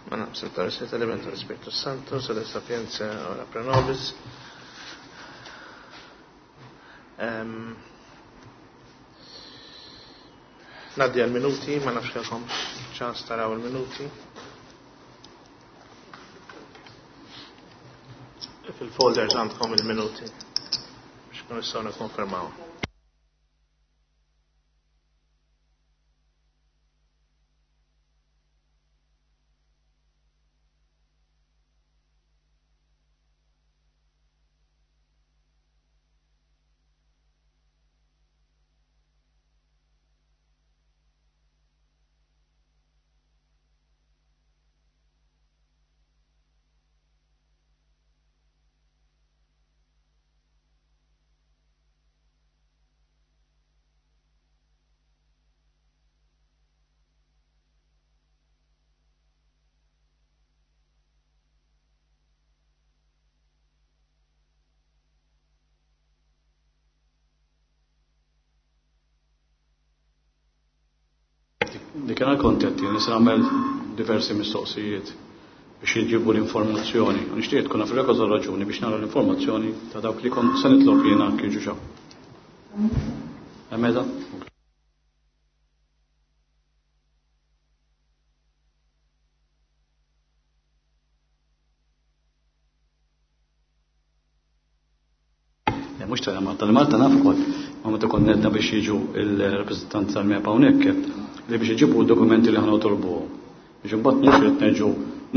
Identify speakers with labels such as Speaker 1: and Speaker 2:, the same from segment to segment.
Speaker 1: Ma nafx tal Spiritu Santo, sede sapienza ora pro nobis. Naddi għal-minuti, ma nafx kelkom ċans taraw il-minuti. Fil-folders għandkom il-minuti biex kun nistgħu nikkonfermaw.
Speaker 2: Dik għal kontenti, nisa nagħmel diversi mistoqsijiet biex jġibu l-informazzjoni. Nixtieq tkun naf il raġuni biex nara l-informazzjoni ta' dawk li kont se nitlob jiena kien ġuġa. Emeda? Mhux tal-Malta, tal-Malta naf ukoll, ma meta kont nedna biex jiġu il-rappreżentanti tal-MEPA hawnhekk li biex iġibu d-dokumenti li ħana tolbuhom. Biex imbagħad mhux qed nerġgħu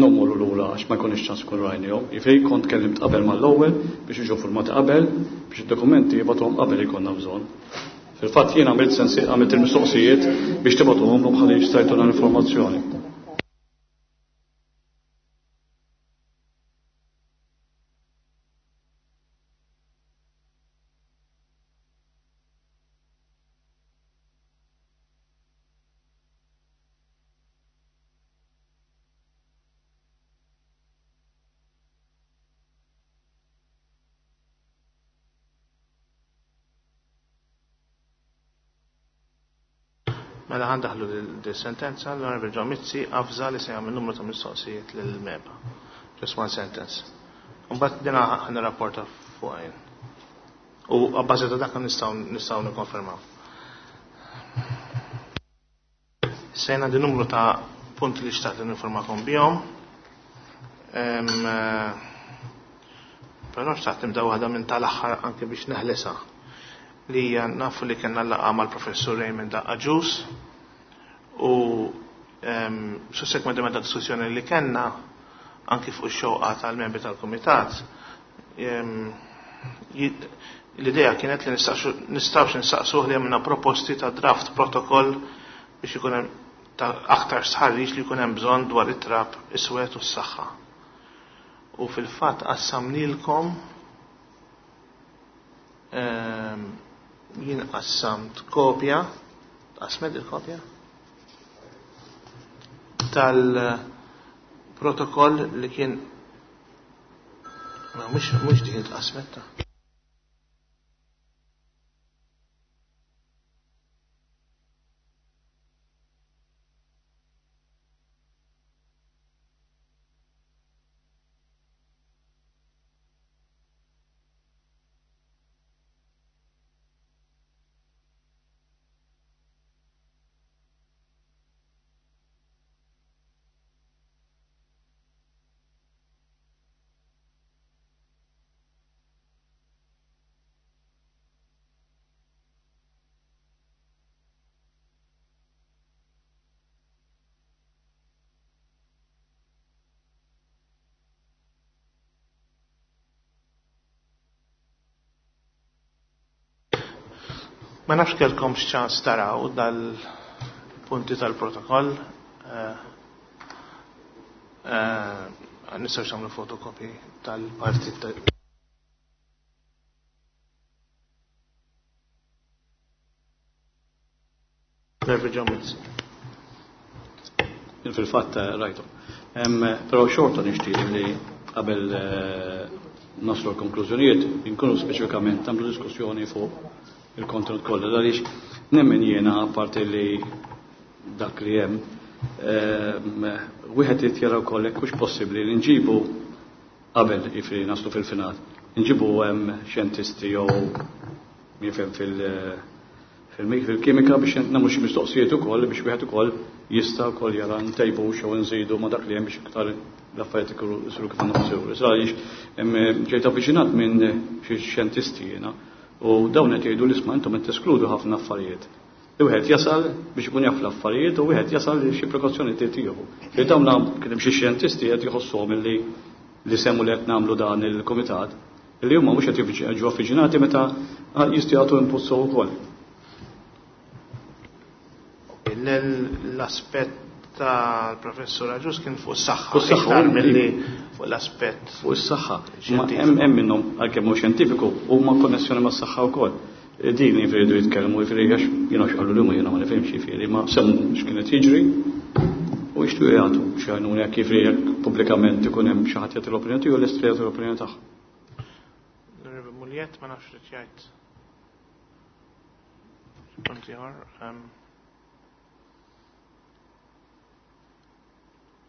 Speaker 2: nommorru lura għax ma jkunx ċans kun rajnihom. Jiġifieri kont kellimt qabel mal-ewwel biex jiġu formati qabel biex id-dokumenti jibgħatuhom qabel jkollna bżonn. Fil-fatt jien għamilt sensi għamilt il-mistoqsijiet biex tibgħatuhom ħalli jistajtuna l-informazzjoni.
Speaker 1: Mela ħandaħlu di sentenza l-Onorevole John Mizzi avża li se jagħmel numru ta' mistoqsijiet lill-MEPA. Just one sentence. Mbagħad dina ħan rapporta fuq għajn. U għabbażi ta' dak nistgħu nikkonfermaw. Sejna di numru ta' punti li xtaqt ninformakom bihom. Però xtaqt nibda waħda minn tal-aħħar anke biex neħlisa li hija nafu li kellna laqgħa mal-professur Raymond Agius u sussekwentement ta' diskussjoni li kellna anki fuq ix-xewqa tal-membri tal-kumitat l-idea kienet li nistgħux nistaqsuh li għamilna proposti ta' draft protokoll biex ikun hemm ta' aktar stħarriġ li jkun hemm bżonn dwar it-trab iswed u s-saħħa. U fil-fatt qassamnilkom jien qassamt kopja, qasmet il-kopja tal-protokoll li kien ma mhux dik tqasmet ta'. Ma nafx kellkom x'ċans taraw dal-punti tal-protokoll. Nistgħu nagħmlu fotokopi tal-parti
Speaker 2: Fil-fatt rajtu. Però xorta nixtieq li qabel naslu l-konklużjonijiet inkunu speċifikament nagħmlu diskussjoni fuq il-kontenut kollha għaliex nemmen jiena apparti li dak li hemm. Wieħed irid jara wkoll jekk hux possibbli li nġibu qabel jiġifieri naslu fil-final, nġibu hemm xjentisti jew min jifhem fil-kimika biex nagħmlu xi mistoqsijiet ukoll biex wieħed ukoll jista' wkoll jara ntejbu jew nżidu ma' dak li hemm biex iktar l-affarijiet ikunu jsiru kif għandhom isiru. Issa għaliex ġejt avviċinat minn xi xjentisti jiena u dawn qed jgħidu li isma' intom qed teskludu ħafna affarijiet. Li wieħed jasal biex ikun jaf l-affarijiet u wieħed jasal li xi prekawzjoni trid tieħu. Li dawn kien hemm xi xjentisti qed jħossuhom illi li semmu li qed nagħmlu dan il-kumitat, li huma mhux qed jiġu avviċinati meta jistgħu jagħtu input sew ukoll.
Speaker 1: L-aspett tal-professur Agius kien fuq is-saħħa.
Speaker 2: Fuq is-saħħa,
Speaker 1: iktar milli fuq l-aspett
Speaker 2: Fuq is-saħħa. Ma hemm minnhom għalkemm mhux xjentifiku huma konnessjoni mas-saħħa wkoll. Din jiġifieri jridu jitkellmu jiġifieri għax jiena x'qalu li huma jiena ma nifhimx jiġifieri ma semmu x'kien qed jiġri u jixtiequ jagħtu xi għajnuna jekk jiġifieri jekk pubblikament ikun hemm xi ħadd jagħti l-opinjoni tiegħu lest li jagħti l-opinjoni tagħha.
Speaker 1: L-Onorevoli Mugliett ma nafx li jgħid. Punt ieħor.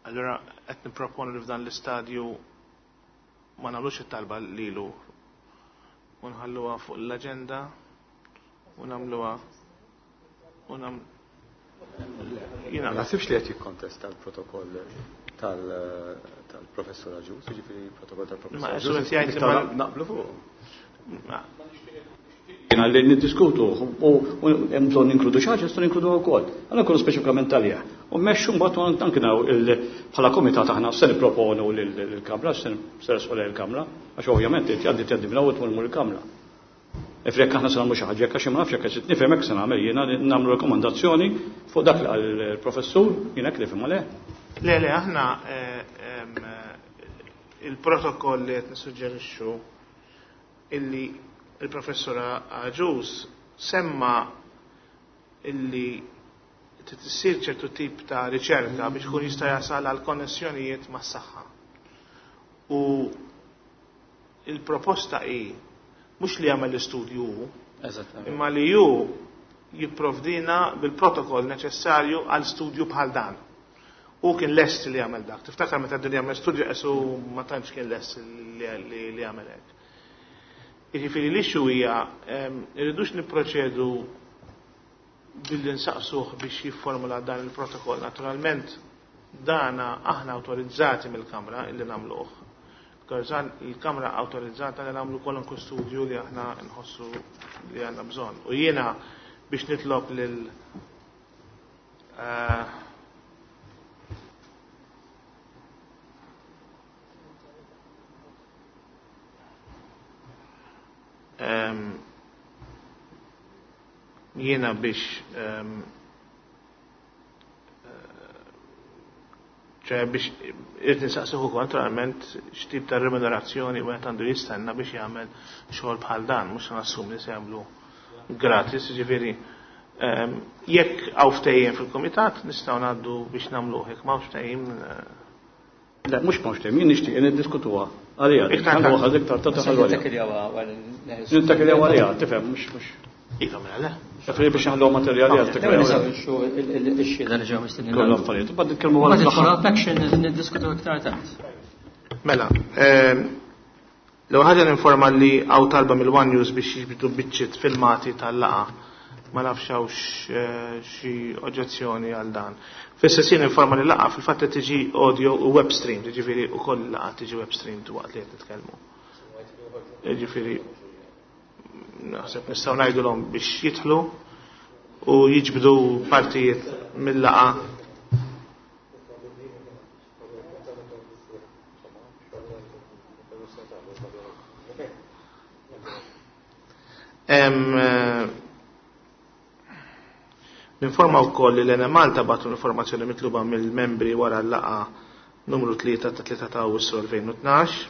Speaker 1: Allura qed nipproponu li f'dan l-istadju ma nagħmlux it-talba lilu u nħalluha fuq l-aġenda u nagħmluha u nam jiena
Speaker 3: Ma naħsibx li qed jikkontesta l-protokoll tal-professur Agius, jiġifieri l-protokoll tal-professur
Speaker 1: Ma,
Speaker 3: Agius.
Speaker 1: qed jgħid li
Speaker 3: Nistgħu
Speaker 1: ma-
Speaker 3: naqblu fuq.
Speaker 1: Ma-
Speaker 2: Jiena li niddiskutu u hemm bżonn ninkludu xi ħaġa nistgħu ninkludu wkoll. Għandna nkunu speċifikament għalih. U mmexxu mbagħad anke naw bħala komitat aħna se nipproponu lill-Kamra, se nresqu lejn il-Kamra, għax ovvjament irid jgħaddi tgħaddi minn hawn tmur il-Kamra. Ifri jekk aħna se nagħmlu xi ħaġa, jekk għax ma nafx jekk qed nifhem hekk se nagħmel jiena nagħmlu rekomandazzjoni fuq dak li qal il-professur, jien hekk nifhem le.
Speaker 1: Le, le, aħna il-protokoll li qed nissuġġerixxu illi il-professur Agius semma illi trid issir ċertu tip ta' riċerka biex kun jista' jasal għal konnessjonijiet mas-saħħa. U il-proposta hi mhux li jagħmel l-istudju hu, imma li hu jipprovdina bil-protokoll neċessarju għal studju bħal dan. U kien lest li jagħmel dak. Tiftakar meta din jagħmel studju qesu ma tantx kien lest li jagħmel hekk. Jiġifieri l-issue hija irridux nipproċedu billi nsaqsuh biex jifformula dan il-protokoll. Naturalment dana aħna awtorizzati mill-Kamra illi nagħmluh. Il-Kamra awtorizzata li nagħmlu kwalunkwe studju li aħna nħossu li għandna bżonn. U jiena biex nitlob lil jiena biex ċe biex irrid nistaqsih ukoll naturalment x'tip ta' remunerazzjoni wieħed għandu jistenna biex jagħmel xogħol bħal dan, mhux nassum li se jagħmlu gratis, jiġifieri jekk hawn ftehim fil-kumitat nistgħu ngħaddu biex nagħmluh, jekk m'hawnx ftehim,
Speaker 2: Le, mhux m'hawnx ftehim, jien nixtieq niddiskutuha għalija.
Speaker 1: Iktar
Speaker 2: Għandu
Speaker 1: tard.
Speaker 2: waħda iktar tard taħallu għalija. Nittakiljaw għalija, tifhem, mhux mhux.
Speaker 1: Iva, mela le.
Speaker 2: Ġifieri biex naħlu materjali għal
Speaker 1: Ok.
Speaker 2: tikkeljaw għalija.
Speaker 4: Ix-xhieda li ġew mistednin.
Speaker 2: Kollu affarijiet, u bad nitkellmu
Speaker 4: Mbagħad
Speaker 2: għal
Speaker 4: il-follow-up action niddiskutu iktar tard.
Speaker 1: Mela, l-ewwel ħaġa ninforma li hawn talba mill-One News biex jiġbdu biċċiet filmati tal-laqgħa. Ma nafx hawnx xi oġġezzjoni għal dan. Fl-istess jien informa li laqgħa fil-fatt qed tiġi audio u web stream, jiġifieri wkoll laqgħa tiġi web stream waqt li qed nitkellmu. Jiġifieri naħseb nistgħu ngħidulhom biex jidħlu u jiġbdu partijiet mill-laqgħa. Ninforma wkoll li l-Enemalta bagħtu l-informazzjoni mitluba mill-membri wara l-laqgħa numru 3 ta' 3 ta' Awwissu 2012.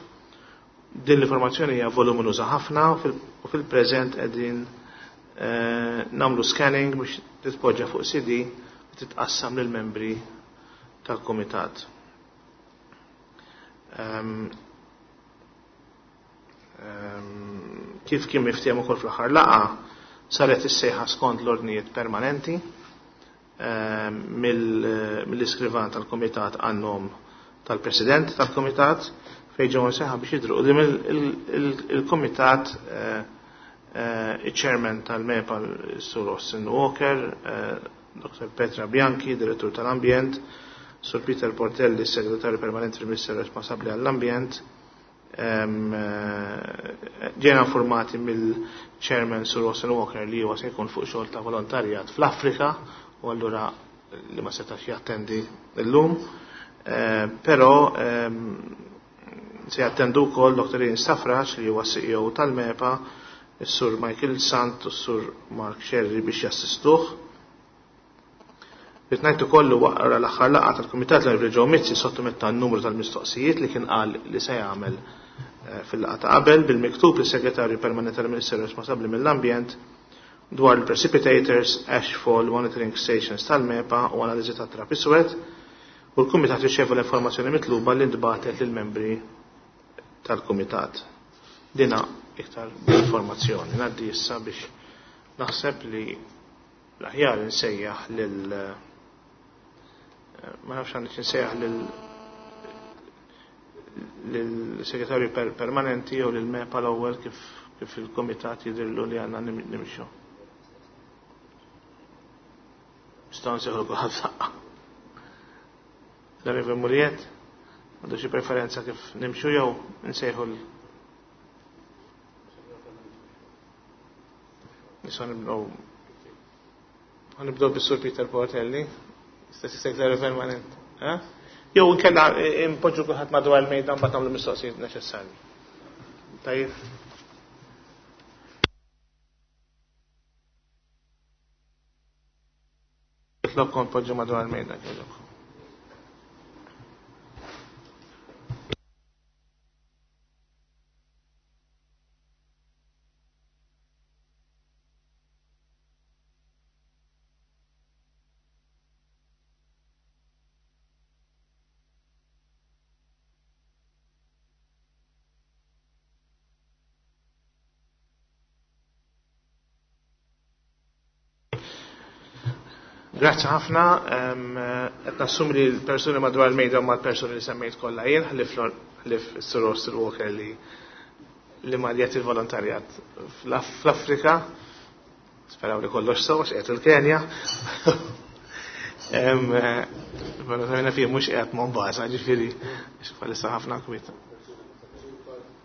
Speaker 1: Din l-informazzjoni hija voluminuża ħafna u fil-preżent qegħdin nagħmlu scanning biex titpoġġa fuq CD u titqassam lill-membri tal-kumitat. Kif kien miftiem ukoll fl-aħħar laqgħa, saret is-sejħa skont l-ordnijiet permanenti. mill-iskrivan tal-Kumitat għan-nom tal-President tal-Kumitat fejn ġew imsejħa biex jidhru quddiem il-Kumitat iċ-Chairman tal-MEPA Sur Austin Walker, Dr. Petra Bianchi, Direttur tal-Ambjent, Sur Peter Portelli, Segretarju Permanenti fil-Ministeru responsabbli għall-Ambjent. Ġejna informati mill-Chairman Sur Austin Walker li huwa se jkun fuq xogħol ta' volontarjat fl-Afrika u allura li ma setax jattendi llum. Però se jattendu wkoll Dr. Ian Stafrace li huwa CEO tal-MEPA, is-Sur Michael Sant u s-Sur Mark Scerri biex jassistuh. Rrid ngħid ukoll wara l-aħħar laqgħa tal-Kumitat l-Onorevoli Joe Mizzi sottometta n-numru tal-mistoqsijiet li kien qal li se jagħmel fil-laqgħa ta' qabel bil-miktub lis-Segretarju Permanenti tal-Ministeru responsabbli mill-Ambjent dwar il-precipitators, ashfall, monitoring stations tal-MEPA u analiżi ta' trab iswed, u l-Kumitat riċeva l-informazzjoni mitluba li ntbagħtet lill-membri tal-Kumitat. Dina iktar informazzjoni. Ngħaddi issa biex naħseb li l-aħjar insejjaħ lil ma nafx għandix insejjaħ lil-segretarju permanenti jew lil MEPA l-ewwel kif il-Kumitat jidhirlu li għandna nimxu. Nistgħu nsejħu kulħadd f'daqqa. L-Onorevoli Muriet, għandu xi preferenza kif nimxu jew nsejħu l Nistgħu nibdew. Nibdew bis-Sur Peter Portelli, stess segretarju permanent. Jew inkella impoġġu kulħadd madwar il-mejda mbagħad nagħmlu mistoqsijiet neċessarji. Tajjeb. Nitlobkom poġġu madwar il-mejda kieġobkom. Grazzi ħafna, qed nassumi li l-persuni madwar il-mejda huma l-persuni li semmejt kollha jien, ħlief is-Sur Austin Walker li marjet il-volontarjat fl-Afrika. Speraw li kollox sew għax qiegħed il-Kenja. Volontarjat fih mhux qiegħed Mombasa, ġifieri bħalissa ħafna kwiet.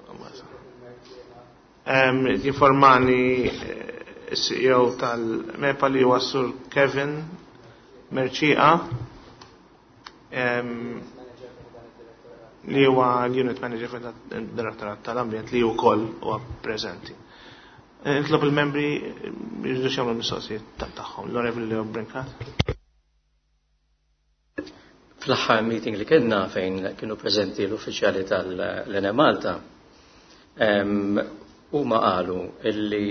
Speaker 1: Mombasa. Jinformani CEO tal-MEPA li huwa Sur Kevin Mercieca, li huwa l-Unit Manager fid-Direttorat tal-Ambjent li wkoll huwa preżenti. Nitlob il-membri jridu jagħmlu mistoqsijiet tagħhom. L-Onorevoli Leo Brincat.
Speaker 4: Fl-aħħar meeting li kellna fejn kienu preżenti l-uffiċjali tal-Enemalta, huma qalu illi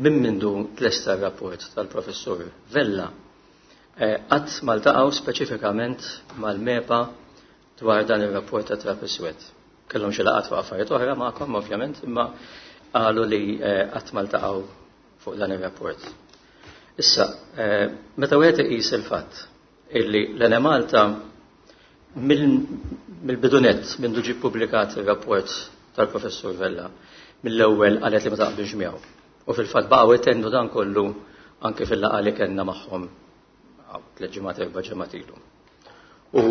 Speaker 4: minn mindu tlesta r-rapport tal-Professur Vella qatt ma ltaqgħu speċifikament mal-MEPA dwar dan ir-rapport ta' trab iswed. Kellhom xi laqgħat fuq affarijiet oħra magħkom ovvjament, imma qalu li qatt ma ltaqgħu fuq dan ir-rapport. Issa, meta wieħed iqis il-fatt illi l-Enemalta mill-bidunet minn ġie ppubblikat ir-rapport tal-Professur Vella, mill-ewwel qalet li ma taqbilx miegħu. U fil-fatt baqgħu jtennu dan kollu anke fil-laqgħa li kellna magħhom 3 ġimgħat 4 ġimgħat ilu. U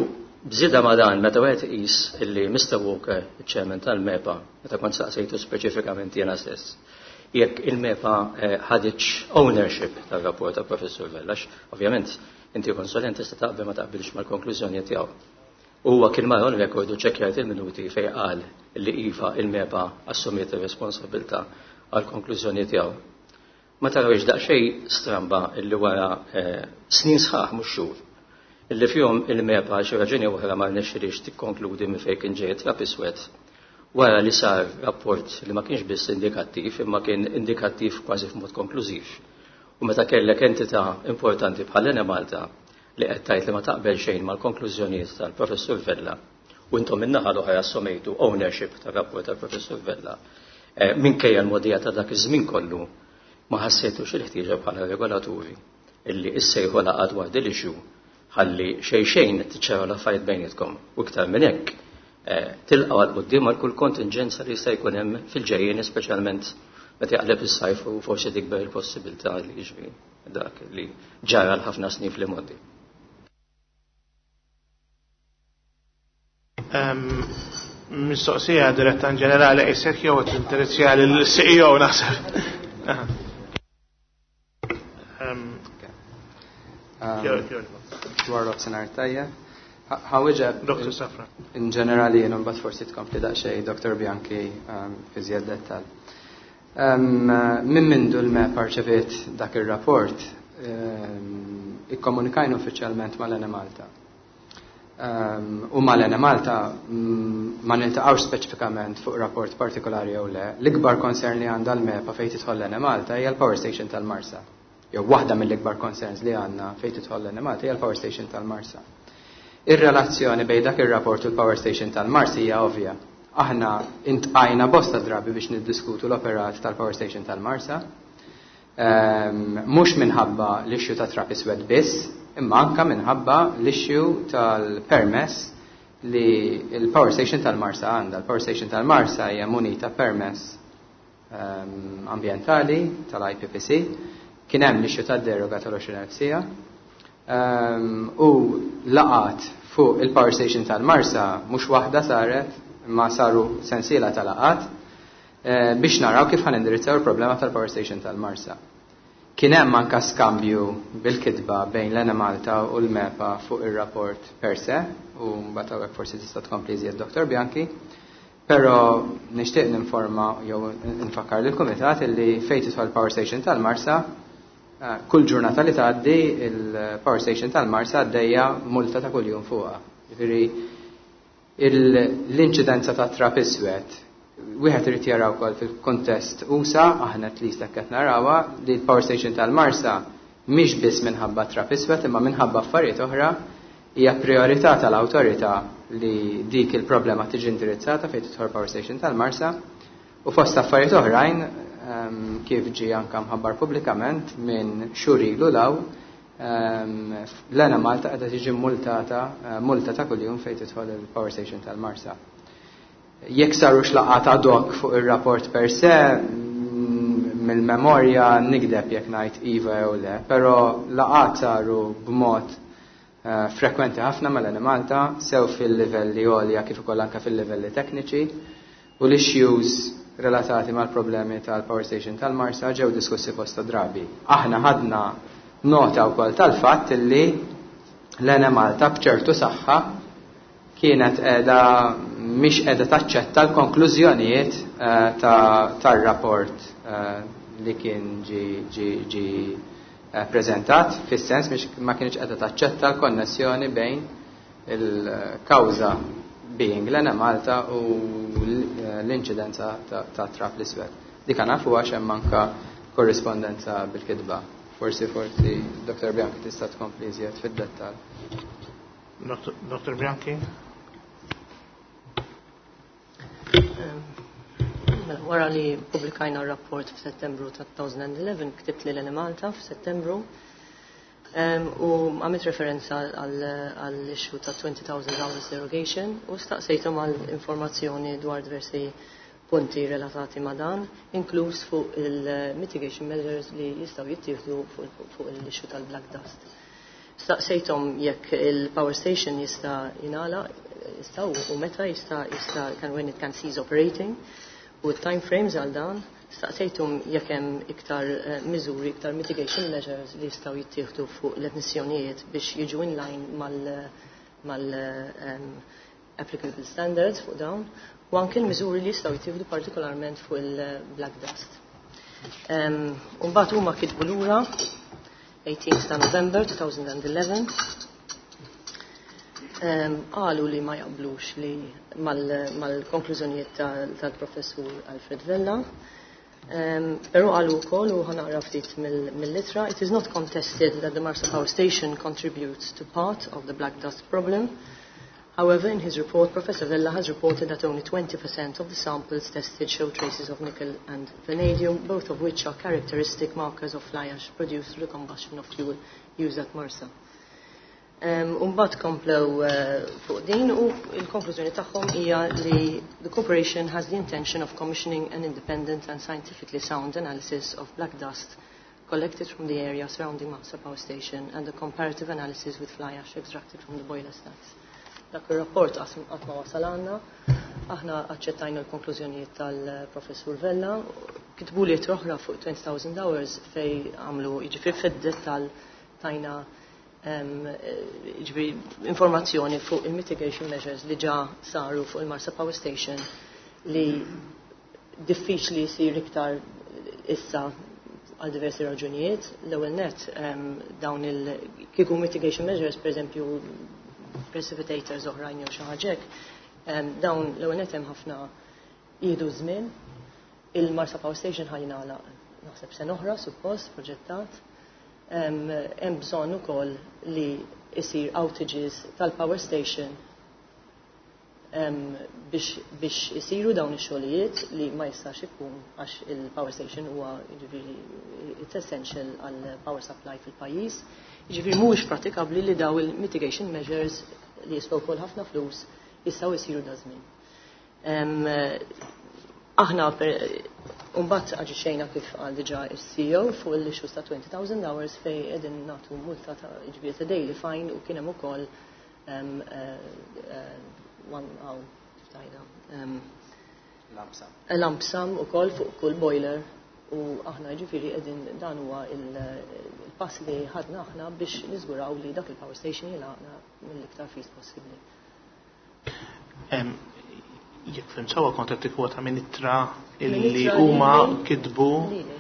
Speaker 4: bżida ma dan meta wieħed iqis illi Mr. Walker, iċ-chairman tal-MEPA, meta kont saqsejtu speċifikament jiena stess, jekk il-MEPA ħaditx ownership tar-rapport ta' Professur Vella, għax ovvjament inti konsulent tista' taqbel ma taqbilx mal-konklużjoni tiegħu. Huwa kien mar on record u ċekkjajt il-minuti fejn qal li iva il-MEPA assumiet ir-responsabilità għall-konklużjoni tiegħu. Ma tarawx daqsxejn stramba illi wara snin sħaħ mhux xhur illi fihom il-MEPA xi raġuni oħra ma rnexxilix tikkonkludi minn fejn kien ġej trab iswed. Wara li sar rapport li ma kienx biss indikattiv imma kien indikattiv kważi f'mod konklużiv. U meta kellek entità importanti bħal Enemalta li qed tgħid li ma taqbel xejn mal-konklużjonijiet tal-Professur Vella u intom min-naħa l-oħra assumejtu ownership tar-rapport tal-Professur Vella, minkejja l-mogħdija ta' dak iż-żmien kollu ma ħassejtux il-ħtieġa bħala regolaturi illi issejħu laqgħa dwar din l-issue ħalli xejn xejn tiċċaraw l-affarijiet bejnietkom u iktar minn hekk tilqgħu għal quddiem għal kull kontinġenza li jista' jkun hemm fil-ġejjien, speċjalment meta jaqleb is-sajf u forsi tikber il-possibilità li jiġri dak li ġara l-ħafna snin fl-imgħoddi.
Speaker 1: Mistoqsija diretta in ġenerali qisek jew tinteressja lill-CEO naħseb.
Speaker 3: Dwar nofsinhar tajjeb. Ħa nwieġeb
Speaker 1: Dr. Safra.
Speaker 3: In ġenerali jien, mbagħad forsi tkompli daqsxejn Dr. Bianchi fi żjed dettal. Minn mindu l-MEPA rċeviet dak ir-rapport, ikkomunikajna uffiċjalment mal-Enemalta. U mal-Enemalta ma niltaqgħux speċifikament fuq rapport partikolari jew le. L-ikbar concern li għandha l-MEPA fejn tidħol l-Enemalta hija l-Power Station tal-Marsa. Jew waħda mill-ikbar concerns li għandna fejn tidħol l-Enemalta hija l-Power Station tal-Marsa. Ir-relazzjoni bejn dak ir-rapport u l-Power Station tal-Marsa hija ovvja. Aħna iltqajna bosta drabi biex niddiskutu l-operat tal-Power Station tal-Marsa. Mhux minħabba l-issue ta' trap iswed biss, imma anka minħabba l-issue tal-permess li l-Power Station tal-Marsa għandha. Il-Power Station tal-Marsa hija munita permess ambientali tal-IPPC. Kien hemm l-issue tad-deroga tal-20,000 siegħa. U laqgħat fuq il-Power Station tal-Marsa mhux waħda saret, imma saru sensiela ta' laqgħat biex naraw kif ħa nindirizzaw il-problema tal-Power Station tal-Marsa. Kien hemm anka skambju bil-kitba bejn l-Enemalta u l-MEPA fuq ir-rapport per se, u mbagħad hawnhekk forsi tista' tkompli iżjed Dr. Bianchi, però nixtieq ninforma jew nfakkar lill-kumitat illi fejn tidħol Power Station tal-Marsa, kull ġurnata li tgħaddi il-Power Station tal-Marsa għaddejja multa ta' kuljum fuqha. Jiġifieri l-inċidenza ta' trap iswed wieħed irid jara wkoll fil-kontest usa', aħna at least hekk qed narawha, li l-Power Station tal-Marsa mhix biss minħabba trap iswed imma minħabba affarijiet oħra hija priorità tal-awtorità li dik il-problema tiġi indirizzata fejn tidħol Power Station tal-Marsa, u fost affarijiet oħrajn, kif ġie anka mħabbar pubblikament minn xhur ilu law, l-Enemalta qiegħda tiġi multata, multa ta' kuljum fejn tidħol il-Power Station tal-Marsa. Jekk sarux laqgħat ad hoc fuq ir-rapport per se, mill-memorja nigdeb jekk ngħid iva jew le, però laqgħat saru b'mod frekwenti ħafna mal-Enemalta, sew fil-livelli għolja kif ukoll anke fil-livelli tekniċi, u l-issues relatati mal-problemi tal-Power Station tal-Marsa ġew diskussi bosta drabi. Aħna ħadna nota wkoll tal-fatt illi l-Enemalta b'ċertu saħħa kienet qiegħda mhix qiegħda taċċetta l-konklużjonijiet tar-rapport li kien ġi preżentat, fis-sens mhix ma kienx qiegħda taċċetta l-konnessjoni bejn il-kawża being l-Enemalta u l-inċidenza ta' trap l-iswed. Dik nafu għax hemm anka korrispondenza bil-kitba. Forsi Dr. Bianchi tista' tkompli iżjed fid-dettall.
Speaker 1: Dr. Bianchi?
Speaker 5: Mela, wara li publikajna r-rapport f'Settembru ta' 2011, ktibt lil Enemalta f'Settembru u għamilt referenza għall-issue ta' 20,000 hours derogation u staqsejthom għal informazzjoni dwar diversi punti relatati ma' dan, inkluż fuq il-mitigation measures li jistgħu jittieħdu fuq l-issue tal-black dust. Staqsejthom jekk il-power station jista' jingħalaq, jista' u meta jista' can when it can cease operating, u time frames għal dan. Staqsejthom jekk hemm iktar miżuri, iktar mitigation measures li jistgħu jittieħdu fuq l-emissjonijiet biex jiġu in line mal applicable standards fuq dawn, u anke l-miżuri li jistgħu jittieħdu partikolarment fuq il-black dust. Mbagħad huma kitbu lura 18 ta' November 2011. Qalu li ma jaqblux li mal-konklużjonijiet tal-professur Alfred Vella. Però qalu wkoll, u ħa naqra ftit mill-ittra, "It is not contested that the Marsa Power Station contributes to part of the black dust problem." However, in his report, Professor Vella has reported that only 20% of the samples tested show traces of nickel and vanadium, both of which are characteristic markers of fly ash produced through the combustion of fuel used at Marsa. Umbagħad komplew fuq din u il-konklużjoni tagħhom hija li the corporation has the intention of commissioning an independent and scientifically sound analysis of black dust collected from the area surrounding Marsa Power Station and a comparative analysis with fly ash extracted from the boiler stacks. Dak ir-rapport qatt ma wasal għandna. Aħna aċċettajna l-konklużjonijiet tal-Professur Vella. Kitbu li oħra fuq 20,000 hours fej għamlu, jiġifieri, fid-dettall tajna jiġifieri, informazzjoni fuq il-mitigation measures li ġa saru fuq il-Marsa Power Station li diffiċli jsir iktar issa għal diversi raġunijiet. L-ewwel net, dawn il kieku mitigation measures, per eżempju precipitators oħrajn jew xi ħaġa hekk, dawn l-ewwel net hemm ħafna jieħdu żmien. Il-Marsa Power Station ħa jingħalaq naħseb sena oħra suppost proġettat. Hemm bżonn ukoll li isir outages tal-power station biex isiru dawn ix-xogħlijiet li ma jistax ikun għax il-power station huwa, jiġifieri, it's essential għal power supply fil-pajjiż. Jiġifieri mhuwiex prattikabbli li daw il-mitigation measures li jiswew wkoll ħafna flus jistgħu jsiru da żmien. Aħna mbagħad aġixxejna kif qal diġà is-CEO fuq l-issues ta' 20,000 hours fej qegħdin nagħtu multa ta', jiġifieri, ta' daily fine u kien hemm ukoll one aw kif tgħidha
Speaker 3: Lump sum.
Speaker 5: Lump sum ukoll fuq kull boiler u aħna, ġifieri, qegħdin dan huwa il-pass li ħadna aħna biex niżguraw li dak il-power station jingħalaq mill-iktar fis possibbli.
Speaker 1: Jekk fhimt sewwa, kont qed tikkwota minn ittra illi
Speaker 5: Minn ittra
Speaker 1: huma
Speaker 5: lili.
Speaker 1: kitbu
Speaker 5: Lili.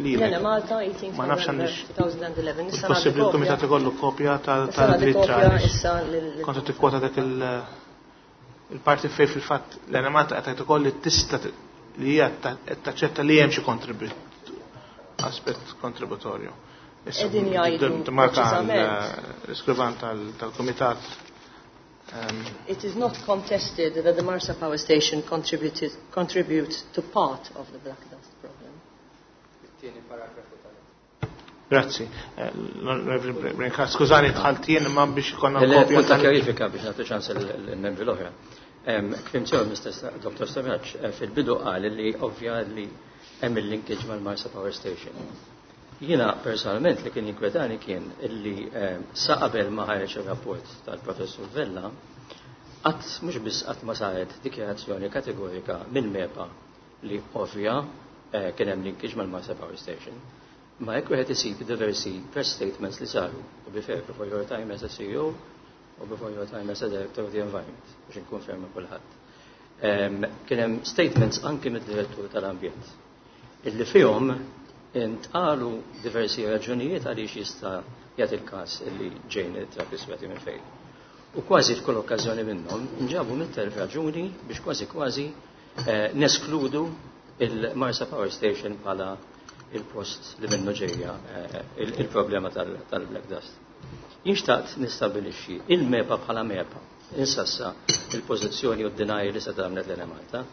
Speaker 1: lilek.
Speaker 5: Lena Malta, 18
Speaker 1: Ma nafx
Speaker 5: November
Speaker 1: għandix
Speaker 5: 2011. Issa
Speaker 1: possibbli
Speaker 5: nagħti
Speaker 1: l-kumitat
Speaker 5: kopja.
Speaker 1: ikollu kopja
Speaker 5: Issa nagħti
Speaker 1: tal-ittra
Speaker 5: kopja
Speaker 1: għaliex
Speaker 5: issa
Speaker 1: kont qed tikkwota dak il-parti fej fil-fatt l-Enemalta qed ukoll li tista' li hija qed taċċetta li hemm xi kontribut, aspett kontributorju. Issa,
Speaker 5: Qegħdin jgħidu
Speaker 1: marka
Speaker 5: preċiżament.
Speaker 1: l-iskrivan tal-kumitat.
Speaker 5: It is not contested that the Marsa Power Station contributes to part of the black dust problem.
Speaker 3: It-tieni paragrafu tal
Speaker 1: Grazzi. L-Onorevoli Brincat, skużani dħalt jien imma biex ikollna kopja
Speaker 4: Punta kjarifika biex nagħti ċans il-membri l-oħra. Kif sew Mr. Dr. Stamaċ fil-bidu qal li ovvja li hemm il-linkage mal-Marsa Power Station. Jiena personalment li kien jinkwetani kien illi sa qabel ma ħareġ ir-rapport tal-Professur Vella, qatt mhux biss qatt ma saret dikjarazzjoni kategorika minn MEPA li ovvja kien hemm linkage mal-Marsa Power Station. Ma jekk wieħed isib diversi press statements li saru, to be fair, before your time as a CEO u before your time as a Director of the Environment, biex nkonferma kulħadd. Kien hemm statements anki mid-Direttur tal-Ambjent illi fihom intqalu diversi raġunijiet għaliex jista' jagħti il-każ illi ġejn it-trab iswed minn fejn. U kważi f'kull okkażjoni minnhom nġabu 100,000 raġuni biex kważi kważi neskludu il-Marsa Power Station bħala il-post li minnu ġejja il-problema tal-black dust. Jien xtaqt nistabilixxi il-MEPA bħala MEPA, insassa il-pożizzjoni u d-deny li se tagħmlet l Malta,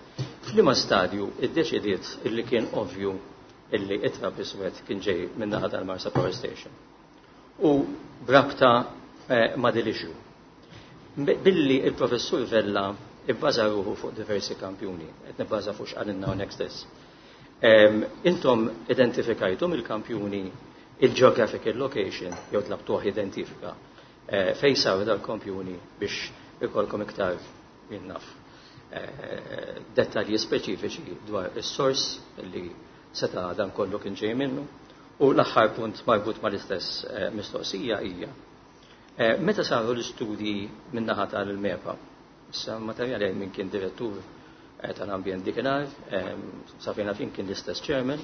Speaker 4: f'liema stadju iddeċidiet illi kien ovvju illi it-trab iswed kien ġej min-naħa tal-Marsa Power Station. U brabta ma' din issue. Billi il-Professur Vella ibbaża ruħu fuq diversi kampjuni, qed nibbaża fuq x'qalilna hawnhekk stess. Intom identifikajtum il-kampjuni, il-geographical location, jew tlabtuh identifika fej saru dal-kampjuni biex ikolkom iktar jien naf dettalji speċifiċi dwar is-sors li seta' dan kollu kien ġej minnu? U l-aħħar punt marbut mal-istess mistoqsija hija: meta saru l-istudji min-naħa tal-MEPA, issa materjali minn kien direttur tal-ambjent dikinhar, sa fejn fin kien l-istess chairman,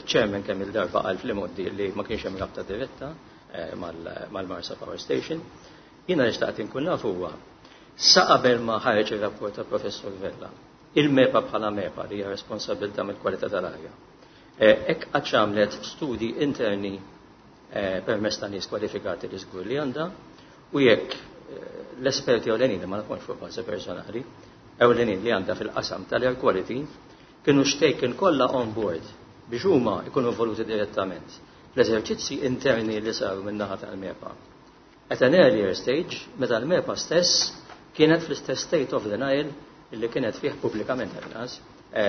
Speaker 4: chairman kemm il-darba qal fl-imoddi li ma kienx hemm rabta diretta mal-Marsa Power Station. Jiena li xtaqt inkun naf huwa, sa qabel ma ħareġ ir-rapport ta' Professor Vella, il-MEPA bħala MEPA li hija responsabilità mill-kwalità tal-arja, hekk qatt għamlet studi interni permezz ta' nies kwalifikati li żgur li għandha, u jekk l-esperti ewlenin, ma nkunx fuq bażi personali, ewlenin li għandha fil-qasam tal-air quality, kienu taken kollha on board biex huma jkunu involuti direttament l-eżerċizzi interni li saru min-naħa tal-MEPA. At an earlier stage, meta l-MEPA stess kienet fl-istess state of denial li kienet fih pubblikament għal-nas,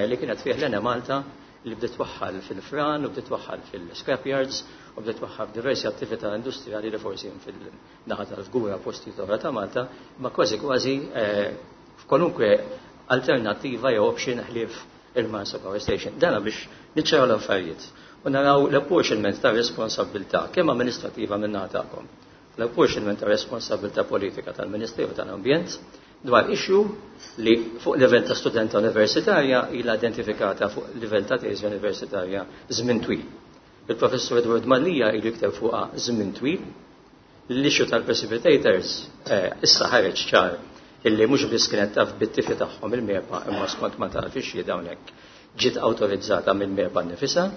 Speaker 4: li kienet fih l-Enemalta, li bdiet twaħħal fil-fran u bdiet twaħħal fil-scrapyards u bdiet twaħħal f'diversi attività industrijali li forsi fil-naħa tal-Fgura, posti oħra ta' Malta, ma kważi kważi f'kwalunkwe alternattiva jew option ħlief il-Marsa Power Station. Dana biex niċċaraw l-affarijiet u naraw l-apportionment ta' responsabilità kemm amministrativa minn tagħkom, l-apportionment ta' responsabilità politika tal-Ministeru tal-Ambjent dwar issue li fuq livell ta' studenta universitarja ilha identifikata fuq livell ta' teżi universitarja żmien twil. Il-professur Edward Mallia ilu jikteb fuqha żmien twil. L-issue tal-precipitators issa ħareġ ċar illi mhux biss kienet taf bit-tifi tagħhom il-MEPA, imma skont ma taf ix hawnhekk ġiet awtorizzata mill-MEPA nnifisha.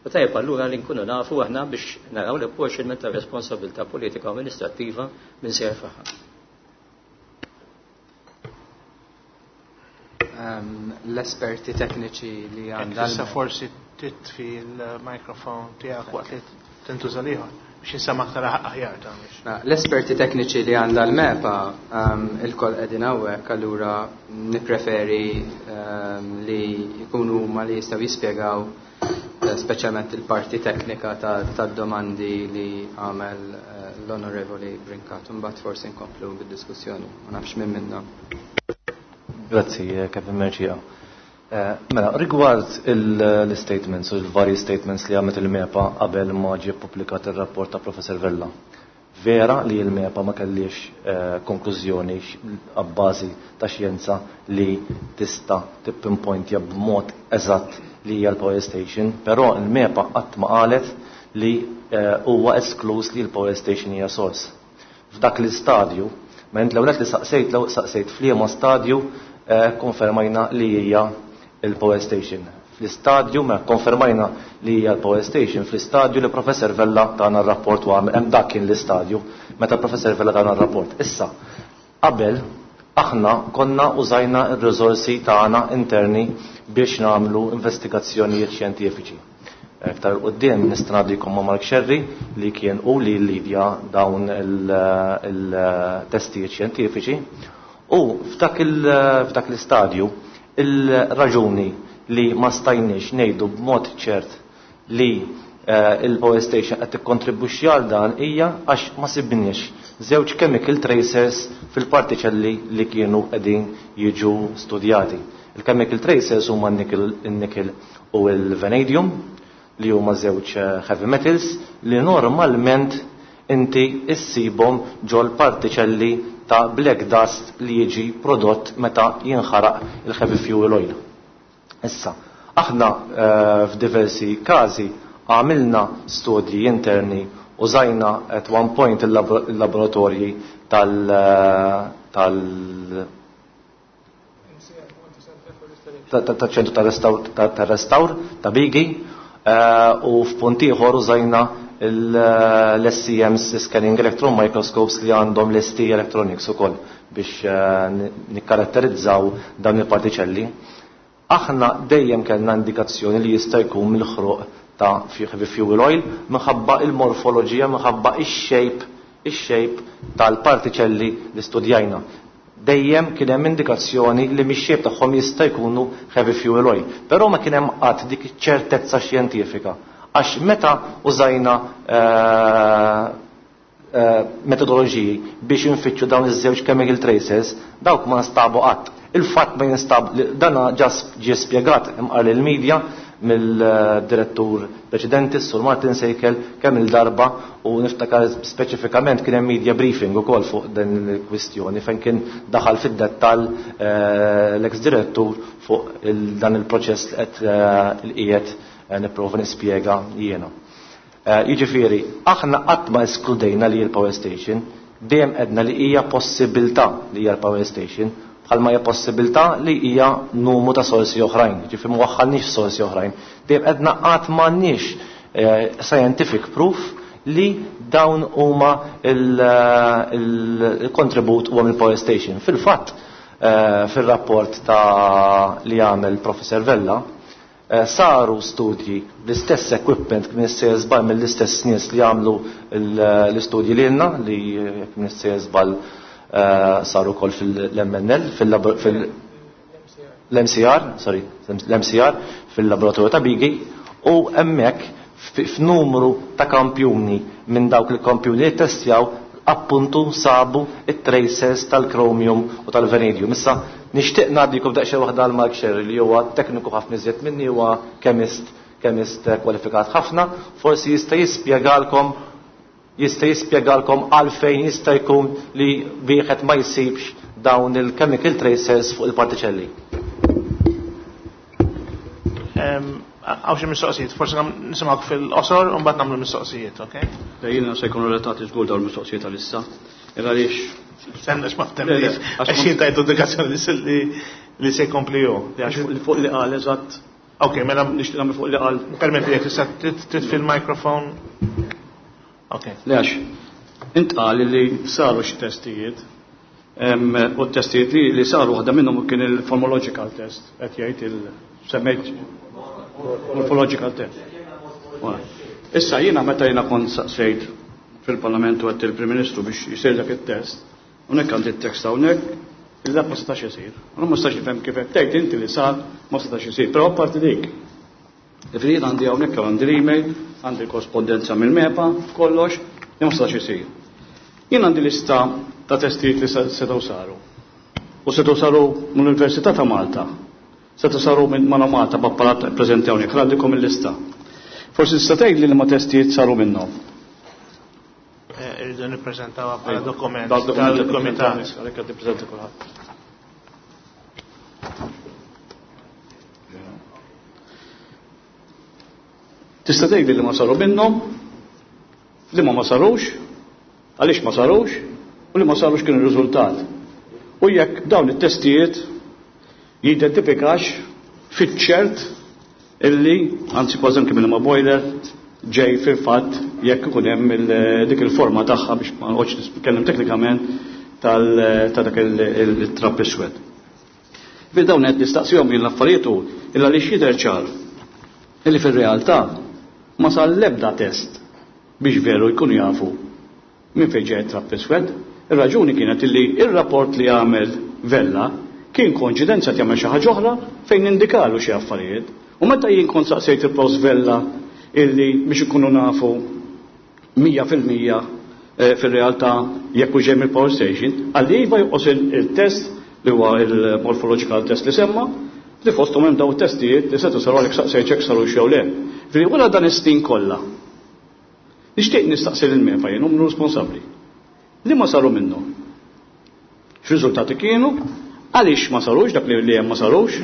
Speaker 4: U tajjeb allura li nkunu nafu aħna biex naraw l-apportionment ta' responsabilità politika u amministrattiva minn se jerfagħha.
Speaker 3: L-esperti tekniċi li għandha.
Speaker 1: Issa forsi titfi l-mikrofon tiegħek waqt li tintuża l-ieħor biex jinsema' aktar aħjar ta' biex.
Speaker 3: L-esperti tekniċi li għandha l-MEPA il-koll qegħdin hawnhekk, allura nippreferi li jkunu huma li jistgħu jispjegaw speċjalment il-parti teknika tad-domandi li għamel l-Onorevoli Brincat. Mbagħad forsi nkomplu bid-diskussjoni, ma nafx minn minna.
Speaker 6: Grazzi, Kevin Mercieca. Mela, rigward l-statements u l-vari statements li għamlet il-MEPA qabel ma ġie ppubblikat ir-rapport ta' Professor Vella. Vera li l-MEPA ma kellix konklużjoni għabbażi ta' xjenza li tista' tippinpointja b'mod eżatt li hija l-power station, però l-MEPA qatt ma qalet li huwa esklus li l-power station hija source. F'dak l-istadju, ma int l-ewwel li saqsejt, l saqsejt f'liema stadju konfermajna li hija il-power station. Fl-istadju, ma konfermajna li hija l-power station, fl-istadju li Professor Vella tana r-rapport u għamel, hemm dak kien l-istadju meta Professor Vella tana r-rapport. Issa, qabel aħna konna użajna r-riżorsi tagħna interni biex nagħmlu investigazzjonijiet xjentifiċi. Iktar quddiem nista' ngħaddikom ma' Mark Sherry li kien u li llidja dawn il-testijiet xjentifiċi. U f'dak l-istadju il-raġuni li ma stajniex ngħidu b'mod ċert li il-power station qed tikkontribwixxi għal dan hija għax ma sibniex żewġ chemical tracers fil-partiċelli li kienu qegħdin jiġu studjati. Il-chemical tracers huma n-nickel u l-vanadium, li huma żewġ heavy metals li normalment inti issibhom ġol partiċelli ta' black dust li jiġi prodott meta jinħaraq il-heavy fuel oil. Issa, aħna f'diversi każi għamilna studji interni, użajna at one point il-laboratorji tal-ċentru tal-restawr ta' Bigi, u f'punt ieħor użajna l-SEMs, Scanning Electron Microscopes, li għandhom l-ST Electronics ukoll biex nikkaratterizzaw dawn il-partiċelli. Aħna dejjem kellna indikazzjoni li jista' jkun mill-ħruq ta' heavy fuel oil minħabba il-morfoloġija, minħabba ix-shape tal-partiċelli li studjajna. Dejjem kien hemm indikazzjoni li mix-shape tagħhom jista' jkunu heavy fuel oil, però ma kien hemm qatt dik iċ-ċertezza xjentifika. Għax meta użajna metodoloġiji biex infittxu dawn iż-żewġ chemical traces, dawk ma nstabu qatt. Il-fatt ma jinstab, dana ġa ġie spjegat imqar lill-media mill-direttur preċedenti, Sur Martin Sejkel, kemm il-darba, u niftakar speċifikament kien hemm media briefing ukoll fuq din il-kwistjoni fejn kien daħal fid-dettall l-ex-direttur fuq dan il-proċess li qed il-qiegħed nipprova nispjega jiena. Jiġifieri, aħna qatt ma eskludejna li l-power station, dejjem għedna li hija possibilità li hija l-power station, bħalma hija possibilità li hija numru ta' sorsi oħrajn, jiġifieri ma waħħalniex sorsi oħrajn. Dejjem għedna qatt m'għandniex scientific proof li dawn huma il-kontribut huwa mill-power station. Fil-fatt, fil-rapport ta' li għamel Professor Vella, saru studji bl-istess equipment kien issejjer żball mill-istess nies li għamlu l-istudji li għandna li kien issejjer żball saru wkoll fil-MNL fil-MCR, sorry, l-MCR fil-laboratorju ta' Bigi u hemmhekk f'numru ta' kampjuni minn dawk il-kampjuni li testjaw appuntu sabu it-traces tal-chromium u tal-vanadium. Issa nixtieq ngħaddikom daqsxejn waħda għal Mark Sherry li huwa tekniku ħafna iżjed minni, huwa chemist, chemist kwalifikat ħafna, forsi jista' jispjegalkom għalfejn jista' jkun li wieħed ma jsibx dawn il-chemical tracers fuq il-partiċelli.
Speaker 1: Hawn xi mistoqsijiet, forsi nisimgħuk fil-qosor u mbagħad nagħmlu mistoqsijiet, ok?
Speaker 2: Jiena se jkunu relatati żgur dawn il-mistoqsijiet għalissa. Għaliex
Speaker 1: Stenna x'ma ftemniex. Għax jien tajtu indikazzjoni li se jkompli hu.
Speaker 2: Fuq li qal eżatt.
Speaker 1: Ok, mela
Speaker 2: nixtieq nagħmel fuq li qal.
Speaker 1: Permetti jekk tista' titfi l-mikrofon. Ok.
Speaker 2: Le għax intqal li saru xi testijiet. U t-testijiet li saru, waħda minnhom kien il-morphological test, qed jgħid il-semmejt morphological test. Issa jiena meta jiena kont saqsejt fil-Parlament u għedt il-Prim Ministru biex jisir dak it-test, hawnhekk għandi t-tekst hawnhekk, il ma setax isir. U ma setax nifhem kif qed tgħid inti li sar ma setax isir, però apparti dik. Ġifieri għandi hawnhekk, għandi l-email, għandi l-korrespondenza mill-MEPA, kollox, li ma setax isir. Jien għandi lista ta' testijiet li setgħu saru. U setgħu saru mill-Università ta' Malta. Setgħu saru minn Mana Malta b'apparat preżenti hawnhekk, għandikom il-lista. Forsi tista' tgħid li ma testijiet saru minnhom.
Speaker 1: Irridu nippreżentaw bħala dokument tal-komitat.
Speaker 2: Għalhekk qed nippreżenta kulħadd. Tista' tgħid li ma saru minnhom, li ma ma sarux, għaliex ma sarux, u li ma sarux kien ir-riżultat. U jekk dawn it-testijiet jidentifikax fiċ-ċert illi, anzi kważi anke minn ma boiler, ġej fil-fatt jekk ikun hemm dik il-forma tagħha, biex ma noqgħodx nitkellem teknikament, ta' dak il-trap iswed. Fi dawn qed nistaqsihom jien l-affarijiet hu illa li jidher ċar illi fir-realtà ma sar l-ebda test biex veru jkunu jafu minn fejn ġej trap iswed. Ir-raġuni kienet illi ir-rapport li għamel Vella kien koinċidenza jagħmel xi ħaġa oħra fejn indikalu xi affarijiet. U meta jien kont saqsejt il-Prof Vella illi biex ikunu nafu 100% fil-realtà jekk hu ġej mill-power station, għalli iva, jonqos il-test li huwa il-morphological test li semma, li fosthom hemm daw testijiet li setu saru, għalhekk saqsejt jekk saru jew le. Ġifieri wara dan is-snin kollha, nixtieq nistaqsi lil MEPA jien hum responsabbli. Li ma saru minnhom? X'riżultati kienu? Għaliex ma sarux dak li hemm ma sarux?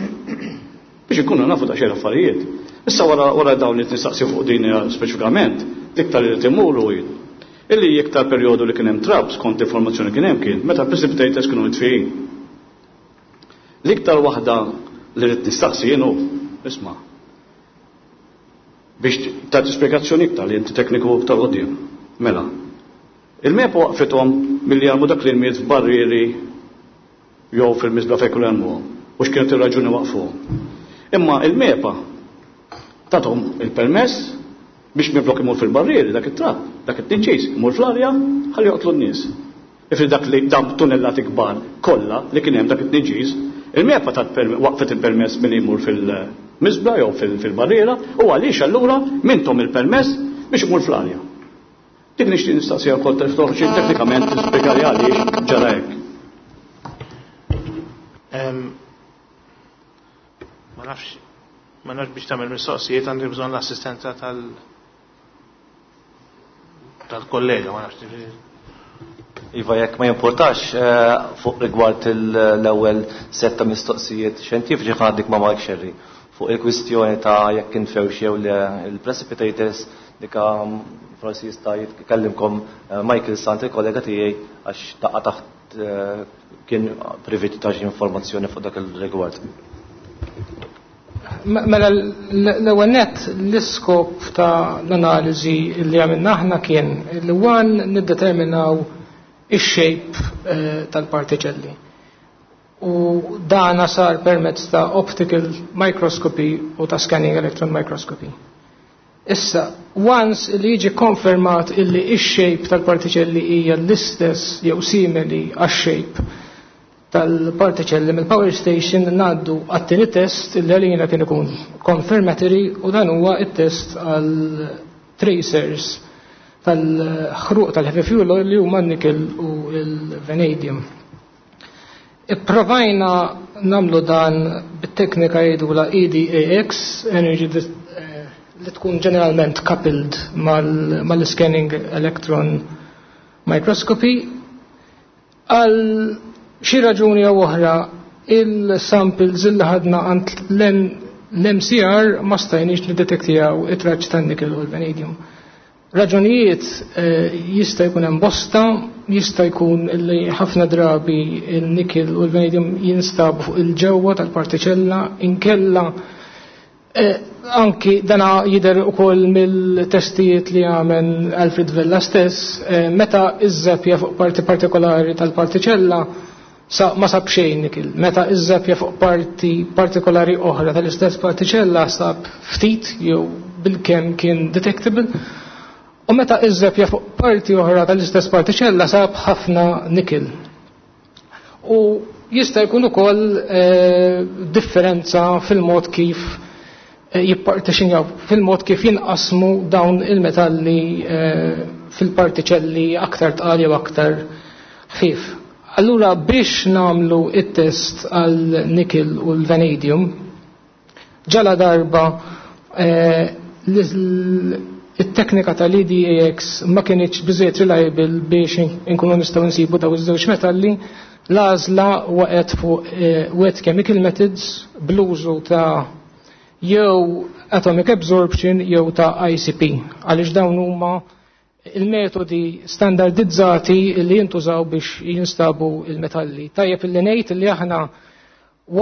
Speaker 2: Biex ikunu nafu ta' xejn affarijiet. Issa wara dawn li nistaqsi fuq din speċifikament, l-iktar li timuru illi iktar perjodu li kien hemm trab skont informazzjoni kien hemm kien meta precipitators kienu mitfijin. L-iktar waħda li rrid nistaqsi jien hu, isma', biex tagħti spjegazzjoni iktar li inti tekniku iktar quddiem. Mela, il-MEPA waqfithom milli jarmu dak l-ilmiet f'barrieri jew fil-miżbla fejn kull jarmuhom. U x'kienet ir-raġuni waqfuhom? Imma il-MEPA tathom il-permess biex minflok imur fil-barrieri dak it-trab, dak it-tniġġis, imur fl-arja ħalli joqtlu n-nies. Ifri dak li dam tunnellati kbar kollha li kien hemm dak it-tniġġis, il-MEPA tat waqfet il-permess milli jmur fil-miżbla jew fil-barriera, u għaliex allura mintom il-permess biex imur fl-arja? Dik nixtieq nistaqsija wkoll toħroġ teknikament tispjegali għaliex ġara hekk.
Speaker 1: Ma nafx biex tagħmel mistoqsijiet għandi bżonn l-assistenza tal-kollega, ma nafx.
Speaker 6: Iva, jekk ma jimportax, fuq rigward l-ewwel set ta' mistoqsijiet xjentifiċi ħa ngħaddik ma' Mark Sherry. Fuq il-kwistjoni ta' jekk infewx jew il-precipitators, dika forsi jista' jitkellimkom Michael Sant, il-kollega tiegħi, għax taqa' taħt kien privit ta' xi informazzjoni fuq dak il-rigward.
Speaker 7: Mela l-ewwel nett l-iskop ta' l-analiżi li għamilna aħna kien li one niddeterminaw ix-shape tal-partiċelli. U dana sar permezz ta' optical microscopy u ta' scanning electron microscopy. Issa, once li jiġi konfermat illi ix-shape tal-partiċelli hija l-istess jew simili għax-shape tal-partiċelli mill-power station, ngħaddu għat-tieni test illi għalina kien ikun confirmatory, u dan huwa it-test għal tracers tal-ħruq tal-heavy fuel oil li huma n-nickel u l-vanadium. Ipprovajna nagħmlu dan bit-teknika jgħidula EDAX, energy li tkun ġeneralment coupled mal-scanning electron microscopy. Għal xi raġuni jew oħra, il-samples il ħadna għand l-MCR ma stajniex niddetektijaw it-traċ tan-nickel u l-vanadium. Raġunijiet jista' jkun hemm bosta, jista' jkun li ħafna drabi il-nickel u l-vanadium jinstabu fuq il-ġewwa tal-partiċella, inkella anki dana jidher ukoll mill-testijiet li għamel Alfred Vella stess, meta iżżeppja fuq parti partikolari tal-partiċella sa ma sab xejn nikil. Meta iżżeppja fuq parti partikolari oħra tal-istess partiċella sab ftit jew bil-kemm kien detectable. U meta iżżeppja fuq parti oħra tal-istess partiċella sab ħafna nikil. U jista' jkun ukoll differenza fil-mod kif jippartixinjaw, fil-mod kif jinqasmu dawn il-metalli fil-partiċelli aktar tqal jew aktar ħfief. Allura biex nagħmlu it-test għal nickel u l-vanadium, ġala darba it-teknika tal-EDAX ma kienx biżejjed reliable biex inkunu nistgħu nsibu daw iż-żewġ metalli, l-għażla waqgħet fuq wet chemical methods bl-użu ta' jew atomic absorption jew ta' ICP, għaliex dawn huma il-metodi standardizzati li jintużaw biex jinstabu il-metalli. Tajjeb illi ngħid li aħna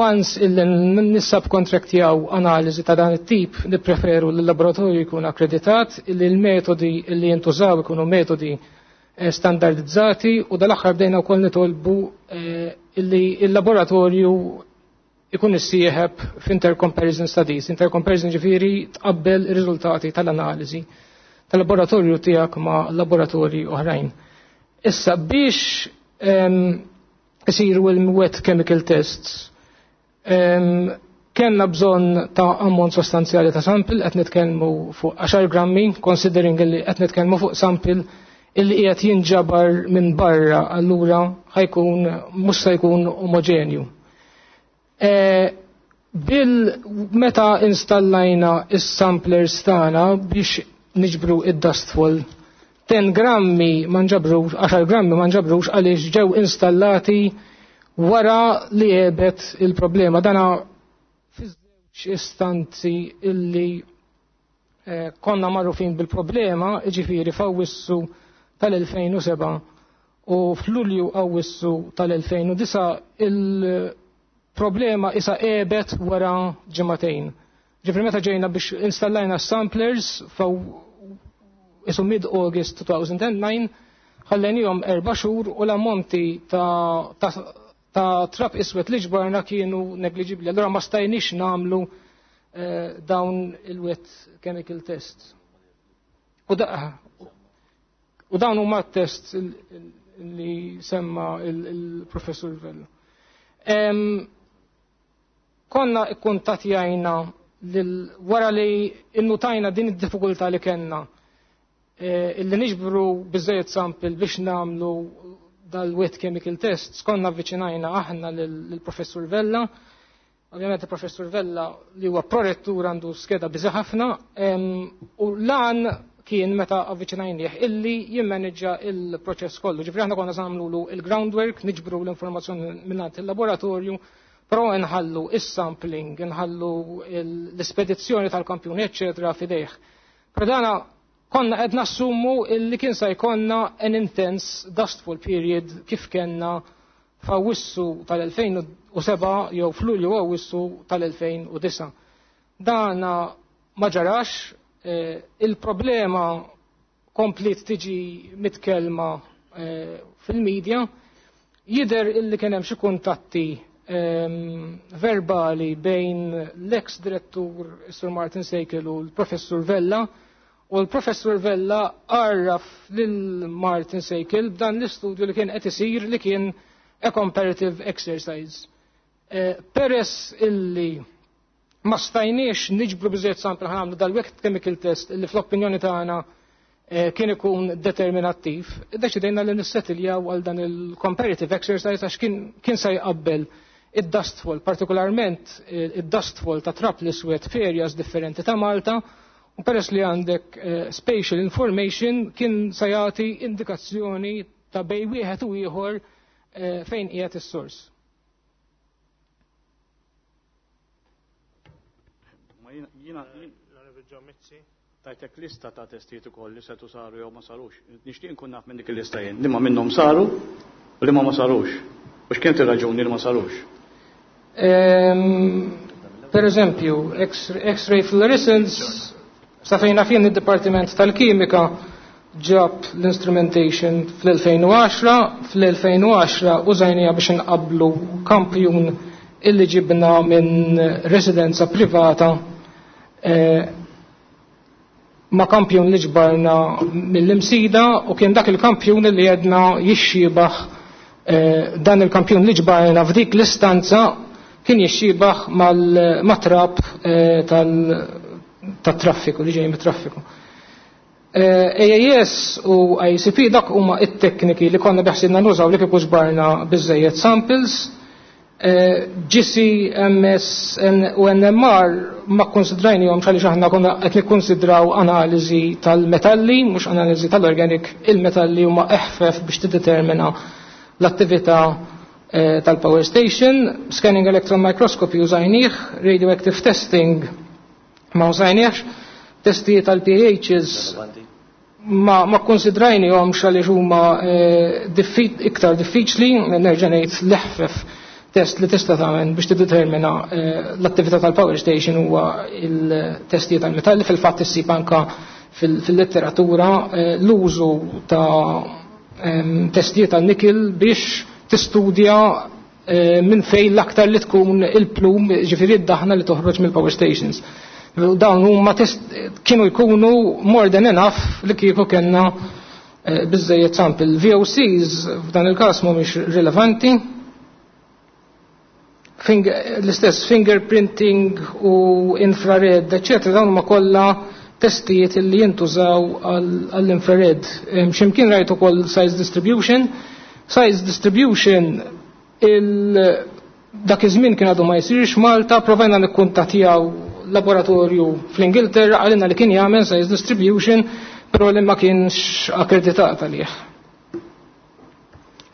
Speaker 7: once illi nissubcontractjaw analiżi ta' dan it-tip, nippreferu li l-laboratorju jkun akkreditat, illi l-metodi li jintużaw ikunu metodi standardizzati, u dal-aħħar bdejna wkoll nitolbu illi il-laboratorju ikun issieħeb f'intercomparison studies. Intercomparison ġifieri tqabbel ir-riżultati tal-analiżi tal-laboratorju tiegħek ma' laboratorji oħrajn. Issa biex isiru il-wet chemical tests, kellna bżonn ta' ammont sostanzjali ta' sample, qed nitkellmu fuq 10 grammi, considering li qed nitkellmu fuq sample illi qiegħed jinġabar minn barra, allura ħajkun mhux se jkun omogenju. Bil meta installajna is-samplers tagħna biex niġbru id-dustfall, 10 grammi ma nġabrux, 10 grammi ma nġabrux għaliex ġew installati wara li għebet il-problema. Dana fiż-żewġ istanzi illi konna magħrufin bil-problema, ġifieri f'Awwissu tal-2007 u f'Lulju Awwissu tal-2009, il-problema isa għebet wara ġimagħtejn. Ġifieri meta ġejna biex installajna samplers faw isu mid-August 2009, ħallenihom 4 xhur u l-ammonti ta' trab iswed li ġbarna kienu negliġibli. Allora ma stajniex nagħmlu dawn il-wet chemical tests. U dawn huma test li semma il-professur Vella. Konna ikkuntatjajna wara li innutajna din id-diffikultà li kellna illi niġbru biżejjed sample biex nagħmlu dal-wet chemical tests, konna avviċinajna aħna lill-professur Vella. Ovvjament il-professur Vella li huwa prorettur għandu skeda busy ħafna, u lan kien meta avviċinajnieh illi jimmanġa il-proċess kollu. Ġifieri aħna konna nagħmlu il-groundwork, niġbru l-informazzjoni minn il-laboratorju, però nħallu is-sampling, nħallu l-ispedizzjoni tal-kampjuni, eccetera, fidejh. Però dana konna qed nassumu illi kien se jkollna an intense dustfall period kif kellna f'Awwissu tal-2007 jew f'Lulju Awwissu tal-2009. Dana ma ġarax, il-problema komplet tiġi mitkelma fil-medja, jidher illi kien hemm xi kuntatti verbali bejn l-ex direttur Sir Martin Seikel u l-Professur Vella, u l-Professur Vella għarraf lil Martin Seikel b'dan l-istudju li kien qed isir li kien a comparative exercise. Peress illi ma stajniex niġbru biżejjed sample ħa nagħmlu dal-wet chemical test illi fl-opinjoni tagħna kien ikun determinattiv, deċidejna li nissettiljaw għal dan il-comparative exercise għax kien se jqabbel id-dustfall, partikolarment id-dustfall ta' trap l-iswed f'areas differenti ta' Malta, u peress li għandek spatial information kien se jagħti indikazzjoni ta' bej wieħed u ieħor fejn qiegħed is-sors.
Speaker 2: Ma jiena tajtek lista ta' testijiet ukoll li setu saru jew ma sarux. Nixtieq nkun naf minn dik il-lista jien, liema minnhom saru u liema ma sarux. U x'kienet ir-raġuni li ma sarux?
Speaker 7: Per eżempju, X-ray fluorescence, sa fejna fien id-Dipartiment tal-Kimika ġab l-instrumentation fl-2010, fl-2010 użajnija biex nqablu kampjun illi ġibna minn residenza privata ma' kampjun li ġbarna mill-Imsida, u kien dak il-kampjun li jedna jixxibaħ dan il-kampjun li ġbarna f'dik l-istanza kien jixxibaħ mal-matrab tat-traffiku li ġej mit-traffiku. AAS u ICP dak huma it-tekniki li konna beħsibna nużaw li kieku ġbarna biżejjed samples. GC, MS u NMR ma konsidrajnihom għaliex aħna konna qed nikkonsidraw analiżi tal-metalli, mhux analiżi tal-organic, il-metalli huma eħfef biex tiddetermina l-attività tal-power station. Scanning electron microscopy użajnieh, radioactive testing ma użajniehx, testijiet tal-pHs ma konsidrajnihom għaliex huma iktar diffiċli, nerġa' ngħid l-eħfef test li tista' tagħmel biex tiddetermina l-attività tal-power station huwa il-testijiet tal-metalli. Fil-fatt issib anka fil-letteratura l-użu ta' testijiet tal-nikil biex tistudja minn fejn l-aktar li tkun il-plum, ġifieri d-daħna li toħroġ mill-power stations. Dawn huma test kienu jkunu more than enough li kieku kellna biżejjed sample. VOCs f'dan il-każ mhumiex rilevanti. L-istess fingerprinting u infrared, eccetera, dawn huma kollha testijiet li jintużaw għall-infrared. X'imkien rajt ukoll size distribution. Size distribution dak iż-żmien kien għadu ma jsirx Malta, provajna nikkuntattjaw laboratorju fl-Ingilterra, għalina li kien jagħmel size distribution, però li ma kienx akkreditat għalih.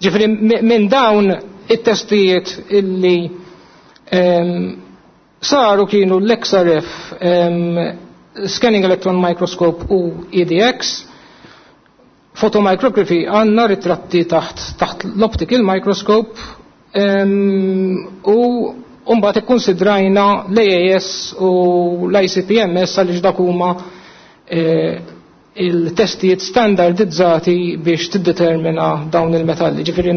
Speaker 7: Ġifieri minn dawn it-testijiet illi saru kienu l-XRF, Scanning Electron Microscope u EDX. Photomicrography għandna ritratti taħt l-optical microscope, u mbagħad ikkonsidrajna l-AAS u l-ICP-MS għaliex dak huma il-testijiet standardizzati biex tiddetermina dawn il-metalli. Ġifieri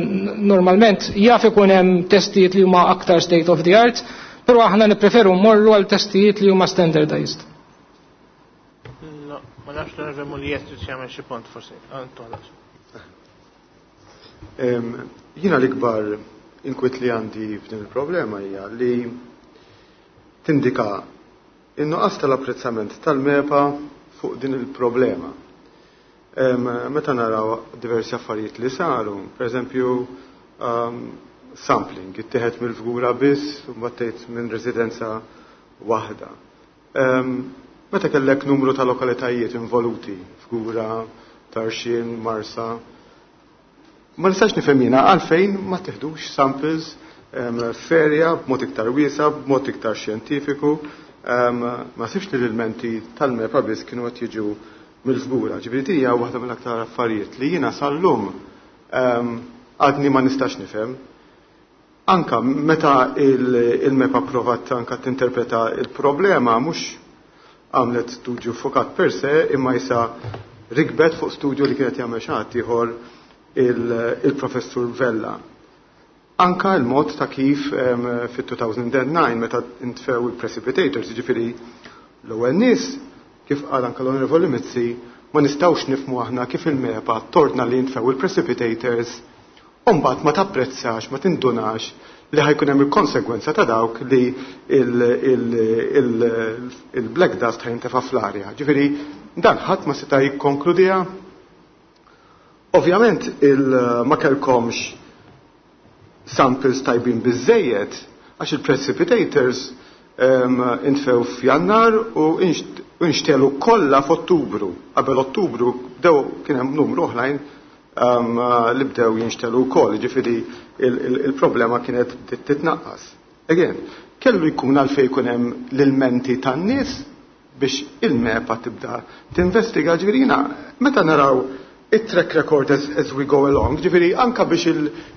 Speaker 7: normalment jaf ikun hemm testijiet li huma aktar state of the art, però aħna nippreferu mmorru għal testijiet li huma standardized.
Speaker 1: No, ma nafx l-onorevoli Muliet trid jagħmel xi punt forsi. Antolas.
Speaker 8: Jiena l-ikbar inkwit li għandi f'din il-problema hija li tindika in-nuqqas tal-apprezzament tal-MEPA fuq din il-problema. Meta naraw diversi affarijiet li saru, per eżempju, sampling, ittieħed mill-Fgura biss u mbagħad minn residenza waħda. Meta kellek numru ta' lokalitajiet involuti, Fgura, Tarxien, Marsa, ma nistax nifhem jiena għalfejn ma teħdux samples f'area b'mod iktar wiesa, b'mod iktar xjentifiku. Ma sibx li l-elementi tal-MEPA biss kienu qed jiġu mill-Fgura. Ġifieri din hija waħda mill-aktar affarijiet li jiena sal-lum għadni ma nistax nifhem. Anka meta il-MEPA provat anka tinterpreta il-problema, mhux għamlet studju fokat per se, imma jisa rikbet fuq studju li kienet jagħmel xi ħadd ieħor, il-professur Vella. Anka il-mod ta' kif fit-2009 meta intfew il-precipitators, ġifieri l-ewwel nies, kif qal anka l-Onorevoli Mizzi, ma nistgħux nifhmu aħna kif il-MEPA tordna li jintfew il-precipitators u mbagħad ma tapprezzax, ma tindunax li ħa jkun hemm il-konsegwenza ta' dawk li il-black dust ħa jintefa' fl-arja. Ġifieri dan ħadd ma seta' jikkonkludiha. Ovvjament ma kellkomx samples tajbin biżejjed għax il-precipitators intfew f'Jannar u inxtelu kollha f'Ottubru. Qabel Ottubru bdew kien hemm numru oħrajn li bdew jinxtelu wkoll, ġifieri il-problema kienet titnaqqas. Again, kellu jkun għalfejn jkun hemm l-ilmenti tan-nies biex il-MEPA tibda tinvestiga. Ġifieri jiena meta naraw it-track record as we go along, ġifieri anka biex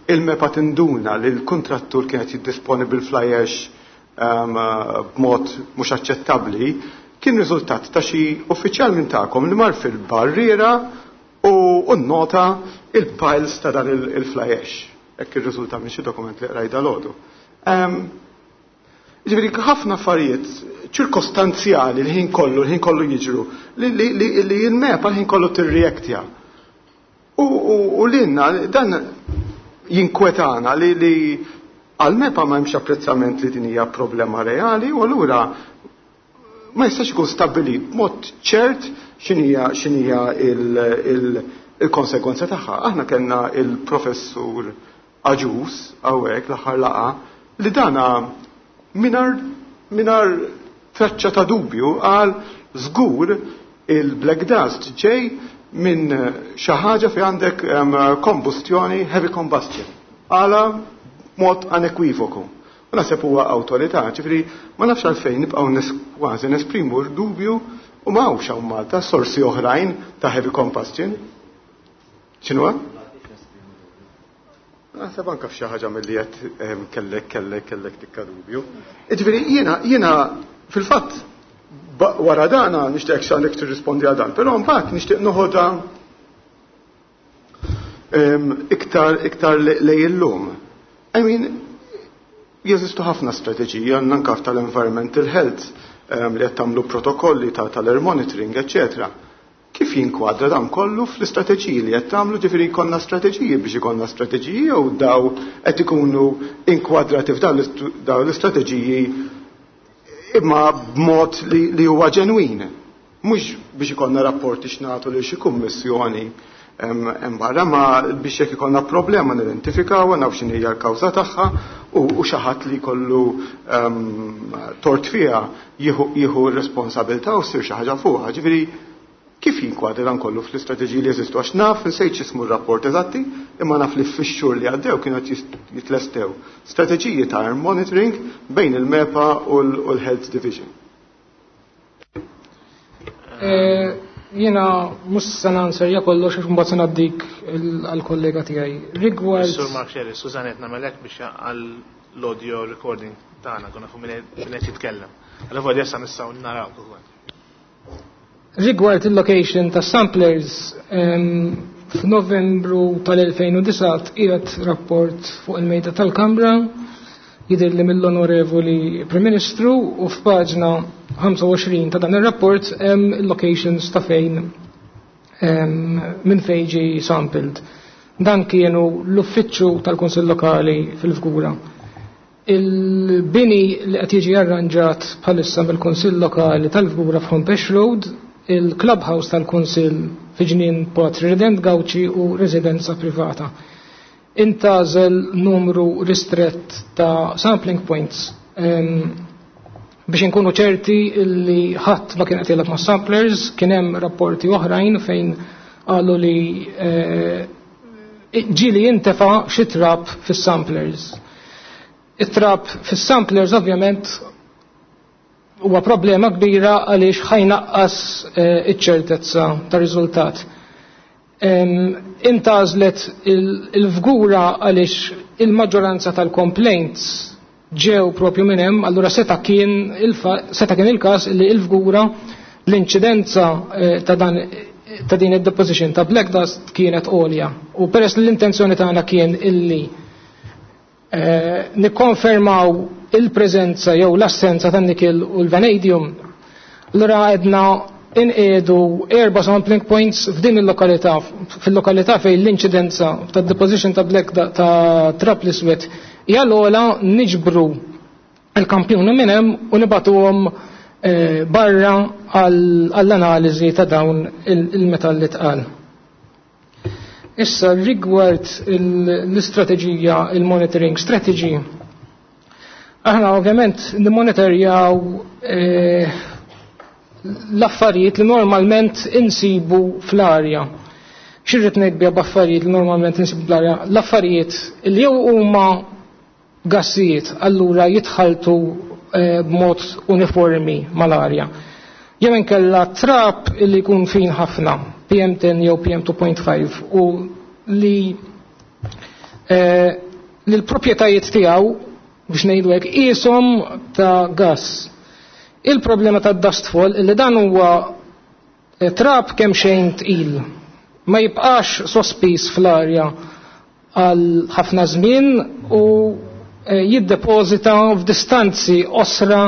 Speaker 8: il-MEPA tinduna li l-kontrattur kienet jiddisponi bil-fly ash b'mod mhux aċċettabbli, kien riżultat ta' xi uffiċjal minn tagħkom li mar fil-barriera u nnota il-piles ta' dan il-fly ash. Hekk irriżulta minn xi dokument li qrajt dalgħodu. Ġifieri ħafna affarijiet ċirkostanzjali l-ħin kollu jiġru li il-MEPA l-ħin kollu tirreaktja. U lilna dan jinkwetana li għal-MEPA ma hemmx apprezzament li din hija problema reali u allura ma jistax ikun stabbilit b'mod ċert x'inhija il-konsegwenza tagħha. Aħna kellna il-professur Agius hawnhekk l-aħħar laqgħa li dana mingħajr traċċa ta' dubju qal żgur il-black dust ġej minn xi ħaġa fi għandek kombustjoni, heavy combustion. Għala mod unequivoku. U naħseb huwa awtorità, ġifieri ma nafx għalfejn nibqgħu kważi nesprimu dubju u ma hawnx hawn Malta sorsi oħrajn ta' heavy combustion. X'inhuwa? Naħseb anka f'xi ħaġa milli qed kellek tikka dubju. Ġifieri jiena fil-fatt wara dana nixtieq x'għandek tirrispondi għal dan, però mbagħad nixtieq noħodha iktar lej illum. I mean, jeżistu ħafna strateġiji, għandna anka tal-environmental health li qed tagħmlu protokolli tal-air monitoring, eccetera. Kif jinkwadra dan kollu fl-istrateġiji li qed tagħmlu? Ġifieri jkollna strateġiji biex ikollna strateġiji jew daw qed ikunu inkwadrati f'dawn l-istrateġiji imma b'mod li huwa ġenwin? Mhux biex ikollna rapporti x'nagħtu lil xi kummissjoni hemm barra, ma biex jekk ikollna problema nidentifikaw, naf x'inhi hija l-kawża tagħha u xi ħadd li jkollu tort fiha jieħu r-responsabilità u ssir xi ħaġa fuqha. Ġifieri kif jinkwadra dan kollu fl-istrateġiji li jeżistu? Għax naf, nsejt x'ismu r-rapport eżatti, imma naf li fix-xhur li għaddew kienu qed jitlestew strateġiji ta' air monitoring bejn il-MEPA u l-Health Division.
Speaker 7: Jiena mhux se nanserja kollox għax mbagħad se ngħaddik għall-kollega tiegħi. Rigward
Speaker 1: Sur Mark Scerri, Susan, qed nagħmelek biex għall-audio recording tagħna kuna fuq min qed jitkellem. Allora issa nistgħu naraw ukoll.
Speaker 7: Rigward il-location ta' samplers, f'Novembru tal-2009 qiegħed rapport fuq il-mejda tal-Kamra, jidher li mill-Onorevoli Prim Ministru, u f'paġna 25 ta' dan ir-rapport hemm il-locations ta' fejn minn fejn ġie sampled. Dan kienu l-uffiċċju tal-Kunsill Lokali fil-Fgura, il-bini li qed jiġi arranġat bħalissa mill-Kunsill Lokali tal-Fgura f'Hompex Road, il-clubhouse tal-Kunsill fi Ġnien Patri Redent Gauci u residenza privata. Intgħażel numru ristrett ta' sampling points biex inkunu ċerti li ħadd ma kien qed jilgħab ma' samplers. Kien hemm rapporti oħrajn fejn qalu li ġieli jintefa' xi trab fis-samplers. It-trab fis-samplers ovvjament huwa problema kbira għaliex ħa jnaqqas iċ-ċertezza ta' riżultat. Intgħażlet il-Fgura għaliex il-maġġoranza tal-complaints ġew propju minn hemm, allura seta' kien seta' kien il-każ li il-Fgura l-inċidenza ta' dan ta' din id-deposition ta' black dust kienet għolja. U peress li l-intenzjoni tagħna kien illi nikkonfermaw il-preżenza jew l-assenza tan nikil u l-vanadium, allura għedna inqiedu erba' sampling points f'din il-lokalità, fil-lokalità fejn l-inċidenza ta' deposition ta' black ta' trap l-iswed hija l-ogħla, niġbru il-kampjuni minn hemm u nibagħtuhom barra għall-analiżi ta' dawn il-metalli tqal. Issa rigward l-istrateġija, il-monitoring strategy, aħna ovvjament nimmonitorjaw l-affarijiet li normalment insibu fl-arja. X'irrid ngħid biha b'affarijiet li normalment insibu fl-arja? L-affarijiet li jew huma gassijiet, allura jitħaltu b'mod uniformi mal-arja. Jew inkella trap li jkun fin ħafna, PM10 jew PM2.5, u li l-proprjetajiet tiegħu, biex ngħidu hekk, qishom ta' gas. Il-problema ta' dustfall li dan huwa trap kemm xejn tqil. Ma jibqax sospiż fl-arja għal ħafna żmien u jiddepożita f'distanzi qosra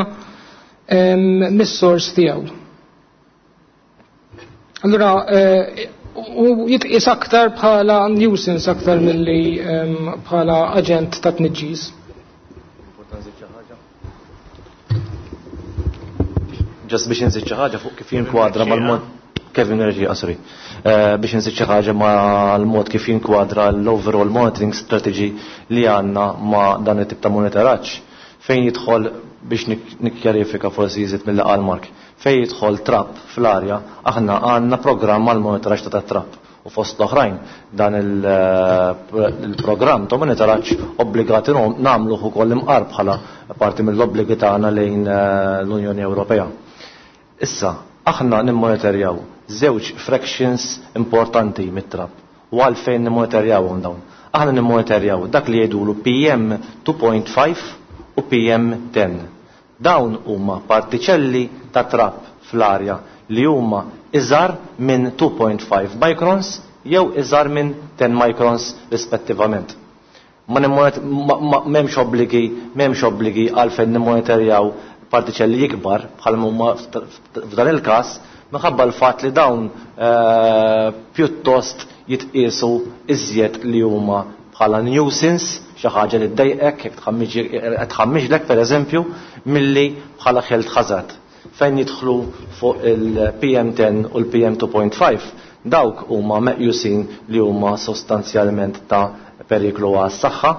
Speaker 7: mis-sors tiegħu. Allura u jitqis aktar bħala nuisance aktar milli bħala aġent ta' tniġġis.
Speaker 6: Just biex nżid xi ħaġa fuq kif jinkwadra mal-mod, Kevin Reġi, sorry. Biex nżid xi ħaġa mal-mod kif jinkwadra l-overall monitoring strategy li għandna ma' dan it-tip ta' monitoraġġ. Fejn jidħol, biex nikkjarifika forsi jżid mill qal Mark, fejn jidħol trap fl-arja, aħna għandna programm għal monitoraġġ ta' trap u fost l-oħrajn dan il-programm ta' monitoraġġ obbligati nagħmluh ukoll imqar bħala parti mill-obbligi tagħna lejn l-Unjoni Ewropea. Issa, aħna nimmonitorjaw żewġ fractions importanti mit-trap. U għalfejn nimmonitorjawhom dawn? Aħna nimmonitorjaw dak li jgħidulu PM 2.5 u PM 10. Dawn huma partiċelli ta' trap fl-arja li huma iżgħar minn 2.5 microns jew iżgħar minn 10 microns rispettivament. Ma m'hemmx obbligi għalfejn nimmonitorjaw partiċelli ikbar bħal huma f'dan il-każ, minħabba l-fatt li dawn pjuttost jitqiesu iżjed li huma bħala nuisance, xi ħaġa li ddejqek jekk tħammiġlek pereżempju, milli bħala health hazard. Fejn jidħlu fuq il-PM10 u l-PM2.5, dawk huma meqjusin li huma sostanzjalment ta' periklu għas-saħħa.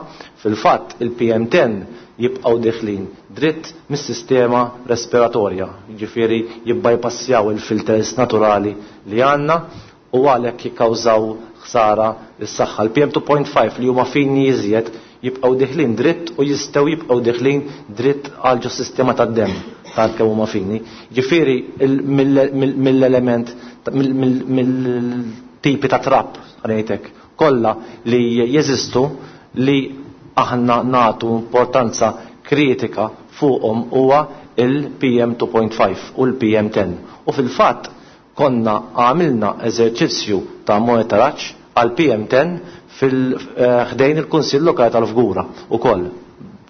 Speaker 6: Fil-fatt il-PM10 jibqgħu deħlin dritt mis-sistema respiratorja, ġifieri jibbypassjaw il-filters naturali li għandna u għalhekk jikkawżaw ħsara lis-saħħa. Il-PM2.5 li huma fini iżjed jibqgħu deħlin dritt u jistgħu jibqgħu deħlin dritt għal ġo sistema tad-demm tant kemm huma fini. Ġifieri mill-element mill-tipi ta' trap, ngħidlek, kollha li jeżistu, li aħna natu importanza kritika fuqhom huwa il-PM2.5 u l-PM10. U fil-fatt konna għamilna eżerċizzju ta' monitoraġġ għal PM10 fil-ħdejn il-Kunsill Lokali tal-Fgura ukoll,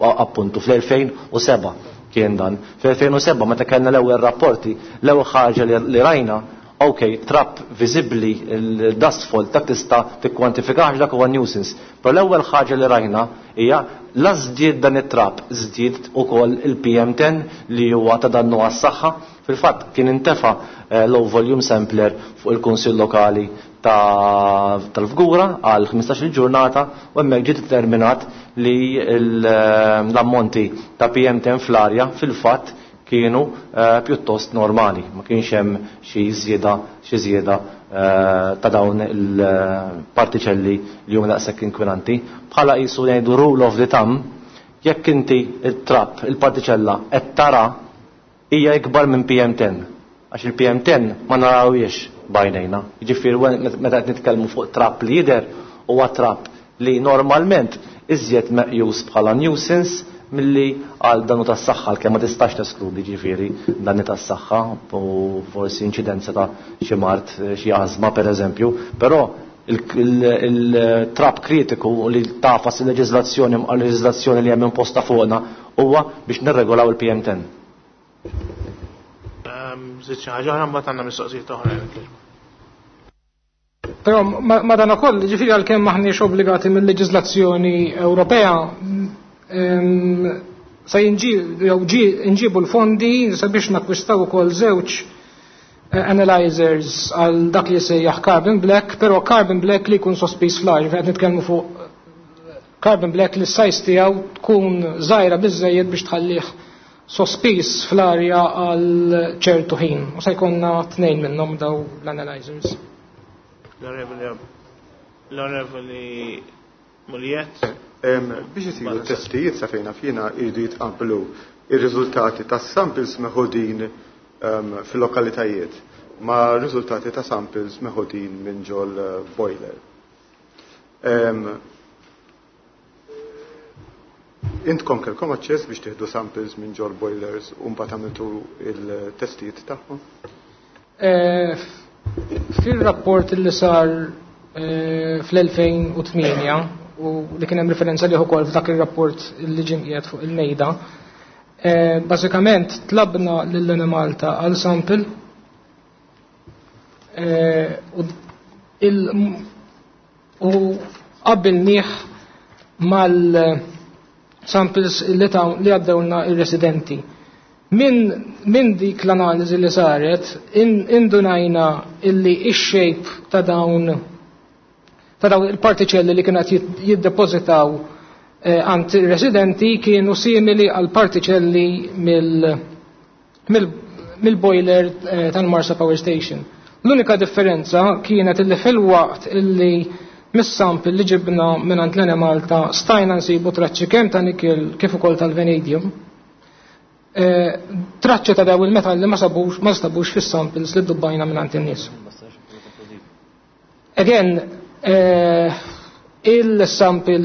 Speaker 6: appuntu fl-2007 kien dan. Fl-2007, meta kellna l-ewwel rapporti, l-ewwel ħaġa li rajna, ok, trap viżibbli, il-dustfall, dak tista' tikkwantifikax, dak huwa nuisance. Però l-ewwel ħaġa li rajna hija la żdied dan it-trap, żdied ukoll il-PM10 li huwa ta' dannu għas-saħħa. Fil-fatt kien intefa low volume sampler fuq il-Kunsill Lokali tal-Fgura għal 15 il-ġurnata u hemmhekk ġie determinat li l-ammonti ta' PM10 fl-arja fil-fatt kienu pjuttost normali, ma kienx hemm xi żieda ta' dawn il-partiċelli li huma daqshekk inkwinanti. Bħala qisu ngħidu rule of the thumb, jekk inti il-trap, il-partiċella qed tara, hija ikbar minn PM10. Għax il-PM10 ma narawiex b'għajnejna. Jiġifieri meta qed nitkellmu fuq trap li jidher, huwa trap li normalment iżjed meqjus bħala nuisance milli għal dannu tas-saħħa, għalkemm ma tistax teskludi ġifieri danni tas-saħħa u forsi inċidenza ta' xi mard, xi ażma pereżempju, però il-trap kritiku li tafas il-leġiżlazzjoni leġiżlazzjoni li hemm imposta fuqna huwa biex nirregolaw il-PM10.
Speaker 1: Żid xi ħaġa oħra, mbagħad għandna mistoqsijiet oħra.
Speaker 7: Però madanakoll, ġifieri għalkemm maħniex obbligati mill-leġiżlazzjoni Ewropea, se nġibu l-fondi sabiex nakwistaw ukoll żewġ analyzers għal dak li jsejjaħ carbon black, però carbon black li jkun sospiż fl-arja, qed nitkellmu fuq carbon black li s-size tiegħu tkun żgħira biżejjed biex tħallih sospiż fl-arja għal ċertu ħin. U se jkollna tnejn minnhom daw l-analyzers.
Speaker 1: L-Onorevoli Muliet.
Speaker 8: Biex isiru testijiet sa fejna fina jridu jitqablu ir-riżultati tas samples meħudin fil-lokalitajiet ma' riżultati ta' samples meħudin minn ġol boiler. Intkom kelkom aċċess biex tieħdu samples minn ġol boilers u mbagħad għamiltu il-testijiet tagħhom?
Speaker 7: Fil-rapport li sar fl-2008 u li kien hemm referenza liħ ukoll f'dak ir-rapport li ġie mqiegħed fuq il-mejda, bażikament tlabna lil Malta għal sample u qabbilnieh mal-samples li għaddewlna ir-residenti. Min dik l-analiżi li saret, indunajna illi ix-shape ta' dawn il-partiċelli li kienu qed jiddepozitaw għand residenti kienu simili għal partiċelli mill-boiler tal-Marsa Power Station. L-unika differenza kienet illi fil-waqt illi mis-sample li ġibna minn għand l-Enemalta stajna nsibu traċċi kemm ta' nikil kif ukoll tal-vanadium. Traċċi ta' daw il-metalli ma sabux fis-samples li dubbajna minn għand in-nies. Again, il-sample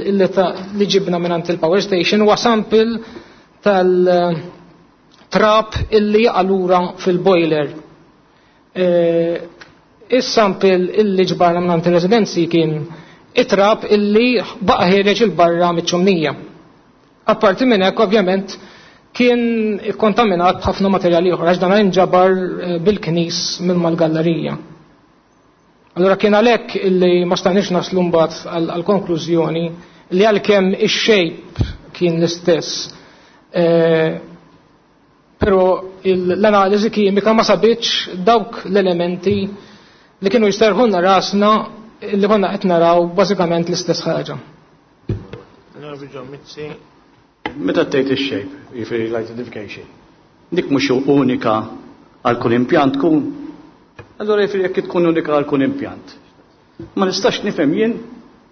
Speaker 7: li ġibna minn għand il-power station huwa sample tal-trap illi jaqalura fil-boiler. Is-sample illi ġbarna minn għand il-residenzi kien it-trap illi baqa' ħiereġ il-barra miċ-ċumnija. Apparti minn hekk, ovvjament, kien ikkontaminat b'ħafna materjali oħra, għax dan inġabar bil-knis minn mal-gallerija. Allora kien għalhekk illi ma stajniex naslu mbagħad għall-konklużjoni li għalkemm ix-shape kien l-istess, però l-analiżi kimika ma sabitx dawk l-elementi li kienu jisterħulna rasna li konna qed naraw bażikament l-istess ħaġa.
Speaker 2: Meta tgħid ix-shape, jiġifieri l-identification, dik mhux unika għal kull impjant tkun. Allora jiġifieri jekk tkun unika għal kull impjant. Ma nistax nifhem jien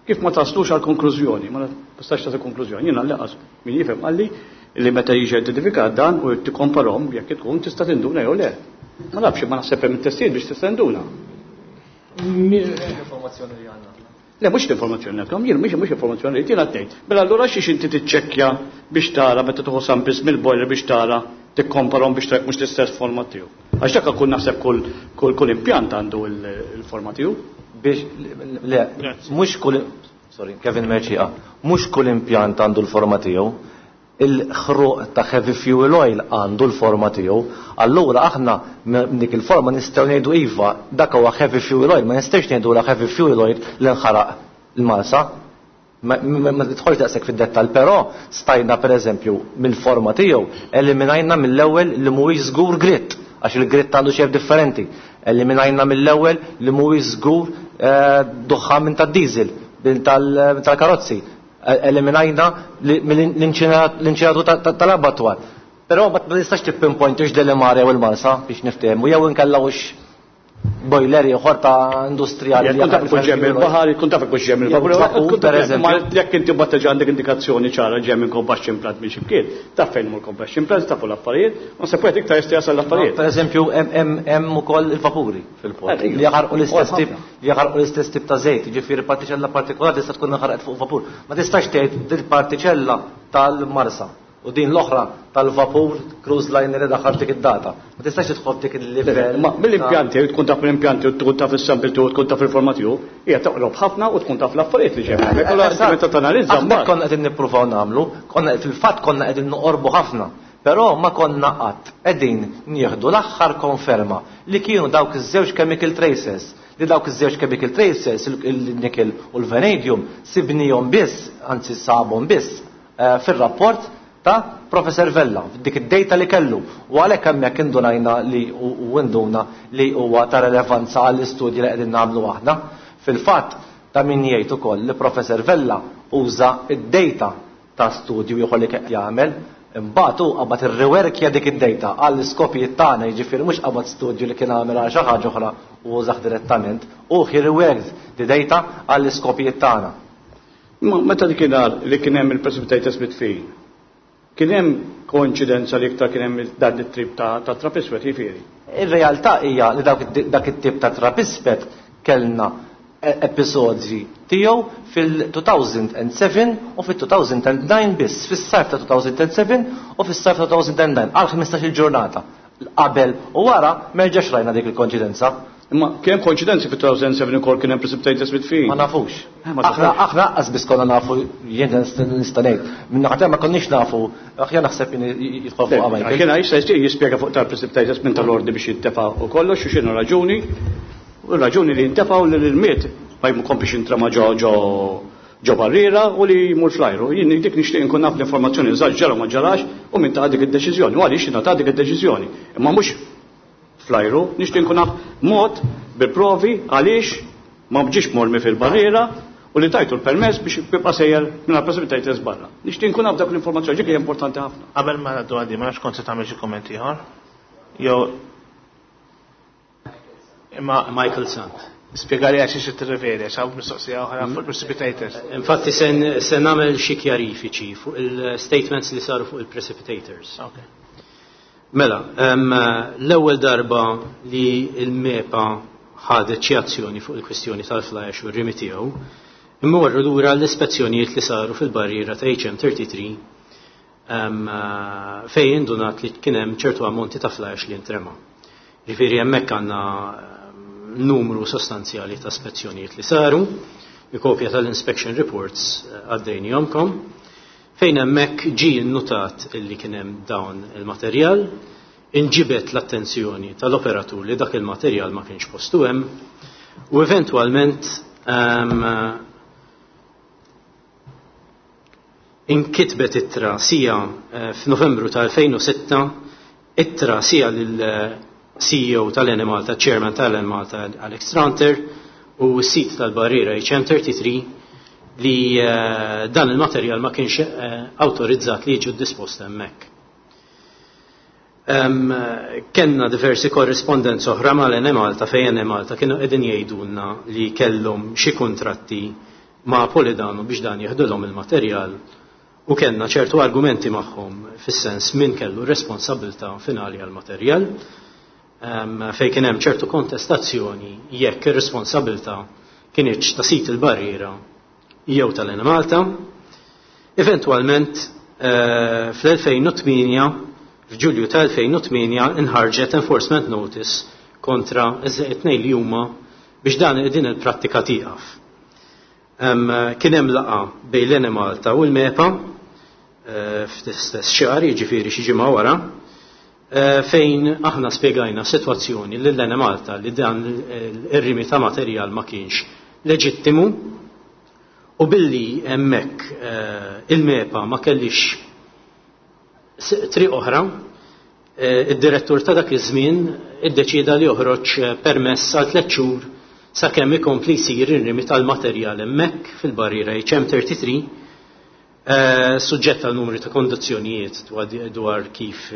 Speaker 2: kif ma taslux għal konklużjoni, ma nistax tagħti konklużjoni. Jien għall-inqas min jifhem qalli li meta jiġi identifikat dan u tikkomparhom jekk tkun tista' tinduna jew le. Ma nafx, ma naħseb hemm testijiet biex tista' tinduna.
Speaker 6: Informazzjoni li għandna.
Speaker 2: Le, mhux l-informazzjoni li għandkom, jien mhux informazzjoni li jiena tgħid. Mela allura xiex inti tiċċekkja biex tara meta tieħu samples mill-boiler biex tara tikkomparhom biex tara mhux l-istess forma tiegħu. Għax dak kull naħseb kull impjant għandu il-forma tiegħu.
Speaker 6: Biex le, mhux kull, sorry, Kevin Mercieca, mhux kull impjant għandu l-forma tiegħu. Il-ħruq ta' heavy fuel oil għandu l-forma tiegħu. Allura aħna dik il-forma nistgħu ngħidu iva, dak huwa heavy fuel oil, ma nistgħux ngħidu la heavy fuel oil li nħaraq il-Marsa. Ma tidħolx daqshekk fid-dettall, però stajna pereżempju mill-forma tiegħu eliminajna mill-ewwel li mhuwiex żgur grit, għax il-grit għandu xejn differenti. Eliminajna mill-ewwel li mhuwiex żgur duħħan minn tad-diesel, minn tal-karozzi. Eliminajna l-inċineratur tal-abatwar. Però ma tistax tippinpoint ix Delimare u l-Marsa biex niftehmu, jew inkella hux. Boiler ieħor ta' industrijali.
Speaker 2: Jekk taf ikun ġej mill-baħar, jkun taf ikun ġej mill-vapur.
Speaker 6: Pereżempju,
Speaker 2: jekk inti mbagħad terġa' għandek indikazzjoni ċara ġej minn combustion plant minn xi mkien, taf fejn huma l-combustion plants, tafu l-affarijiet, u se wieħed iktar jista' jasal l-affarijiet.
Speaker 6: Pereżempju, hemm ukoll il-vapuri fil-port li jaħarqu l-istess tip li jaħarqu l-istess tip ta' żejt, jiġifieri partiċella partikolari tista' tkun inħarqet fuq vapur. Ma tistax tgħid dil-partiċella tal-Marsa. U din l-oħra tal-vapur cruise liner li daħal f'dik id-data. Ma tistax tidħol f'dik il-livell.
Speaker 2: Ma mill-impjanti, tkun taf l-impjanti u tkun taf is-sample tiegħu tkun taf il-forma tiegħu, hija toqrob ħafna u tkun taf l-affarijiet li ġejjin. Hemmhekk. Allura inti meta tanalizza
Speaker 6: Aħna
Speaker 2: mbagħad.
Speaker 6: konna qegħdin nippruvaw nagħmlu, konna fil-fatt konna qegħdin noqorbu ħafna, però ma konna qatt qegħdin nieħdu l-aħħar konferma li kienu dawk iż-żewġ chemical traces, li dawk iż-żewġ chemical traces, il-nickel u l-vanadium, sibnihom biss, anzi sabhom biss, fir-rapport ta' Professor Vella, dik id-data li kellu. U għalhekk hemmhekk indunajna li u induna li huwa ta' relevanza għall-istudji li qegħdin nagħmlu aħna. Fil-fatt, ta' min jgħid ukoll li Professor Vella uża id-data ta' studju ieħor li qed jagħmel, imbagħad hu qabad irriwerkja dik id-data għall-iskopijiet tagħna, jiġifieri mhux qabad studju li kien għamel għal xi ħaġa oħra u użah direttament, u he reworked the data għall-iskopijiet tagħna.
Speaker 2: Ma meta dakinhar li kien hemm il-precipitators mitfin, kien hemm koinċidenza li iktar kien hemm dan it-trip ta' trap iswed, jiġifieri?
Speaker 6: Ir-realtà hija li dak it-tip ta' trap iswed kellna episodji tiegħu fil-2007 u fil-2009 biss, fis-sajf ta' 2007 u fis-sajf ta' 2009 għal 15-il ġurnata. Qabel u wara m'erġax rajna dik il-koinċidenza.
Speaker 2: Imma kien hemm koinċidenzi fil-2007 ukoll kien hemm precipitators mitfin?
Speaker 6: Ma nafux.
Speaker 2: Ma
Speaker 6: Aħna
Speaker 2: tafux.
Speaker 6: aħna qas biss konna nafu, jien nista' ngħid. Minn naħa ma konniex nafu, aħjar naħseb jien jidħol fuq Michael.
Speaker 2: Kien jista' jispjega fuq tal-precipitators minn tal-ordi biex jintefa' u kollox u x'inhu raġuni. U raġuni li jintefgħu li l-miet ma jkomplix jintrema ġo ġo ġo barriera u li jmur fl-ajru. Jien dik nixtieq inkun naf l-informazzjoni eżatt ġara ma ġarax u min ta' dik id-deċiżjoni u għaliex ta' dik id-deċiżjoni. Imma mhux fl-ajru, nixtieq inkun naf mod bil-provi għaliex ma bġiex mormi fil-barriera u li tajtu l-permess biex jibqa' sejjer minn precipitators barra. Nixtieq inkun naf dak l-informazzjoni, dik hija importanti ħafna.
Speaker 1: Qabel ma ngħaddu għaddi, ma nafx kont se tagħmel xi kumment ieħor. Jew imma
Speaker 4: Michael Sant.
Speaker 1: Spjegali għax xi tirreferi, għax hawn mistoqsija oħra fuq precipitators.
Speaker 4: Infatti se nagħmel xi kjarifiċi fuq il-statements li saru fuq il-precipitators. Mela, l-ewwel darba li l-MEPA ħadet xi azzjoni fuq il-kwistjoni tal-fly ash u r-rimi tiegħu, immorru lura l-ispezzjonijiet li saru fil-barriera ta' HM33, fejn indunat li kien hemm ċertu ammonti ta' fly ash li intrema. Ġifieri hemmhekk għandna numru sostanzjali ta' spezzjonijiet li saru, il-kopja tal-inspection reports għaddejnihomkom, fejn hemmhekk ġie nnotat illi kien hemm dawn il-materjal, inġibet l-attenzjoni tal-operatur li dak il-materjal ma kienx postu hemm, u eventwalment inkitbet ittra sija f'Novembru tal-2006, ittra sija lil CEO tal-Enemalta, Chairman tal-Enemalta Alex Tranter, u s-sit tal-barriera HM33 li dan il-materjal ma kienx autorizzat li jiġu dispost hemmhekk. Kenna diversi korrespondenza oħra mal-Enemalta fejn Enemalta kienu qegħdin jgħidulna li kellhom xi kuntratti ma' Polidano biex dan jeħdulhom il-materjal u kellna ċertu argumenti magħhom fis-sens min kellu responsabilità finali għall-materjal, fejn kien hemm ċertu kontestazzjoni jekk ir-responsabilità kienx ta' sit il-barriera jew tal-Enemalta. Eventwalment fl-2008, f'Ġulju tal-2008, inħarġet enforcement notice kontra it-tnejn li huma biex dan din il-prattika tieqaf. Kien hemm laqgħa bejn l-Enemalta u l-MEPA fl-istess xahar, jiġifieri xi ġimgħa wara, fejn aħna spjegajna sitwazzjoni lil Enemalta li dan ir-rimi ta' materjal ma kienx leġittimu u billi hemmhekk il-MEPA ma kellix triq oħra, id-direttur ta' dak iż-żmien iddeċieda li joħroġ permess għal 3 xhur sakemm ikompli jsir ir-rimi tal-materjal hemmhekk fil-barriera HM33, suġġett għal numri ta' kondizzjonijiet dwar kif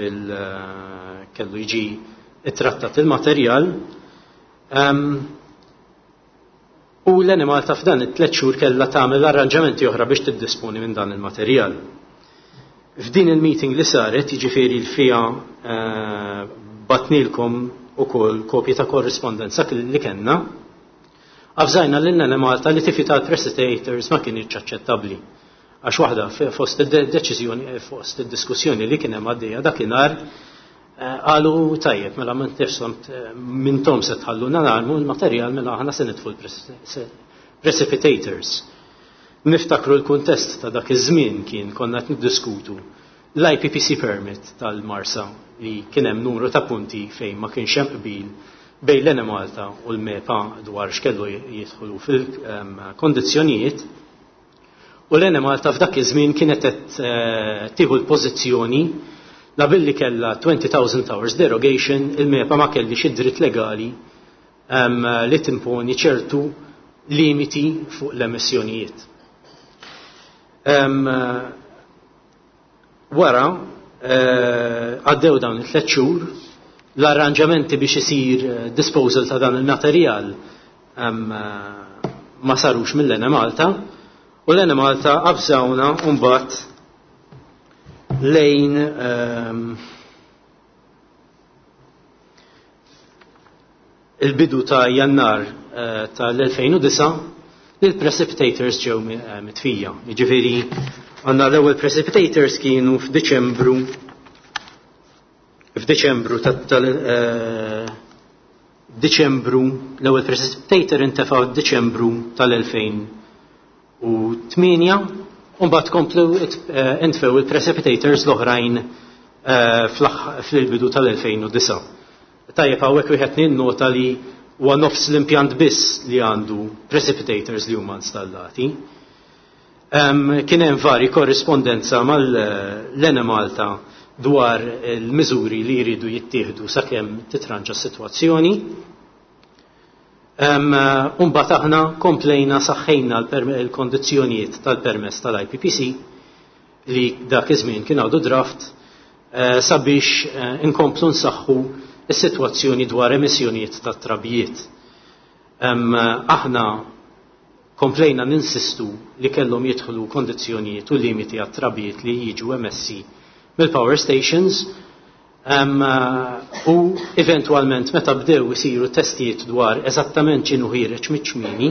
Speaker 4: kellu jiġi ittrattat il-materjal.
Speaker 9: U l-Enemalta f'dan it-tlet xhur kellha tagħmel arranġamenti oħra biex tiddisponi minn dan il-materjal. F'din il-meeting li saret, jiġifieri l fiha batnilkom ukoll kopji ta' korrispondenza li kellna, avżajna lil Enemalta li tifi tal-precipitators ma kienx aċċettabbli. Għax waħda fost id-deċiżjoni, fost id-diskussjoni li kien hemm għaddejja dakinhar, qalu tajjeb, mela mintom se tħalluna narmu l-materjal, mela aħna se nitfu l-precipitators. Niftakru l-kuntest ta' dak iż-żmien kien konna qed niddiskutu l-IPPC permit tal-Marsa li kien hemm numru ta' punti fejn ma kienx hemm qbil bejn l-Enemalta u l-MEPA dwar x'kellu jidħlu fil-kondizzjonijiet. U l-Enemalta f'dak iż-żmien kienet qed tieħu l-pożizzjoni la billi kellha 20,000 hours derogation, il-MEPA ma kellix id-dritt legali li timponi ċertu limiti fuq l-emissjonijiet. Wara għaddew dawn it-tliet xhur, l-arranġamenti biex isir disposal ta' dan il-materjal ma sarux mill-Enemalta, u l-Enemalta avżawna mbagħad lejn il-bidu ta' Jannar tal-2009 li l-precipitators ġew mitfija. Jiġifieri għandna l-ewwel precipitators kienu f'Diċembru f'Diċembru tal Diċembru, l-ewwel precipitator intefa' f'Diċembru tal-2008, u mbagħad komplu intfew il-precipitators l-oħrajn fil-bidu tal-2009. Tajjeb hawnhekk wieħed ninnota li huwa nofs l-impjant biss li għandu precipitators li huma installati. Kien hemm vari korrispondenza mal-Enemalta dwar il-miżuri li jridu jittieħdu sakemm titranġa s-sitwazzjoni. Mbagħad aħna komplejna saħħejna l-kondizzjonijiet tal-permess tal-IPPC li dak iż-żmien kien għadu draft sabiex inkomplu nsaħħu s-sitwazzjoni dwar emissjonijiet ta' trabijiet. Aħna komplejna ninsistu li kellhom jidħlu kondizzjonijiet u limiti għat-trabijiet li jiġu emessi mill-power stations, u eventualment meta bdew isiru testijiet dwar eżattament x'inhu ħiereġ miċ-ċmieni,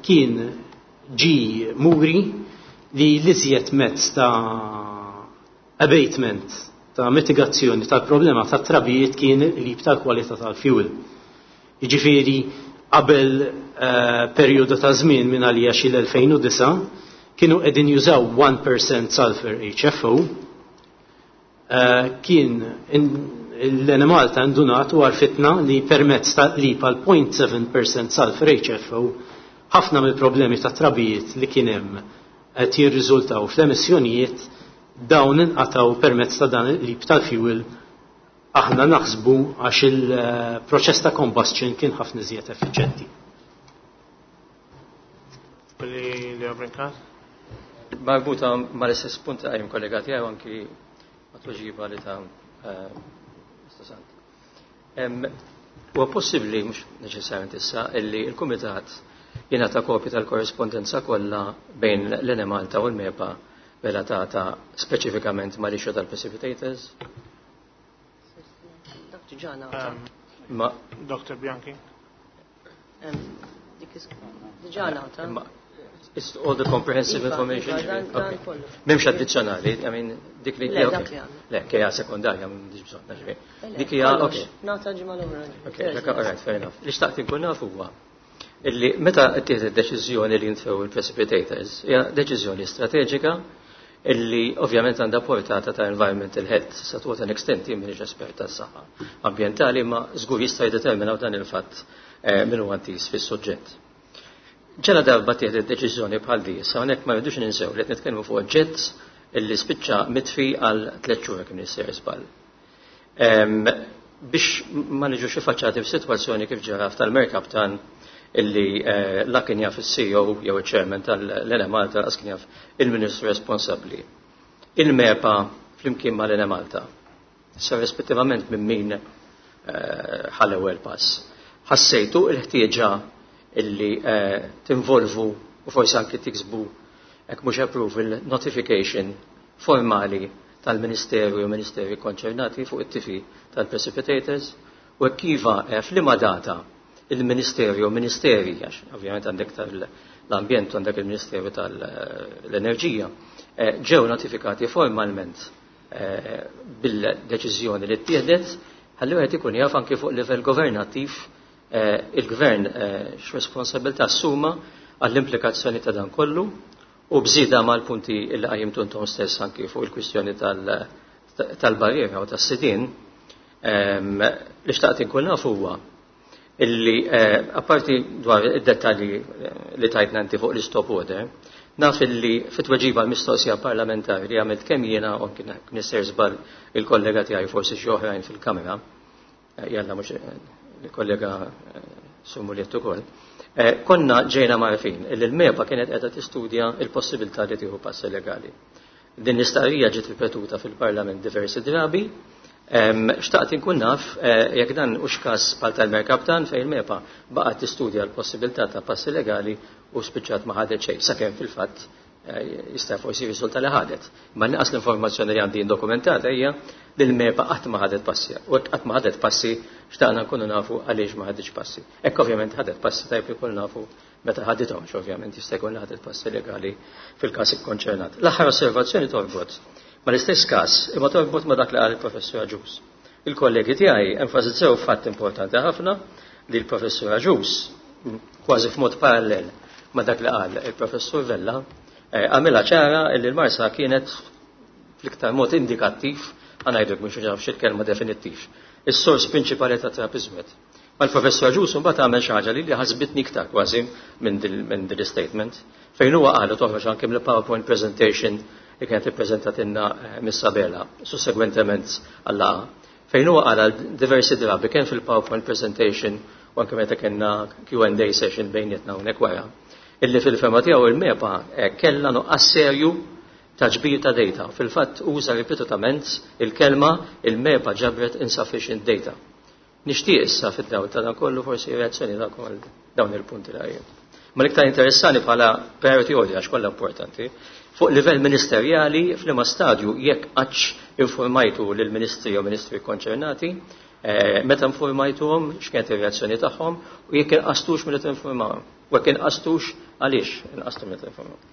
Speaker 9: kien ġi muri li l-iżjed mezz ta' abatement, ta' mitigazzjoni tal-problema ta' trabijiet kien il-qlib tal-kwalità tal-fuel. Jiġifieri qabel perjodu ta' żmien minn għalija xi l-2009 kienu qegħdin jużaw 1% sulfur HFO, kien l-Enemalta indunat u għarfitna li permezz ta' qlib għal 0.7% sulfur HFO ħafna mill-problemi ta' trabijiet li kien hemm qed jirriżultaw fl-emissjonijiet dawn inqataw permezz ta' dan il-qlib tal-fuel. Aħna naħsbu għax il-proċess ta' combustion kien ħafna iżjed effiċjenti.
Speaker 4: Marbuta mal-istess punt qajjem kollega tiegħi anki ma' tweġiba li ta' Mr. Sant. Huwa possibbli, mhux neċessarjament issa, illi l-Kumitat jingħata kopja tal-korrespondenza kollha bejn l-Enemalta u l-MEPA relatata speċifikament mal-issue tal-precipitators? Ma
Speaker 1: Dr. Bianchi.
Speaker 5: Diġà ngħata.
Speaker 4: It's all the comprehensive
Speaker 5: Iva,
Speaker 4: information.
Speaker 5: Iva, dan
Speaker 4: Okay.
Speaker 5: kollu.
Speaker 4: M'hemmx addizzjonali, I mean, dik li
Speaker 5: Le,
Speaker 4: okay.
Speaker 5: dak li għandna.
Speaker 4: Le, kejja sekondarja, m'għandix bżonn, ġifieri.
Speaker 5: Le,
Speaker 4: Dik hija,
Speaker 5: kollox.
Speaker 4: okay.
Speaker 5: Nagħta ġimgħa l-oħra.
Speaker 4: Okay, dak, all right, fair enough. Li xtaqt inkun naf huwa illi meta ttieħdet deċiżjoni li jintfew il-precipitators, hija deċiżjoni strateġika illi ovvjament għandha portata ta' environmental health, sa to an extent jien m'iniex espert tas-saħħa ambjentali, ma żgur jista' jiddeterminaw dan il-fatt min huwa intiż fis-suġġett. Ġela darba tieħdet deċiżjoni bħal di, sa hawnhekk ma rridux ninsew li qed nitkellmu fuq oġġett illi spiċċa mitfi għal 3 xhur kien isir żball. Biex ma niġux iffaċċati f'sitwazzjoni kif ġara tal-Mercaptan illi la kien jaf il-CEO jew il-chairman tal-Enemalta, lanqas kien jaf il-ministru responsabbli. Il-MEPA flimkien mal-Enemalta, sa rispettivament minn min ħa l-ewwel pass. Ħassejtu il-ħtieġa illi tinvolvu u forsi anki tiksbu hekk mhux approval notification formali tal-Ministeru jew Ministeri konċernati fuq it-tifi tal-precipitators u hekk iva f'liema data il-Ministeru jew Ministeri, għax ovvjament għandek tal-ambjent u għandek il-Ministeru tal-Enerġija, ġew notifikati formalment bil-deċiżjoni li ttieħdet ħalli wieħed ikun jaf anki fuq livell governattiv il-gvern x'responsabilità assuma għall-implikazzjoni ta' dan kollu u bżida mal-punti li qajjimtu intom stess anki fuq il-kwistjoni tal-barriera u tas-sidien. Li xtaqt inkun naf huwa illi apparti dwar id-dettalji li tajtna inti fuq l-istop order, naf illi fit-tweġiba l-mistoqsija parlamentari li għamilt kemm jiena u kien nisser żball il-kollega tiegħi forsi xi oħrajn fil-kamra, jalla mhux il-kollega Sumuliet ukoll, konna ġejna marfin illi l-MEPA kienet qiegħda tistudja l-possibilità li tieħu passi legali. Din l-istqarrija ġiet ripetuta fil-Parlament diversi drabi. Xtaqt inkun naf jekk dan hux każ bħal tal-Merkaptan fejn il-MEPA baqgħet tistudja l-possibilità ta' passi legali u spiċċat ma ħadet xejn, sakemm fil-fatt jista' forsi jirriżulta li ħadet. Ma nqas l-informazzjoni li għandi dokumentata hija li l-MEPA qatt ma ħadet passi. U hekk qatt ma ħadet passi xtaqna nkunu nafu għaliex ma ħaditx passi. Hekk ovvjament ħadet passi tajb li nkunu nafu meta ħadithomx, ovvjament jista' jkun li ħadet passi legali fil-każ ikkonċernat. L-aħħar osservazzjoni torbot ma l-istess każ imma torbot ma dak li qal il-Professur Agius. Il-kollegi tiegħi enfasizzaw fatt importanti ħafna li l-Professur Agius kważi f'mod parallel ma dak li qal il-Professur Vella għamilha ċara li l-Marsa kienet fl-iktar mod indikattiv, għanajdlek mhux nafx il-kelma definittiv, is-sors prinċipali ta' trab iżwed. Ma l-Professur Agius mbagħad għamel xi ħaġa li ħasbitni iktar kważi minn din statement fejn huwa qal u toħroġ anke mill-PowerPoint presentation li kienet ippreżentatilna Miss Abela sussegwentement għall-laqgħa, fejn huwa qal għal diversi drabi kemm fil-PowerPoint presentation u anke meta kellna Q and A session bejnietna hawnhekk wara, illi fil-fema tiegħu il-MEPA kellha nuqqas serju ta' ġbir ta' data. Fil-fatt uża ripetutament il-kelma il-MEPA ġabret insufficient data. Nixtieq issa fid-dawl ta' dan kollu forsi reazzjoni tagħkom għal dawn il-punti li għajjed. Ma l-iktar interessani bħala priority order għax kollha importanti, fuq livell ministerjali f'liema stadju jekk qattx informajtu lill-ministri jew ministri konċernati, meta informajtuhom x'kienet ir-reazzjoni tagħhom u jekk inqastux milli tinformawhom. U jekk inqastux għaliex inqastu milli tinformawhom.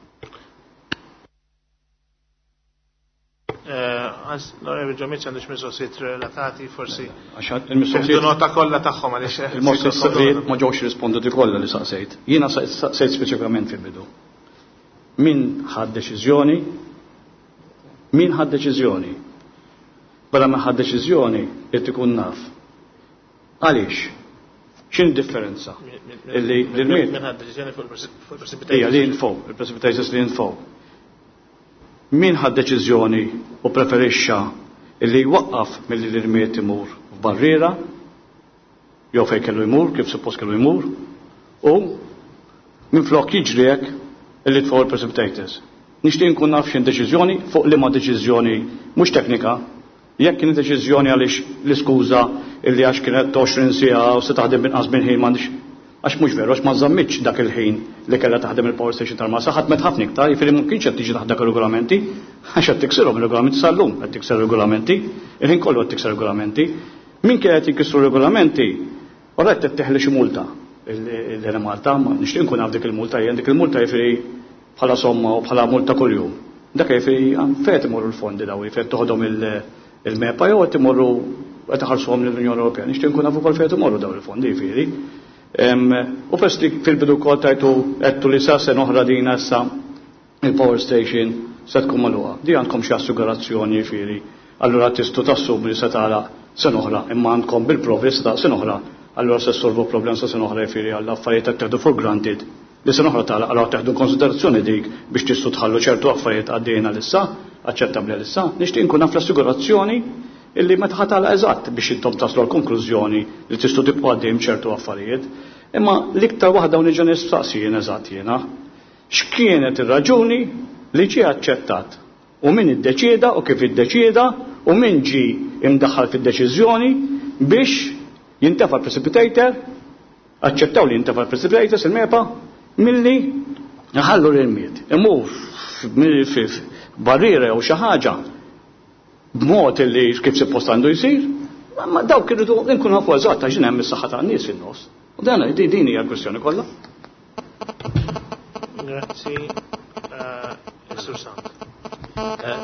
Speaker 1: L-Onorevoli Ġomiċ għandux mistoqsijiet relatati forsi.
Speaker 2: Għax il-mistoqsijiet
Speaker 1: Jieħdu nota kollha tagħhom għaliex
Speaker 2: Il-mistoqsijiet ma ġewx risponduti kollha li saqsejt. Jiena saqsejt speċifikament fil-bidu. Min ħad deċiżjoni? Min ħad deċiżjoni? Bella ma ħad deċiżjoni irid ikun naf. Għaliex? X'in differenza? Illi l-miet.
Speaker 1: Min ħad deċiżjoni fuq il-precipitators?
Speaker 2: Ija, li jinfow, il-precipitators li jinfow. Min ħad deċiżjoni u preferixxa illi jwaqqaf milli l-irmiet imur f'barriera jew fejn kellu jmur, kif suppost kellu jmur, u minflok jiġri hekk illi tfgħu il-precipitators. Nixtieq nkun naf x'in deċiżjoni fuq liema deċiżjoni mhux teknika, jekk kien deċiżjoni għaliex l-iskuża illi għax kienet 20 siegħa u se taħdem inqas minn ħin m'għandix, għax mhux veru, għax ma żammitx dak il-ħin li kellha taħdem il-power station tal-Marsa, ħadmet ħafna iktar, jiġifieri ma kienx qed tiġi taħt dak ir-regolamenti, għax qed tiksirhom ir-regolamenti sal-lum, qed tikser regolamenti, il-ħin kollu qed tikser regolamenti. Min kien qed jinkisru regolamenti, ora qed teħli xi multa l-Enemalta, ma nixtieq nkun naf dik il-multa, jien dik il-multa jiġifieri bħala somma u bħala multa kuljum. Dak jiġifieri fejn qed imorru l-fondi daw, jiġifieri toħodhom il-MEPA jew qed imorru qed iħallsuhom lill-Unjoni Ewropea. Nixtieq nkun naf ukoll fejn qed imorru daw il-fondi jiġifieri. U pers li fil-bidu wkoll tajtu għedtu li sa sena oħra din issa il-power station se tkun magħluqa. Di għandkom xi assigurazzjoni jiġifieri. Allura tistgħu tassumu li se tagħlaq sena oħra, imma għandkom bil-provi se tagħlaq sena oħra, allura se ssolvu problem sa sena oħra jiġifieri għall affarijiet qed teħdu for granted. Li sena oħra tagħlaq, allura teħdu konsiderazzjoni dik biex tistgħu tħallu ċertu affarijiet għaddejna lissa, aċċettabbli għalissa. Nixtieq inkun naf l-assigurazzjoni illi meta ħa tagħlaq eżatt biex intom taslu għall-konklużjoni li tistgħu tibqgħu għaddejjem ċertu affarijiet. Imma l-iktar waħda u niġa nistaqsi jien eżatt jiena, x'kienet ir-raġuni li ġie aċċettat u min iddeċieda u kif iddeċieda u min ġie imdaħħal fid-deċiżjoni biex jintefa' precipitator Aċċettaw li jintefa' l-precipitators il-MEPA milli nħallu l-irmied. Imur barriera jew xi ħaġa b'mod li kif suppost għandu jsir, ma dawk irridu nkunu nafu eżatt għax hemm is-saħħa tan-nies fin-nofs. U dan din hija l-kwistjoni kollha.
Speaker 1: Grazzi, Sur Sant.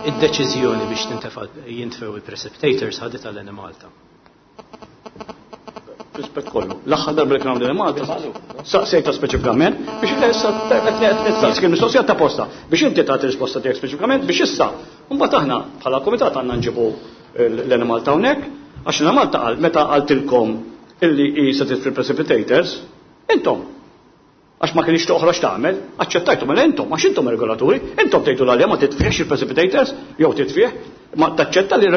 Speaker 9: Id-deċiżjoni biex tintefa' jintfew il-precipitators ħadet għal Malta.
Speaker 2: Rispett kollu. L-aħħar darba li kien hawn Malta, saqsejta speċifikament biex issa qed kien mistoqsija ta' posta biex inti tagħti risposta tiegħek speċifikament biex issa mbagħad aħna bħala kumitat għandna nġibu l-Enemalta hawnhekk għax l-Enemalta qal meta qaltilkom illi hi se titfi precipitators, intom Għax ma kienx toħroġ tagħmel, aċċettajtu mela intom, għax intom regolaturi, intom tgħidu l ma titfiex il-precipitators, jew titfih, ma taċċetta li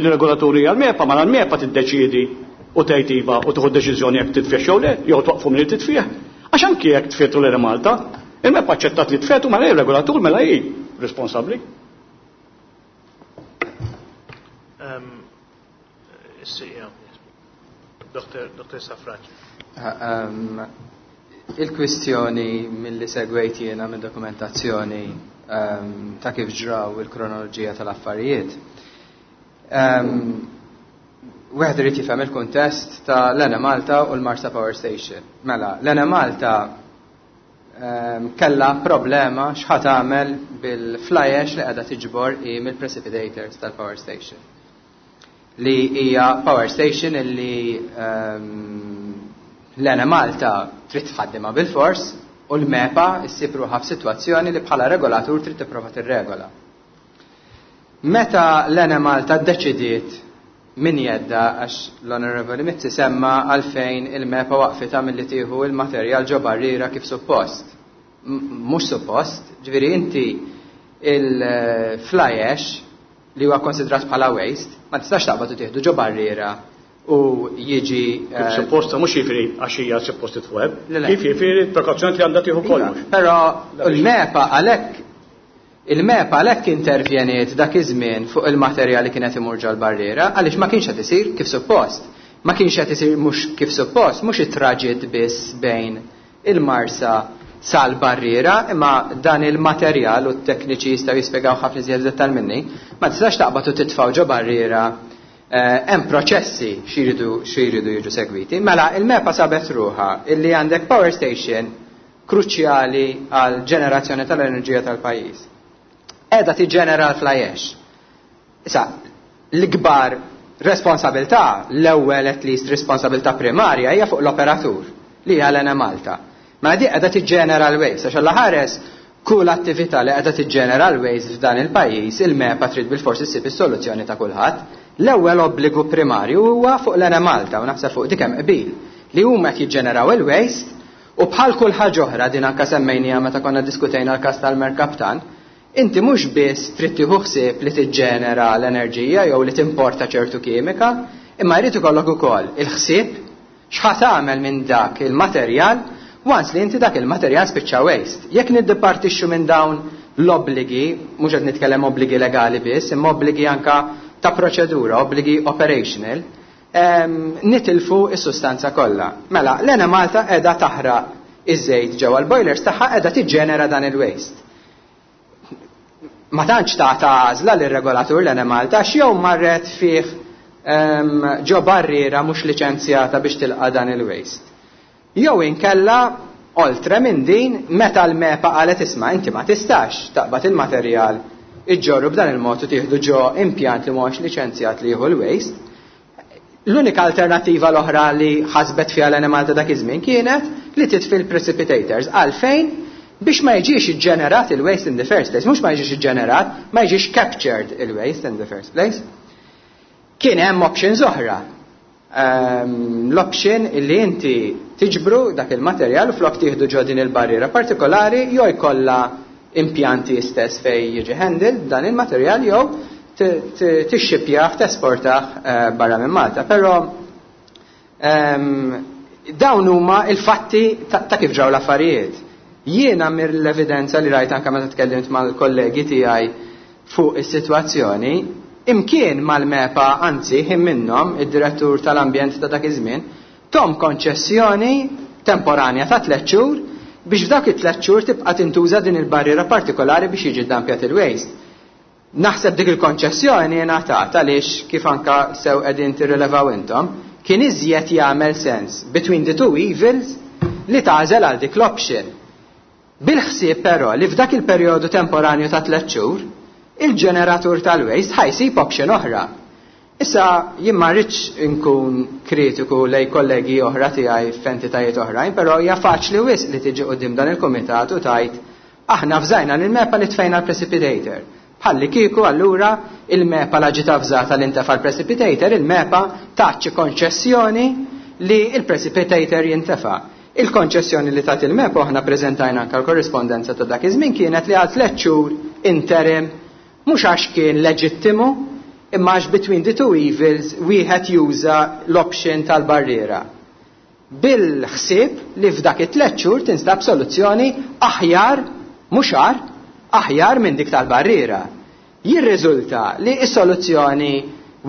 Speaker 2: regolaturi għal-MEPA, ma l-MEPA tiddeċiedi u tgħid iva u tieħu deċiżjoni jekk titfiex jew le, jew twaqfu milli titfih. Għax anki jekk tfietu l Malta, il-MEPA aċċettat li tfetu mela hi regolatur mela hi responsabbli.
Speaker 1: Dr. Safraġ.
Speaker 3: Il-kwistjoni mill-li segwejt jiena minn dokumentazzjoni ta' kif ġraw il-kronoloġija tal-affarijiet. Wieħed irid jifhem il-kuntest ta' l-Enemalta u l-Marsa Power Station. Mela, l-Enemalta kella problema x'ħa tagħmel bil-fly ash li qiegħda tiġbor hi mill-precipitators tal-power station. Li hija power station illi l-Enemalta trid tħaddimha bil-fors u l-MEPA ssib ruħha f'sitwazzjoni li bħala regolatur trid tipprova tirregola. Meta l-Enemalta ddeċidiet min jedda għax l-Onorevoli Mizzi semma għalfejn il-MEPA waqfitha milli tieħu il-materjal ġo barriera kif suppost. Mhux suppost, ġifieri inti il-fly ash li huwa konsidrat bħala waste, ma tistax taqbad u tieħdu ġo barriera u jiġi,
Speaker 2: Kif suppost, mhux jiġifieri għax hija suppost titweb,
Speaker 3: Le, le.
Speaker 2: kif jiġifieri prekawzjoni li għandha tieħu kollox.
Speaker 3: Però il-MEPA għalhekk il-MEPA għalhekk intervjeniet dak iż-żmien fuq il-materjal li kienet imur ġol-barriera għaliex ma kienx qed isir kif suppost. Ma kienx qed isir mhux kif suppost, mhux it-traġitt biss bejn il-Marsa sal-barriera, imma dan il-materjal u t-tekniċi jistgħu jispjegaw ħafna iżjed dettal minni, ma tistax taqbad u titfgħu ġo barriera hemm proċessi xi jridu jiġu segwiti. Mela il-MEPA sabet ruħha illi għandek power station kruċjali għal ġenerazzjoni tal-enerġija tal-pajjiż. Qiegħda tiġġenera l-fly ash. Issa, l-ikbar responsabilità, l-ewwel at least responsabilità primarja hija fuq l-operatur li hija l-Enemalta. Ma di qiegħda tiġġenera l-waste, għax alla ħares kull attività li qiegħda tiġġenera l-waste f'dan il-pajjiż, il-MEPA trid bil-forsi ssib is-soluzzjoni ta' kulħadd. L-ewwel obbligu primarju huwa fuq l-Enemalta u naħseb fuq dik hemm qbil li huma qed jiġġeneraw il-waste u bħal kull ħaġa oħra din anke semmejniha meta konna diskutejna l-każ tal-Mercaptan, inti mhux biss trid tieħu ħsieb li tiġġenera l-enerġija jew li timporta ċertu kimika, imma jrid ikollok ukoll il-ħsieb x'ħa tagħmel minn dak il-materjal once li inti dak il-materjal spiċċa waste. Jekk niddipartixxu minn dawn l-obbligi, mhux qed nitkellem obbligi legali biss, imma obbligi anka ta' proċedura, obbligi operational, nitilfu is-sustanza kollha. Mela, l-Enemalta qiegħda taħraq iż-żejt ġewwa l-boilers tagħha qiegħda tiġġenera dan il-waste. Ma tantx tagħta għażla lir-regolatur l-Enemalta għax jew marret fih ġo barriera mhux liċenzjata biex tilqa' dan il-waste. Jew inkella oltre minn din meta l-MEPA qalet isma' inti ma tistax taqbad il-materjal iġġorru b'dan il-mod u tieħdu ġo impjant li mhuwiex liċenzjat li jieħu l-waste. L-unika alternativa l-oħra li ħasbet fiha l-Enemalta dak iż-żmien kienet li titfi l-precipitators. Għalfejn? Biex ma jiġix iġġenerat il-waste in the first place, mhux ma jiġix iġġenerat, ma jiġix captured il-waste in the first place. Kien hemm options oħra. L-option illi inti tiġbru dak il-materjal u flok tieħdu ġo din il-barriera partikolari jew jkollha impjanti stess fej jiġi handled dan il-materjal jew tixxipjah, tesportah barra minn Malta. Però dawn huma il-fatti ta' kif ġraw l-affarijiet. Jiena mill-evidenza li rajt anke meta tkellimt mal-kollegi tiegħi fuq is-sitwazzjoni, imkien mal-MEPA, anzi, ħin minnhom, id-direttur tal-ambjent ta' dak iż-żmien, tom konċessjoni temporanja ta' 3 xhur biex f'dawk it-tliet xhur tibqa' tintuża din il-barriera partikolari biex jiġi ddampjat il-waste. Naħseb dik il-konċessjoni ngħatat għaliex kif anka sew qegħdin tirrilevaw intom, kien iżjed jagħmel sens between the two evils li tagħżel għal dik l-option. Bil-ħsieb però li f'dak il-perjodu temporanju ta' tliet xhur, il-ġeneratur tal-waste ħa jsib option oħra. Issa jien ma rridx inkun kritiku lejn kollegi oħra tiegħi f'entitajiet oħrajn, però hija faċli wisq li tiġi quddiem dan il-kumitat u tgħid aħna avżajna lill-MEPA li tfejna l-precipitator. Bħallikieku allura il-MEPA la ġiet avżata li ntefa' l-precipitator, il-MEPA tat xi konċessjoni li l-precipitator jintefa'. Il-konċessjoni li tat il-MEPA u aħna ppreżentajna anke l-korrispondenza ta' dak iż-żmien kienet li għal tliet xhur interim mhux għax kien leġittimu imma għax between the two evils wieħed juża l-option tal-barriera bil-ħsieb li f'dak it-tliet xhur tinstab soluzzjoni aħjar, mhux agħar, aħjar minn dik tal-barriera. Jirriżulta li s-soluzzjoni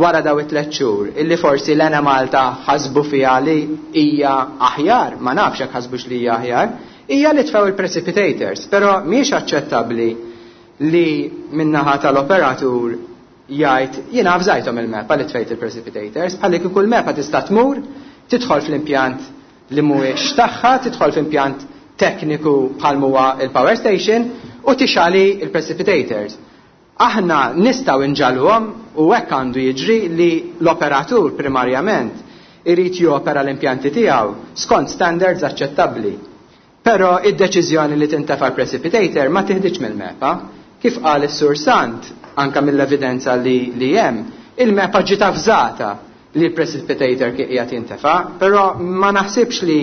Speaker 3: wara daw it-tliet xhur, illi forsi l-Enemalta ħasbu fiha li hija aħjar, ma nafx jekk ħasbux li hija aħjar, hija li tfew il-precipitators, però mhijiex aċċettabbli li min-naħa tal-operatur jgħid jiena avżajthom il-MEPA li tfejt il-precipitators, bħalli kieku l-MEPA tista' tmur, tidħol fl-impjant li mhuwiex tagħha, tidħol f'impjant tekniku bħal huwa il-power station u tixali il-precipitators. Aħna nistgħu nġagħluhom u hekk għandu jiġri li l-operatur primarjament irid jopera l-impjanti tiegħu skont standards aċċettabbli. Però id-deċiżjoni li tintefa' l-precipitator ma tiħdiġ mill-MEPA. Kif qal is-Sur Sant, anka mill-evidenza li, li hemm, il-MEPA ġiet avżata li l-precipitator kien qiegħed jintefa', però ma naħsibx li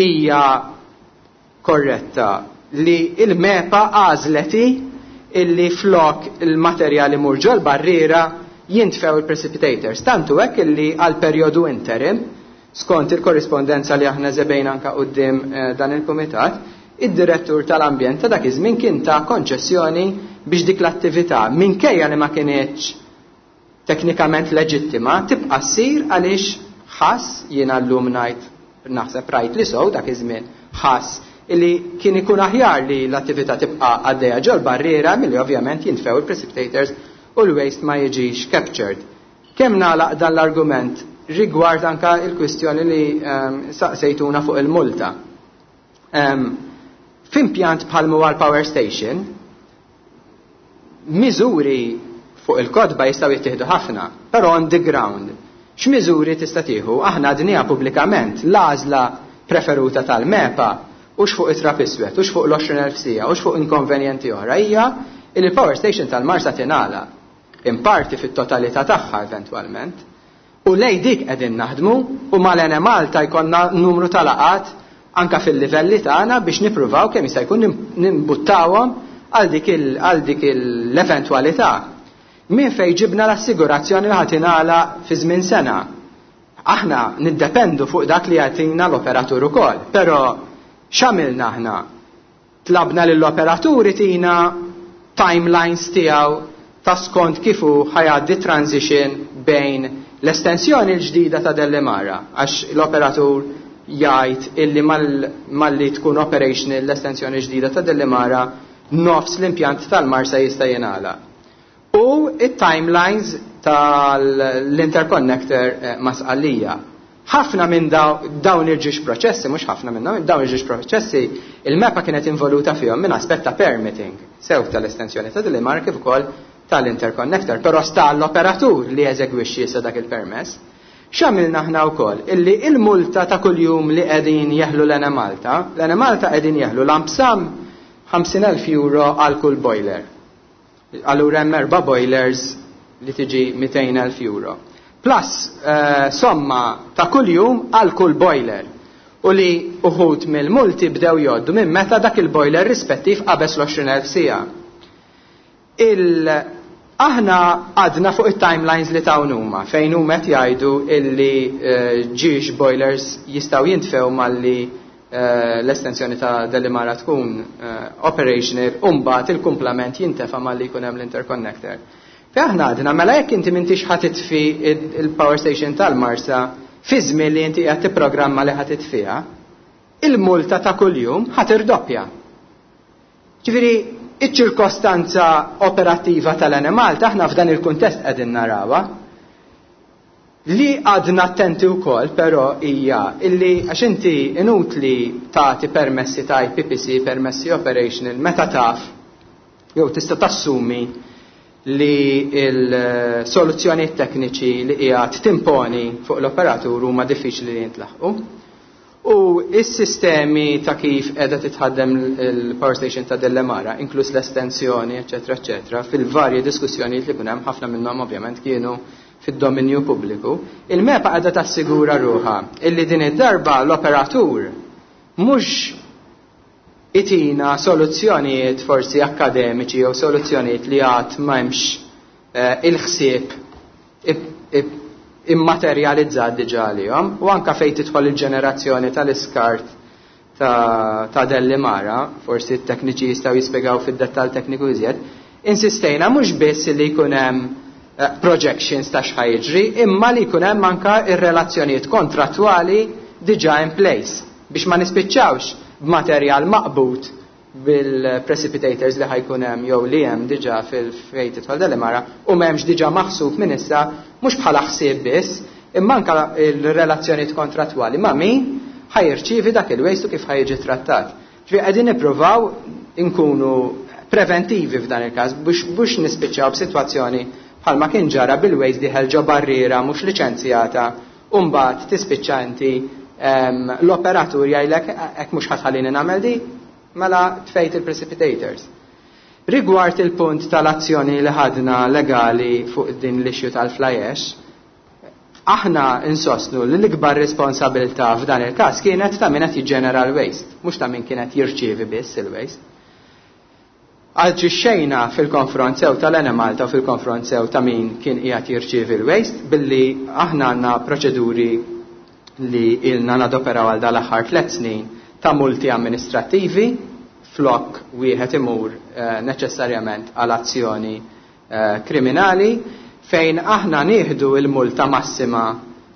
Speaker 3: hija korretta li il-MEPA għażlet illi flok il-materjali mur ġol barriera jintfew il-precipitators. Tantu hekk illi għal perjodu interim, skont il-korrispondenza li aħna żebejna anka quddiem dan il-kumitat, id-direttur tal-ambjent ta' dak iż-żmien kien ta' konċessjoni biex dik l-attività minkejja li ma kinitx teknikament leġittima tibqa' ssir għaliex ħass, jiena llum ngħid naħseb rajt li sow dak iż-żmien, ħass illi kien ikun aħjar li l-attività tibqa' għaddejja ġol barriera milli ovvjament jintfew il-precipitators u l-waste ma jiġix captured. Kemm nagħlaq dan l-argument rigward anka il-kwistjoni li saqsejtuna fuq il-multa. F'impjant bħal huwa l-power station, miżuri fuq il-kotba jistgħu jittieħdu ħafna, però on the ground, x'miżuri tista' tieħu? Aħna għadniha pubblikament l-għażla preferuta tal-MEPA hux fuq it-trab iswed, hux fuq l-20,000 siegħa, hux fuq inkonvenjenti oħra, hija li l-power station tal-Marsa tingħalaq, in parti fit-totalità tagħha eventwalment. U lej dik qegħdin naħdmu u mal-Enemalta jkollna numru ta' laqgħat anka fil-livelli tagħna biex nippruvaw kemm jista' jkun nimbuttawhom għal dik l-eventwalità. Min fejn ġibna l-assigurazzjoni li ħa tingħalaq fi żmien sena. Aħna niddependu fuq dak li jagħtina l-operatur ukoll, però x'għamilna aħna? Tlabna lill-operatur itina timelines tiegħu ta' skont kif hu ħa jgħaddi transition bejn l-estensjoni l-ġdida ta' Delimara, għax l-operatur jgħid illi malli tkun operational l-estensjoni ġdida ta' Delimara nofs l-impjant tal-Marsa jista' jingħalaq. U it-timelines tal-interconnector ma' Sqallija. Ħafna minn dawn il-ġiex proċessi, mhux ħafna minnhom, dawn il-ġiex proċessi, il-MEPA kienet involuta fihom minn aspett ta' permitting, sew tal-estensjoni ta' Delimara kif ukoll tal-interconnector, però sta l-operatur li jeżegwixxi issa dak il-permess. X'għamilna aħna wkoll? Illi il-multa ta' kuljum li qegħdin jeħlu l-Enemalta, l-Enemalta qegħdin jeħlu lump sum 50,000 euro għal kull boiler. Allura hemm erba' boilers li tiġi 200,000 euro. Plus somma ta' kuljum għal kull boiler. U li uħud mill-multi bdew jgħoddu minn meta dak il-boiler rispettiv qabeż l-20,000 siegħa. Aħna għadna fuq it-timelines li tawn huma, fejn huma qed jgħidu illi ġiex boilers jistgħu jintfew malli l-estensjoni ta' Delimara tkun operational u mbagħad il-kumplament jintefa' malli jkun hemm l-interconnector. Fejn aħna għadna mela jekk inti m'intix ħa titfi il-power station tal-Marsa fi żmien li inti qed tipprogramma li ħa titfiha, Il-multa ta' kuljum ħa tirdoppja. Ġifieri, iċ-ċirkostanza operattiva tal-Enemalta aħna f'dan il-kuntest qegħdin narawha. Li għadna attenti wkoll però hija illi għax inti inutli tagħti permessi ta' IPPC, permessi operational, meta taf jew tista' tassumi li l-soluzzjonijiet tekniċi li qiegħed timponi fuq l-operatur huma diffiċli li jintlaħqu. U s-sistemi ta' kif qiegħda titħaddem il-power station ta' Delimara, inkluż l-estensjoni, eċetera, eċetera, fil-varji diskussjonijiet li kien hemm, ħafna minnhom ovvjament kienu fid-dominju pubbliku, il-MEPA qiegħda tassigura ruħha illi din id-darba l-operatur mhux itina soluzzjonijiet forsi akademiċi jew soluzzjonijiet li għad m'hemmx il-ħsieb immaterjalizzat diġà għalihom, u anka fejn tidħol il-ġenerazzjoni tal-iskart ta' Delimara, forsi t-tekniċi jistgħu jispjegaw fid-dettall tekniku iżjed, insistejna mhux biss li jkun hemm projections ta' x'ħa jiġri, imma li jkun hemm anka ir-relazzjonijiet kontrattwali diġà in place biex ma nispiċċawx b'materjal maqbut bil-precipitators li ħajkun hemm jew li hemm diġà fil-fejn tidħol Delimara u m'hemmx diġà maħsub minn issa, mhux bħala ħsieb biss, imma anka l-relazzjonijiet kontrattwali ma' min ħajrċievi dak il-waste u kif ħajġi trattat. Ġifieri qegħdin nippruvaw inkunu preventivi f'dan il-każ biex nispiċċaw b'sitwazzjoni bħalma kien ġara bil-waste diħel ġo barriera mhux liċenzjata u mbagħad tispiċċa inti l-operatur jgħidlek hekk mhux ħatħallini nagħmel di, mela tfejt il-precipitators. Rigward il-punt tal-azzjoni li ħadna legali fuq din l-issue tal-fly ash, aħna insostnu li l-ikbar responsabilità f'dan il-każ kienet ta' min qed jiġġenera l-waste, mhux ta' min kienet jirċievi biss il-waste. Aġixxejna fil-konfront sew tal-Enemalta u fil-konfront sew ta' min kien qiegħed jirċievi l-waste billi aħna għandna proċeduri li ilna nadoperaw għal dal-aħħar 3 snin ta' multi amministrattivi flok wieħed imur neċessarjament għal azzjoni kriminali fejn aħna nieħdu il-multa massima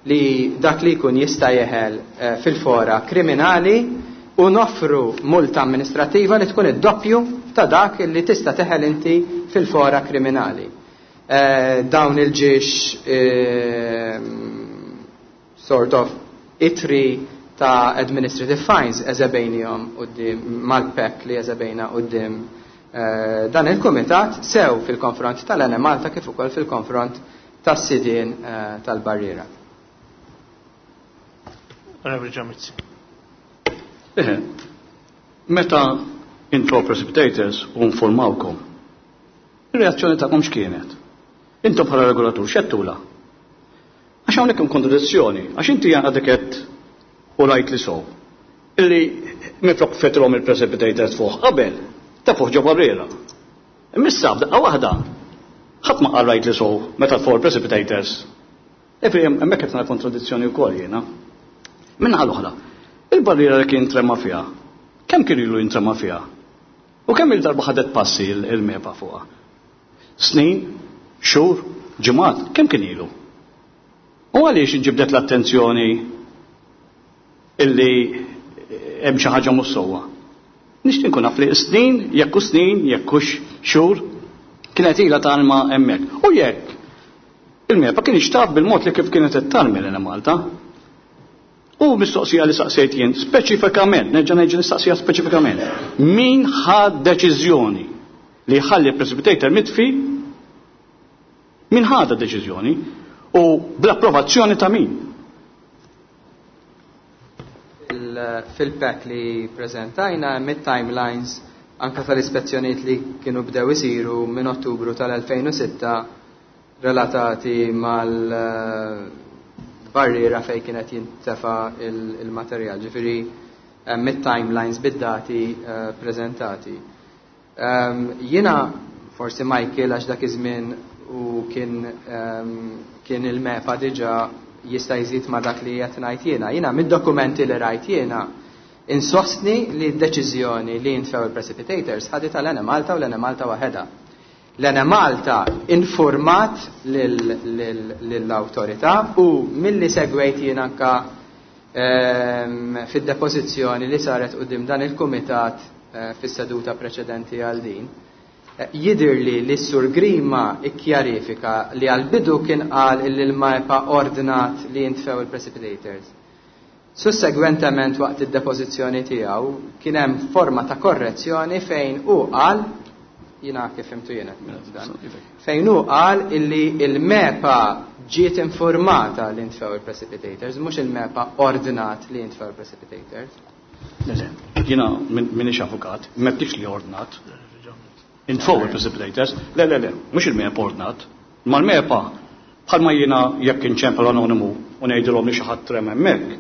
Speaker 3: li dak li jkun jista' jeħel fil-fora kriminali u noffru multa amministrattiva li tkun id-doppju ta' dak li tista' teħel inti fil-fora kriminali. Dawn il-ġiex sort of itri ta' administrative fines eżebejnihom quddiem mal-PEC li eżebejna quddiem dan il-kumitat sew fil-konfront tal-Enemalta kif ukoll fil-konfront tas-sidien tal-barriera.
Speaker 1: Onorevoli Joe Mizzi.
Speaker 2: Meta intro precipitators u informawkom, ir-reazzjoni tagħkom x'kienet? Intom bħala regolatur x'għedtula? Għax hawnhekk hemm kontradizzjoni, għax inti għadek qed u rajt li sow. Illi minflok fetrhom il-precipitators fuq qabel, ta' fuq ġo barriera. Imma f'daqqa waħda, ħadd ma qal rajt li sow meta fuq il-precipitators. Efri hemmhekk qed nara kontradizzjoni wkoll jiena. Minnaħa l-oħra, il-barriera li kien trema fiha, kemm kien ilu jintrema fiha? U kemm il-darba ħadet passi il-MEPA fuqha? Snin, xhur, ġimgħat, kemm kien ilu? U għaliex inġibdet l-attenzjoni illi hemm xi ħaġa mhux sewwa? Nixtieq nkun naf li snin, jekk hu snin, jekk hux xhur, kienet ilha talma hemmhekk. U jekk il-MEPA kien ixtaf bil-mod li kif kienet qed tarmi lil Malta. U mistoqsija li saqsejt jien speċifikament, nerġa' ngħid nistaqsija speċifikament, min ħa deċiżjoni li jħalli precipitator mitfi, min ħadha deċiżjoni u bl-approvazzjoni ta' min?
Speaker 3: Fil-pack li prezentajna hemm it-timelines anka tal-ispezzjonijiet li kienu bdew isiru minn Ottubru tal-2006 relatati mal-barriera fejn kienet jintefa il-materjal, ġifieri hemm it-timelines bid-dati preżentati. Jiena forsi Michael għax dak iż-żmien u kien il-MEPA diġà jista' jżid ma' dak li qed ngħid jiena. Jiena mid-dokumenti li rajt jiena insostni li d-deċiżjoni li jintfew il-precipitators ħadet tal-Enemalta u l-Enemalta waħedha. L-Enemalta informat lill-awtorità u milli segwejt jien anka Fid-depożizzjoni li saret quddiem dan il-kumitat fis-seduta preċedenti għal din, jidhirli li s-Sur Grima kkjarifika li għall-bidu kien qal illi l-MEPA ordnat li jintfew il-precipitators. Sussegwentement waqt id-depożizzjoni tiegħu kien hemm forma ta' korrezzjoni fejn hu qal, jiena kif fhimtu jiena dan, fejn hu qal illi l-MEPA ġiet informata li ntfew il-precipitators, mhux il-MEPA ordnat li jintfew il-precipitators.
Speaker 2: Le, le, jiena m'iniex avukat, m'għedtix li ordnat. Intfew il-precipitators. Le, le, le, mhux il-MEPA ordnat. Imma l-MEPA, bħalma jiena jekk inċempel anonimu u ngħidilhom li xi ħadd trema hemmhekk,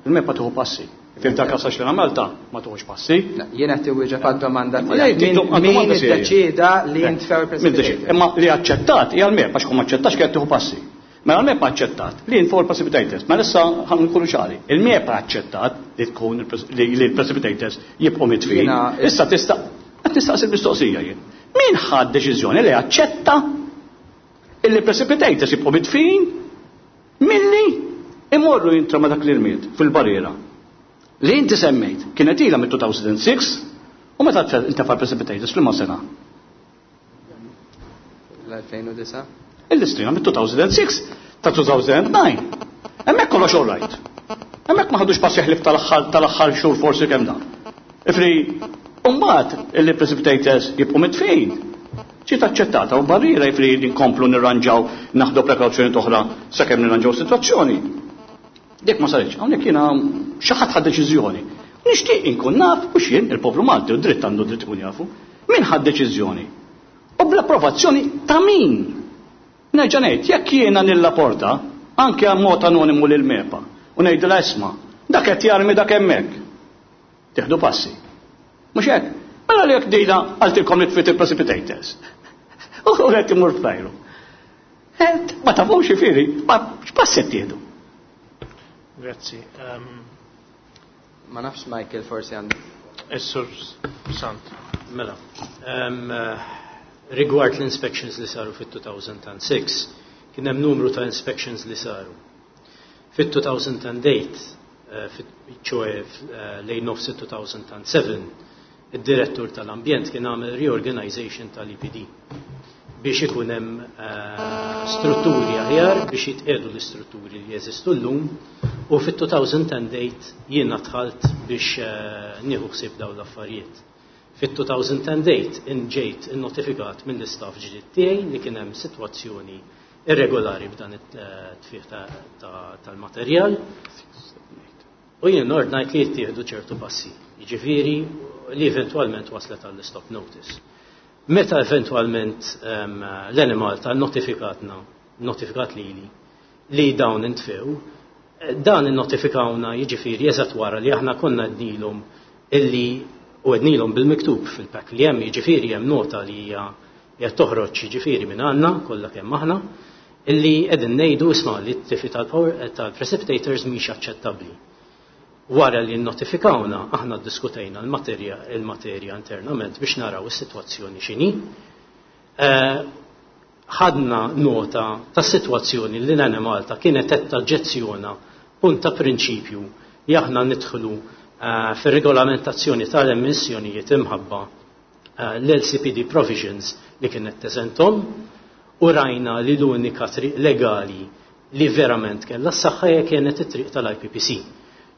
Speaker 2: il-MEPA tieħu passi. Fim ta' kasa xena Malta ma tuħux passi.
Speaker 3: Jiena qed iwieġeb għad-domanda tiegħek. Min iddeċieda li jintfew il-precipitators?
Speaker 2: Imma li aċċettat hija l-MEPA għax ma aċċettax kienet tieħu passi. Mela l-MEPA aċċettat li jintfew il-precipitators. Mela issa ħan nkunu ċari. Il-MEPA aċċettat li tkun li l-precipitators jibqgħu mitfin. Issa tista' qed nistaqsi l-mistoqsija jien. Min ħad deċiżjoni li aċċetta illi precipitators jibqgħu mitfin milli imorru jintra ma dak l-irmied fil-barriera. Li inti semmejt kienet ilha mit-2006 u meta intefa' precipitators fl sena?
Speaker 3: L-2009?
Speaker 2: Il-listrina mit-2006 ta' 2009. Hemmhekk kollox all right. Hemmhekk ma ħadux passi ħlif tal-aħħar xhur forsi kemm dan. Ifri, mbagħad illi precipitators jibqgħu mitfin. Ġiet aċċettata u barriera jifri li nkomplu nirranġaw naħdu prekawzjoni oħra sakemm nirranġaw sitwazzjoni. Dik ma saritx, hawnhekk jiena xi ħadd ħad deċiżjoni. Nixtieq inkun naf u x'jien il-poplu Malti u dritt għandu dritt ikun jafu. Min ħad deċiżjoni? U bl-approvazzjoni ta' min? Nerġa' ngħid, jekk jiena nirrapporta anke għal mod anonimu lil MEPA u ngħidilha isma' dak qed jarmi dak hemmhekk. Tieħdu passi. Mhux hekk? Mela li jekk dina qaltilkom li tfit il-precipitators. U qed imur f'tajru. Ma tafux jifieri, ma x'pass qed tieħdu?
Speaker 1: Grazzi.
Speaker 3: Ma nafx Michael forsi għandu.
Speaker 1: Is-Sur Sant.
Speaker 9: Mela, rigward l-inspections li saru fit-2006, kien hemm numru ta' inspections li saru. Fit-2008, ċoe lejn nofs 2007, id-direttur tal-ambjent kien għamel reorganization tal-EPD biex ikun hemm strutturi aħjar biex jitqiegħdu l-istrutturi li jeżistu llum u fit-2008 jiena dħalt biex nieħu ħsieb dawn l-affarijiet. Fit-2008 inġejt innotifikat mill-istaff ġdid tiegħi li kien hemm sitwazzjoni irregolari b'dan it-tfih tal-materjal u jien ordnajt li jittieħdu ċertu passi, jiġifieri li eventwalment waslet għall-stop notice. Meta eventwalment l-Enemalta notifikatna, notifikat lili li dawn intfew, dan innotifikawna jiġifieri eżatt wara li aħna konna għednilhom illi u għednilhom bil-miktub fil-pack li hemm jiġifieri hemm nota li hija qed toħroġ jiġifieri minn għandna kollha kemm aħna illi qegħdin ngħidu isma' li t-tifi tal-precipitators mhix aċċettabbli. Wara li notifikawna aħna ddiskutejna l-materja il-materja internament biex naraw is-sitwazzjoni x'inhi. Ħadna nota ta' sitwazzjoni li l-Enemalta kienet qed taġġezzjona punt ta' prinċipju li aħna nidħlu fir-regolamentazzjoni tal-emissjonijiet imħabba l-LCPD provisions li kienet teżentom u rajna li l-unika triq legali li verament kellha s-saħħa hija kienet it-triq tal-IPPC.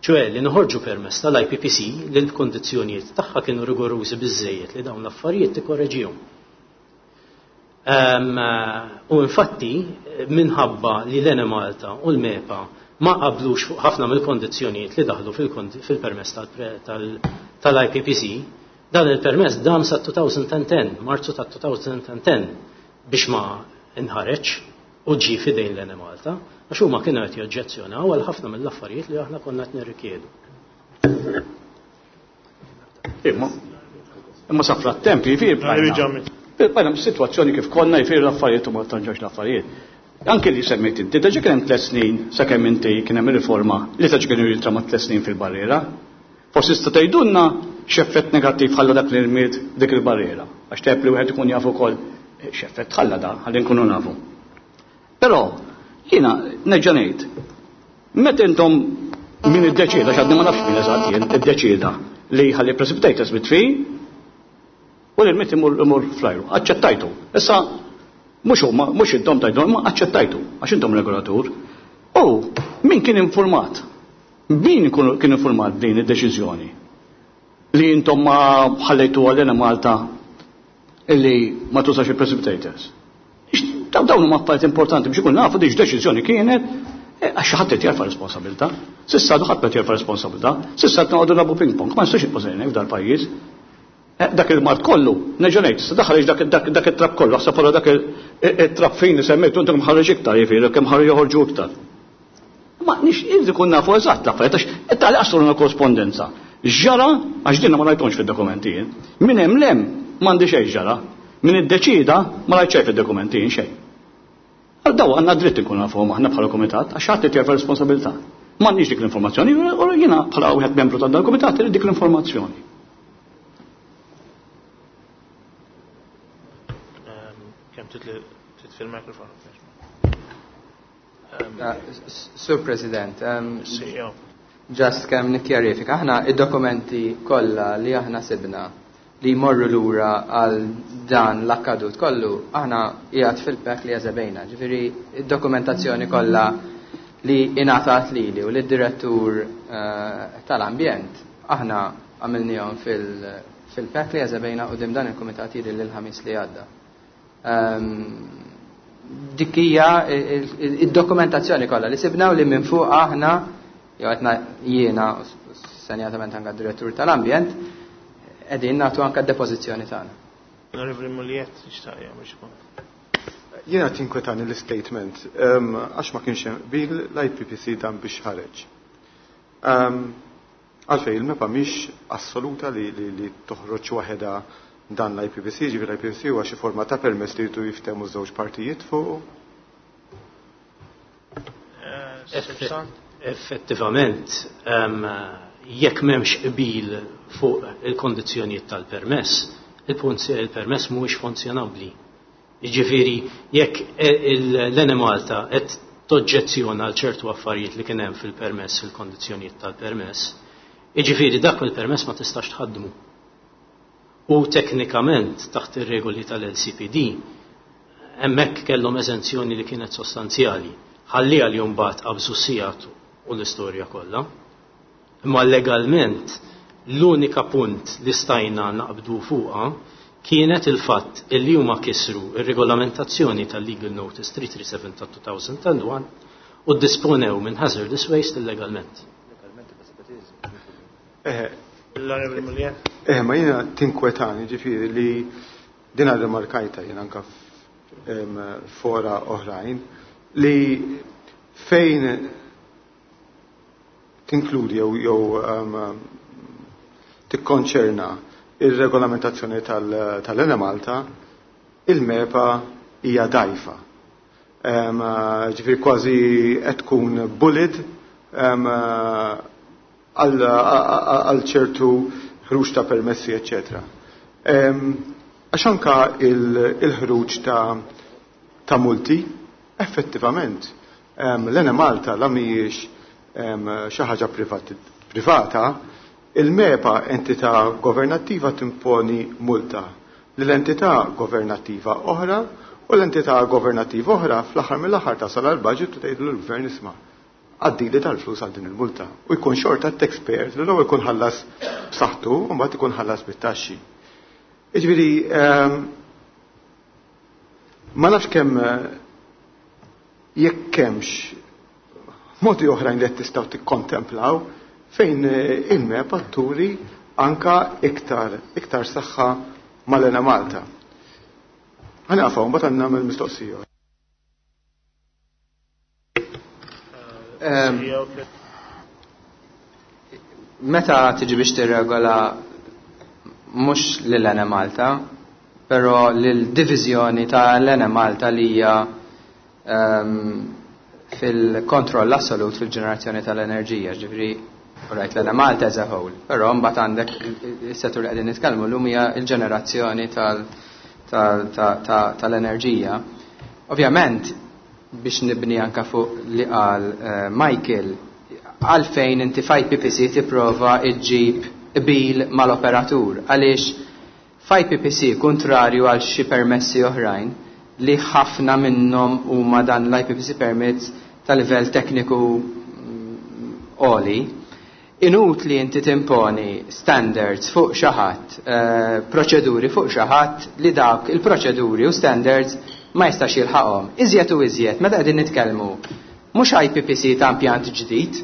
Speaker 9: ċoè li noħorġu permess tal-IPPC li l-kondizzjonijiet tagħha kienu rigorużi biżejjed li dawn l-affarijiet tikkoreġihom. U infatti minħabba li l-Enemalta u l-MEPA ma qablux fuq ħafna mill-kondizzjonijiet li daħlu fil-permess tal-IPPC, dan il-permess dam sa 2010, Marzu ta' 2010 biex ma nħareġ u ġie fidejn l-Enemalta, għax huma kienu qed joġġezzjonaw għal ħafna mill-affarijiet li aħna konna qed nirrikjedu.
Speaker 2: Imma imma sa frattemp jifieri bqajna situazzjoni kif konna jifieri l-affarijiet u ma tanġax l-affarijiet. Anke li semmejt inti, diġà kien hemm 3 snin sakemm inti kien hemm riforma li ta' kienu jintrama 3 snin fil-barriera. Forsi tista' tgħidulna x'effett negattiv ħalla dak l-irmied dik il-barriera. Għax tajjeb li wieħed ikun jaf ukoll x'effett ħalla da, ħalli nkunu nafu. Però jiena nerġa' ngħid, meta intom Min iddeċieda, x'għadni ma nafx min eżatt jien, iddeċieda li jħalli precipitators mitfi u li l-mit imur fl-ajru. Aċċettajtu. Issa mhux huma, mhux intom tajdu, imma aċċettajtu għax intom regolatur. U min kien informat? Min kien informat din id-deċiżjoni? Li intom ma ħallejtu għalina Malta illi ma tużax il-precipitators. Dawn huma affarijiet importanti biex ikun nafu dik deċiżjoni kienet eh, għax xi ħadd qed jerfa' responsabilità. S'issa għadu ħadd qed jerfa' responsabilità. S'issa qed noqogħdu nagħbu ping pong, ma nistax nibqgħu f'dal pajjiż. Eh, dak il-mart kollu, nerġa' ngħid, issa daħal dak it-trab kollu, ħseb wara dak it-trab fin li semmejtu intom ħareġ iktar, jiġifieri kemm ħareġ joħorġu iktar. Ma nix irrid ikun nafu eżatt l-affarijiet għax tali qasruna korrespondenza. X'ġara għax dinna ma rajthomx fid-dokumenti jien. Min hemm lem m'għandi xejn ġara. Min iddeċida ma rajt xejn fid-dokumenti jien xejn. Għal daw għandna dritt inkun nafuhom aħna bħala kumitat għax ħadd qed jerfa' responsabilità. M'għandniex dik l-informazzjoni u jiena bħala wieħed membru ta' dal-kumitat irid dik l-informazzjoni.
Speaker 1: Kemm titfi l-mikrofon?
Speaker 3: Sur President, just kemm nikkjarifika, aħna id-dokumenti kollha li aħna sibna li jmorru lura għal dan l-akkadut kollu, aħna qiegħed fil-pek li eżebejna. Ġifieri id-dokumentazzjoni kollha li ingħatat lili u lid-direttur eh, tal-ambjent, aħna għamilnihom fil-pek li eżebejna u dan il-kumitat jidher l-ħamis li għadda. Ehm, dik hija id-dokumentazzjoni kollha li sibna u li minn fuq aħna jew qed jiena senjatament anke direttur tal-ambjent qegħdin nagħtu anke d-depożizzjoni tagħna.
Speaker 1: Onorevoli Muliet, xtaq jagħmel xi punt.
Speaker 8: Jiena tinkwetani l-statement ehm, għax ma kienx hemm qbil l-IPPC dan biex ħareġ. Ehm, Għalfejn il-MEPA mhix assoluta li, li, li toħroġ waħedha dan l-IPPC, ġifieri l-IPPC huwa xi forma ta' permess li jridu jiftehmu żewġ partijiet fuq.
Speaker 9: Effettivament, jekk m'hemmx qbil fuq il-kondizzjonijiet tal-permess, il-permess mhuwiex funzjonabbli. Jiġifieri jekk l-Enemalta qed toġġezzjona għal ċertu affarijiet li kien hemm fil-permess, fil-kondizzjonijiet tal-permess, jiġifieri dak il-permess ma tistax tħaddmu. U teknikament taħt ir-regoli tal-LCPD hemmhekk kellhom eżenzjoni li kienet sostanzjali. Ħalliha li mbagħad qabżu sigħat u l-istorja kollha. Imma legalment l-unika punt li stajna naqbdu fuqha kienet il-fatt illi huma kisru ir-regolamentazzjoni tal-Legal Notice 337 ta' 2001 u ddisponew minn hazardous waste illegalment.
Speaker 8: Eh, eh, ma jiena tinkwetani ġifieri li din rimarkajta jien anka fora oħrajn li fejn tinkludi jew jew tikkonċerna ir-regolamentazzjoni tal-Enemalta, il-MEPA hija dgħajfa. Ġifieri kważi qed tkun bullied għal ċertu ħruġ ta' permessi, eċċetera. Għax anka il-ħruġ ta' multi, effettivament, l-Enemalta la mhijiex xi ħaġa privata, il-MEPA entità governattiva timponi multa lil entità governattiva oħra u l-entità governattiva oħra fl-aħħar mill-aħħar tasal għal budget u tgħidlu l-gvern isma' għaddili tal-flus għal din il-multa. U jkun xorta taxpayer li l-ewwel jkun ħallas b'saħħtu u mbagħad ikun ħallas bit-taxxi. Jiġifieri ma nafx kemm jekk hemmx modi oħrajn li qed tistgħu tikkontemplaw fejn il-MEPA turi anka iktar iktar saħħa mal-Enemalta. Ħa nieqaf hawn mbagħad nagħmel mistoqsija.
Speaker 3: Meta tiġi biex tirregola mhux lil Enemalta, però lil diviżjoni ta' l-Enemalta li hija fil-kontroll assolut fil-ġenerazzjoni tal-enerġija, ġifieri right l-Enemalta as a whole, però mbagħad għandek is-settur li qegħdin nitkellmu llum hija l-ġenerazzjoni tal-enerġija. Ovvjament, biex nibni anka fuq li qal Michael, għalfejn inti f'IPPC tipprova ġġib qbil mal-operatur, għaliex f'IPPC, kontrarju għal xi permessi oħrajn li ħafna minnhom huma dan l-IPPC permits ta' livell tekniku għoli, inutli inti timponi standards fuq xi ħadd, proċeduri fuq xi ħadd li dak il-proċeduri u standards ma jistax jilħaqhom. Iżjed u iżjed meta qegħdin nitkellmu mhux IPPC ta' impjant ġdid,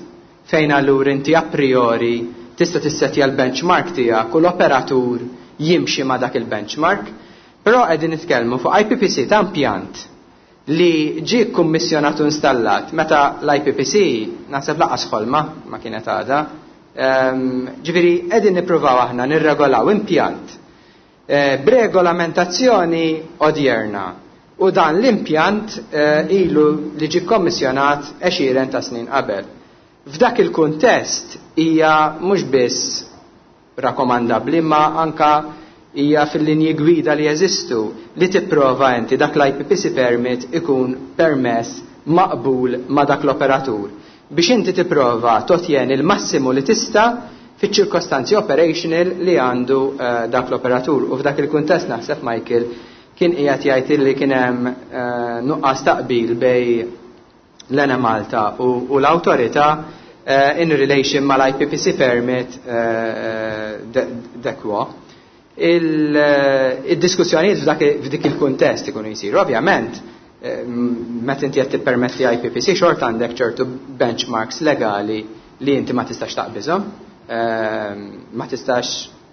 Speaker 3: fejn allura inti a priori tista' tissetja l-benchmark tiegħek u l-operatur jimxi ma' dak il-benchmark, però qegħdin nitkellmu fuq IPPC ta' impjant li ġie kkummissjonat u installat meta l-IPPC naħseb lanqas ħolma ma kienet għadha. Ġifieri qegħdin nippruvaw aħna nirregolaw impjant b'regolamentazzjoni odjerna u dan l-impjant ilu li ġie kkommissjonat għexieren ta' snin qabel. F'dak il-kuntest hija mhux biss rakkomandabbli ma anka hija fil-linji gwida li jeżistu li tipprova inti dak l-IPPC permit ikun permess maqbul ma' dak l-operatur biex inti tipprova totjeni l-massimu li tista' fiċ-ċirkostanzi operational li għandu dak l-operatur. U f'dak il-kuntest naħseb Michael kien qiegħed jgħid li kien hemm nuqqas taqbil bejn l-Enemalta u l-awtorità in relation mal-IPPC permit dekwa. Il-diskussjonijiet f'dik il-kuntest ikunu jsiru. Ovvjament, meta inti qed tippermetti IPPC xorta għandek ċertu benchmarks legali li inti ma tistax taqbiżhom, ma tistax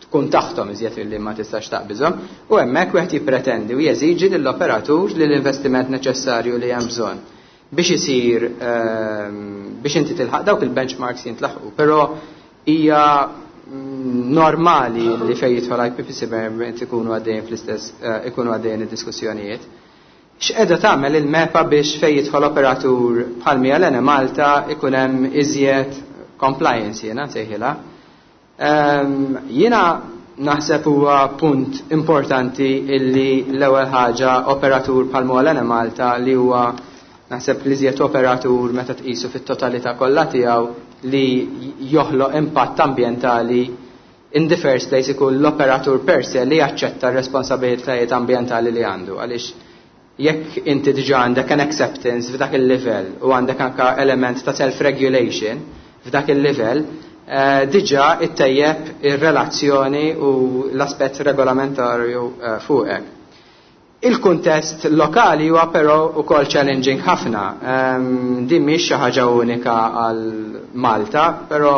Speaker 3: tkun taħtom iżjed li ma tistax taqbiżhom, u hemmhekk wieħed jippretendi u jeżiġi lill-operatur li l-investiment neċessarju li hemm bżonn biex isir biex inti tilħaq dawk il-benchmarks jintlaħqu. Però hija normali li fejn jidħol IPPC permit ikunu għaddejjin fl-istess ikunu għaddejjin id-diskussjonijiet. X'qiegħda tagħmel il-MEPA biex fejn jidħol operatur bħal mija l-Enemalta ikun hemm iżjed compliance, jiena nsejħilha? Jiena naħseb huwa punt importanti illi l-ewwel ħaġa operatur bħal huwa l-Enemalta, li huwa naħseb li iżjed operatur meta tqisu fit-totalità kollha tiegħu li joħloq impatt ambjentali, in the first place ikun l-operatur per se li jaċċetta r-responsabilitajiet ambjentali li għandu, għaliex jekk inti diġà għandek an acceptance f'dak il-livell u għandek anka element ta' self-regulation f'dak il-livell, diġà ittejjeb ir-relazzjoni u l-aspett regolamentarju fuqek. Il-kuntest lokali huwa però ukoll challenging ħafna. Din mhix xi ħaġa unika għal Malta, però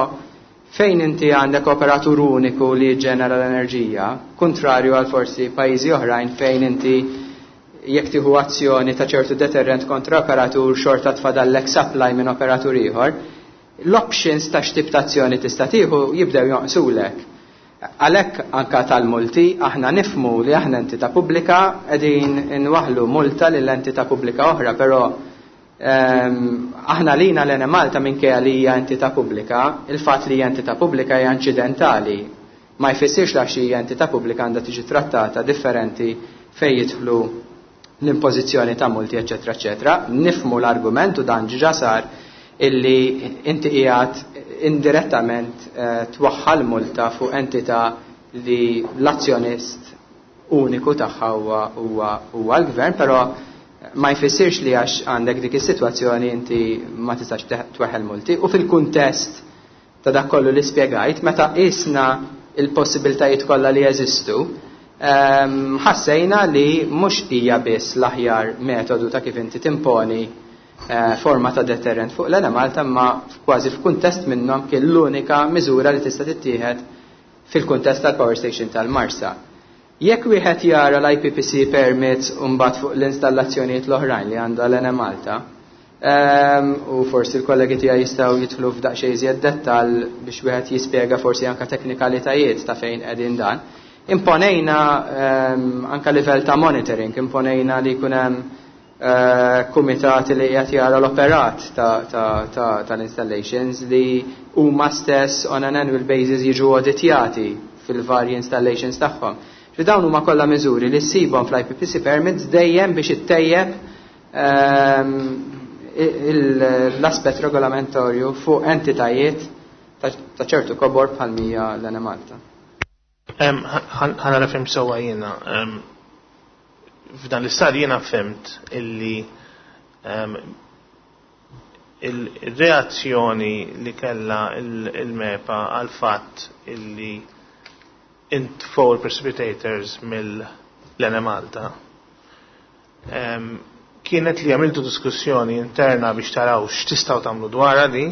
Speaker 3: fejn inti għandek operatur uniku li ġenera l-enerġija, kontrarju għal forsi pajjiżi oħrajn fejn inti jekk tieħu azzjoni ta' ċertu deterrent kontra operatur xorta tfadallek supply minn operatur ieħor, l-options ta' x'tip ta' azzjoni tista' tieħu jibdew jonqsulek. Għalhekk anka tal-multi aħna nifmu li aħna entità pubblika qegħdin inwaħlu multa lil entità pubblika oħra, però aħna lina l-Enemalta, minkejja li hija entità pubblika, il-fatt li hija entità pubblika hija inċidentali. Ma jfissirx li għax hija entità pubblika għandha tiġi trattata differenti fejn jidħlu l-impożizzjoni ta' multi, eċetera, eċetera. Nifmu l-argument u dan ġa sar illi inti qiegħed indirettament twaħħal multa fuq entità li l-azzjonist uniku tagħha huwa l-gvern, però ma jfissirx li għax għandek dik is-sitwazzjoni inti ma tistax tweħħel multi. U fil-kuntest ta' dak kollu li spjegajt, meta qisna il-possibiltajiet kollha li jeżistu, ħassejna li mhux hija biss l-aħjar metodu ta' kif inti timponi forma ta' deterrent fuq l-Enemalta, ma kważi f'kuntest minnhom kien l-unika miżura li tista' tittieħed fil-kuntest tal-power station tal-Marsa. Jekk wieħed jara l-IPPC permits u mbagħad fuq l-installazzjonijiet l-oħrajn li għandha l-Enemalta, u forsi l-kollegi tiegħi jistgħu jidħlu f'daqsxejn iżjed dettall biex wieħed jispjega forsi anke teknikalitajiet ta' fejn qegħdin dan. Imponejna anka livell ta' monitoring, imponejna li jkun hemm kumitati li qed jara l-operat tal-installations li huma stess on an annual basis jiġu auditjati fil-varji installations tagħhom. Fi dawn huma kollha miżuri li ssibhom fl-IPPC permits dejjem biex ittejjeb. l-aspett regolamentorju fuq entitajiet ta' ċertu kobor bħal mija l-Enemalta.
Speaker 1: Ħa nara fhimt sewwa jiena. F'dan l-istadju jiena fhimt illi il-reazzjoni li kella il-MEPA għal fatt illi intfow il-precipitators mill-Enemalta kienet li għamiltu diskussjoni interna biex taraw x'tistgħu tagħmlu dwarha di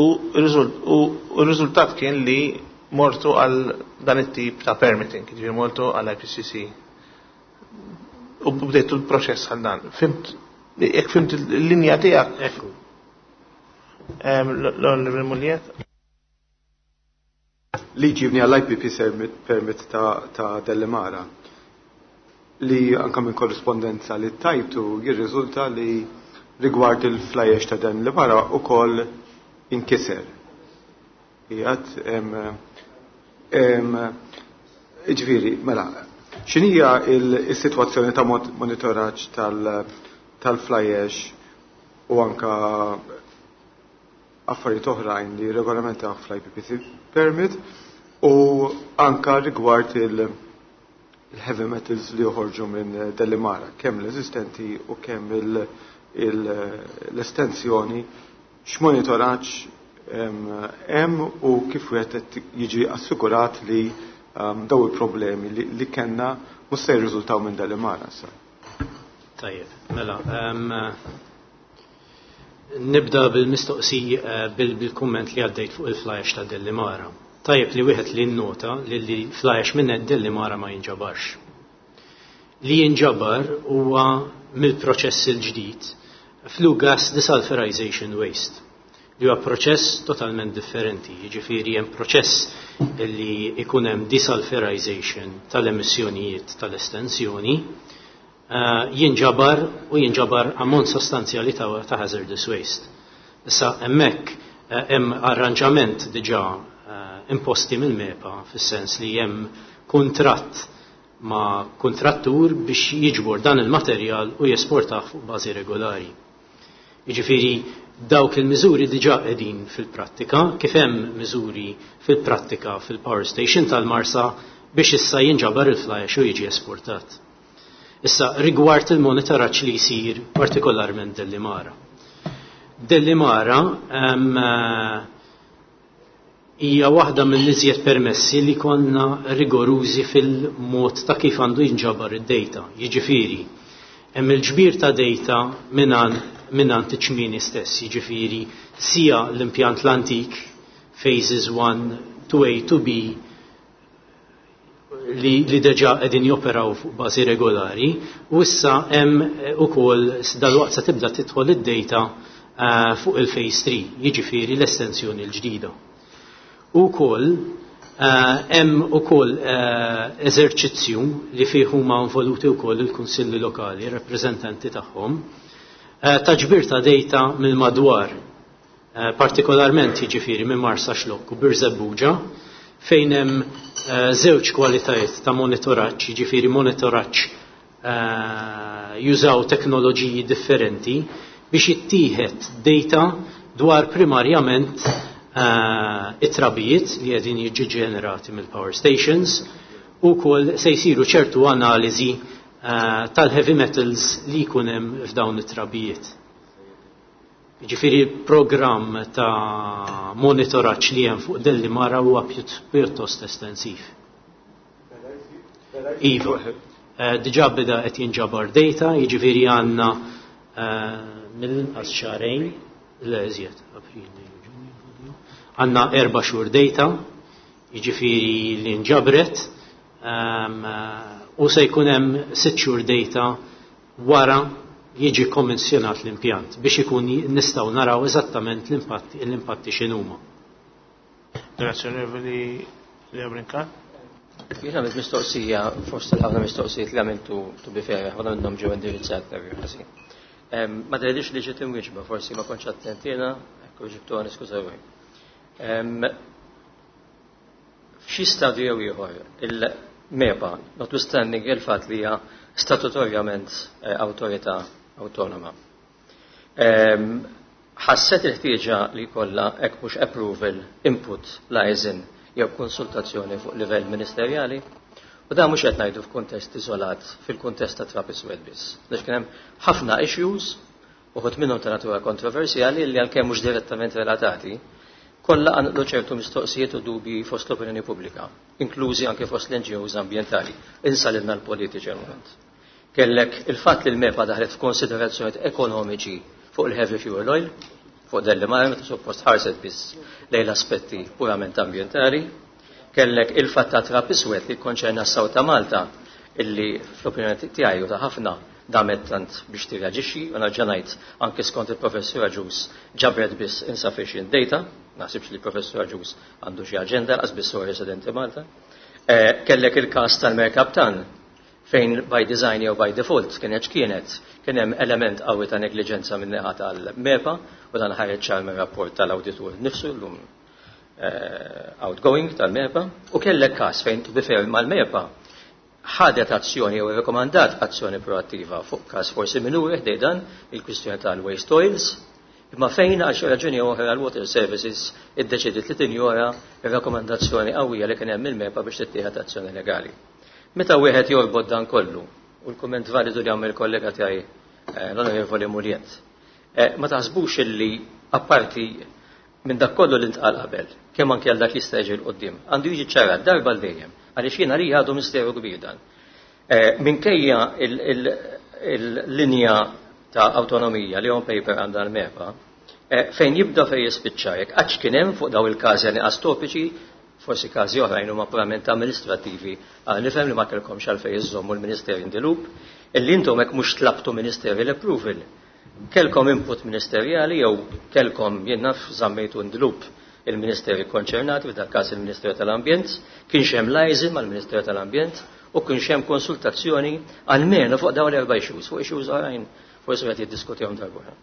Speaker 1: u r-riżultat kien li mortu għal dan it-tip ta' permitting, ġifieri mortu għal IPCC. U bdejtu l-proċess għal dan. Fhimt, jekk fhimt il-linja tiegħek.
Speaker 9: Ekku.
Speaker 1: L-Onorevoli Mugliett?
Speaker 8: Li ġibni għall-IPP permit ta' Delimara li anka minn korrispondenza li tajtu jirriżulta li rigward il-fly ash ta' Delimara u koll inkiser. Jgħat, ġifieri, mela, x'inhija il-situazzjoni ta' monitoraġġ tal-fly ash u anka affarijiet oħrajn li regolamentaw fl-IPPC permit u anka rigward il-heavy metals li joħorġu minn Delimara, kemm l-eżistenti u kemm l-estensjoni, x'monitoraġġ hemm u kif wieħed qed jiġi assigurat li daw il-problemi li kellna mhux se jirriżultaw minn Delimara sa.
Speaker 9: Tajjeb, mela, nibda bil-mistoqsi bil-kumment li għaddejt fuq il-fly ash ta' Delimara. Tajjeb li wieħed li nnota li fly ash minn Delimara ma jinġabarx. Li jinġabar huwa mill-proċess il-ġdid flue gas desulfurization waste, li huwa proċess totalment differenti. Jiġifieri hemm proċess li ikun hemm desulfurization tal-emissjonijiet tal-estensjoni, jinġabar u jinġabar ammont sostanzjali ta' hazardous waste. Issa hemmhekk hemm arranġament diġà imposti mill-MEPA fis-sens li hemm kuntratt ma' kontrattur biex jiġbor dan il-materjal u jesportah fuq bażi regolari. Jiġifieri dawk il-miżuri diġà qegħdin fil-prattika, kif hemm miżuri fil-prattika fil-power station tal-Marsa biex issa jinġabar il-fly ash u jiġi esportat. Issa rigward il-monitoraġġ li jsir partikolarment Delimara. Delimara hija waħda mill-iżjed permessi li konna rigorużi fil-mod ta' kif għandu jinġabar id-data. Jiġifieri, hemm il-ġbir ta' data mingħand iċ-ċmieni stess, jiġifieri sija l-impjant l-antik, phases 1, 2A, 2B, li deġa qegħdin joperaw fuq bażi regolari, u issa hemm ukoll dalwaqt se tibda tidħol id-data fuq il-phase 3, jiġifieri l-estensjoni l-ġdida. U wkoll hemm ukoll eżerċizzju li fih huma involuti wkoll il-kunsilli lokali, rappreżentanti tagħhom, ta' ġbir ta' data mill-madwar, partikolarment jiġifieri minn Marsaxlokk u Birżebbuġa, fejn hemm żewġ kwalitajiet ta' monitoraġġ, jiġifieri monitoraġġ jużaw teknoloġiji differenti biex jittieħed data dwar primarjament it-trabijiet li qegħdin jiġu ġenerati mill-power stations u wkoll se jsiru ċertu analiżi tal-heavy metals li jkun hemm f'dawn it-trabijiet. Jiġifieri programm ta' monitoraġġ li hemm fuq Delimara huwa pjuttost estensiv. Iva, diġà beda qed jinġabar data, jiġifieri għandna mill-inqas xahrejn, le iżjed, April, Ġunju, Lulju, għandna 4 xhur data, jiġifieri li nġabret, u se jkun hemm 6 xhur data wara jiġi kommissjonat l-impjant biex ikun nistgħu naraw eżattament l-impatti x'inhuma.
Speaker 1: Grazie, Onorevoli Leo Brincat.
Speaker 4: Jien għamilt mistoqsija fost il-ħafna mistoqsijiet li għamiltu to be fair, ħafna minnhom ġew indirizzat ħażin. Ma tgħidix li ġiet imwieġba, forsi ma kontx attent jiena, hekk ġibtuha niskuża ruħi. F'xi stadju jew ieħor il-MEPA, notwithstanding il-fatt li hija statutorjament awtorità awtonoma. Ħasset il-ħtieġa li jkollha hekk mhux approval, input, liaison jew konsultazzjoni fuq livell ministerjali? U dan mhux qed ngħidu f'kuntest iżolat fil-kuntest ta' trab iswed biss. Għax kien hemm ħafna issues, uħud minnhom ta' natura kontroversjali li għalkemm mhux direttament relatati, kollha qanqlu ċertu mistoqsijiet u dubji fost l-opinjoni pubblika, inklużi anke fost l-NGOs ambjentali. Insa lilna l-politiċi għal-moment. Kellek il-fatt li l-MEPA daħlet f'konsiderazzjonijiet ekonomiċi fuq il-heavy fuel oil, fuq Delimara, meta suppost ħarset biss lejn l-aspetti purament ambjentali. Kellek il-fatt ta' trab iswed li konċerna s-South ta' Malta, illi fl-opinjoni tiegħi u ta' ħafna damet tant biex tirreaġixxi, u nerġa' ngħid anke skont il-Professur Agius ġabret biss insufficient data, naħsibx li l-Professur Agius għandu xi aġenda lanqas biss huwa residenti Malta. Kellek il-każ tal-Mercaptan, fejn by design jew by default kienet x'kienet, kien hemm element qawwi ta' negliġenza minn naħa tal-MEPA, u dan ħareġ ċar mir-rapport tal-awditur nnifsu llum outgoing tal-MEPA, u kellek każ fejn to be fair mal-MEPA ħadet azzjoni jew irrekomandat azzjoni proattiva fuq każ forsi minuri ħdej dan il-kwistjoni tal-waste oils, imma fejn għal xi raġuni oħra l-Water Services iddeċidiet li tinjora ir-rakkomandazzjoni qawwija li kien hemm mill-MEPA biex tittieħed azzjoni legali. Meta wieħed jorbot dan kollu, u l-kumment validu li għamel kollega tiegħi l-Onorevoli Mugliett, ma taħsbux illi apparti minn dak kollu li ntqal qabel, kemm anke għal dak li jista' jiġi 'l quddiem, għandu jiġi ċarat darba l dejjem, għaliex jiena li għadu misteru kbir dan. Minkejja il-linja ta' autonomija li on paper għandha l-MEPA, fejn jibda fejn jispiċċa, jekk qattx kien hemm fuq daw il-każi għal topiċi, forsi każi oħrajn huma purament amministrativi, għal nifhem li ma kellkomx għalfejn iżommu l-Ministeri in the loop, illi intom hekk mhux tlabtu ministerial approval. Kelkom input ministerjali jew kelkom jien naf żammejtu in the loop il-ministeri konċernati, f'dak każ il-Ministeru tal-Ambjent, kienx hemm liaison mal-Ministeru tal-Ambjent u kienx hemm konsultazzjoni almenu fuq dawn l-erba' issues, fuq issues oħrajn forsi qed jiddiskutihom darb'oħra.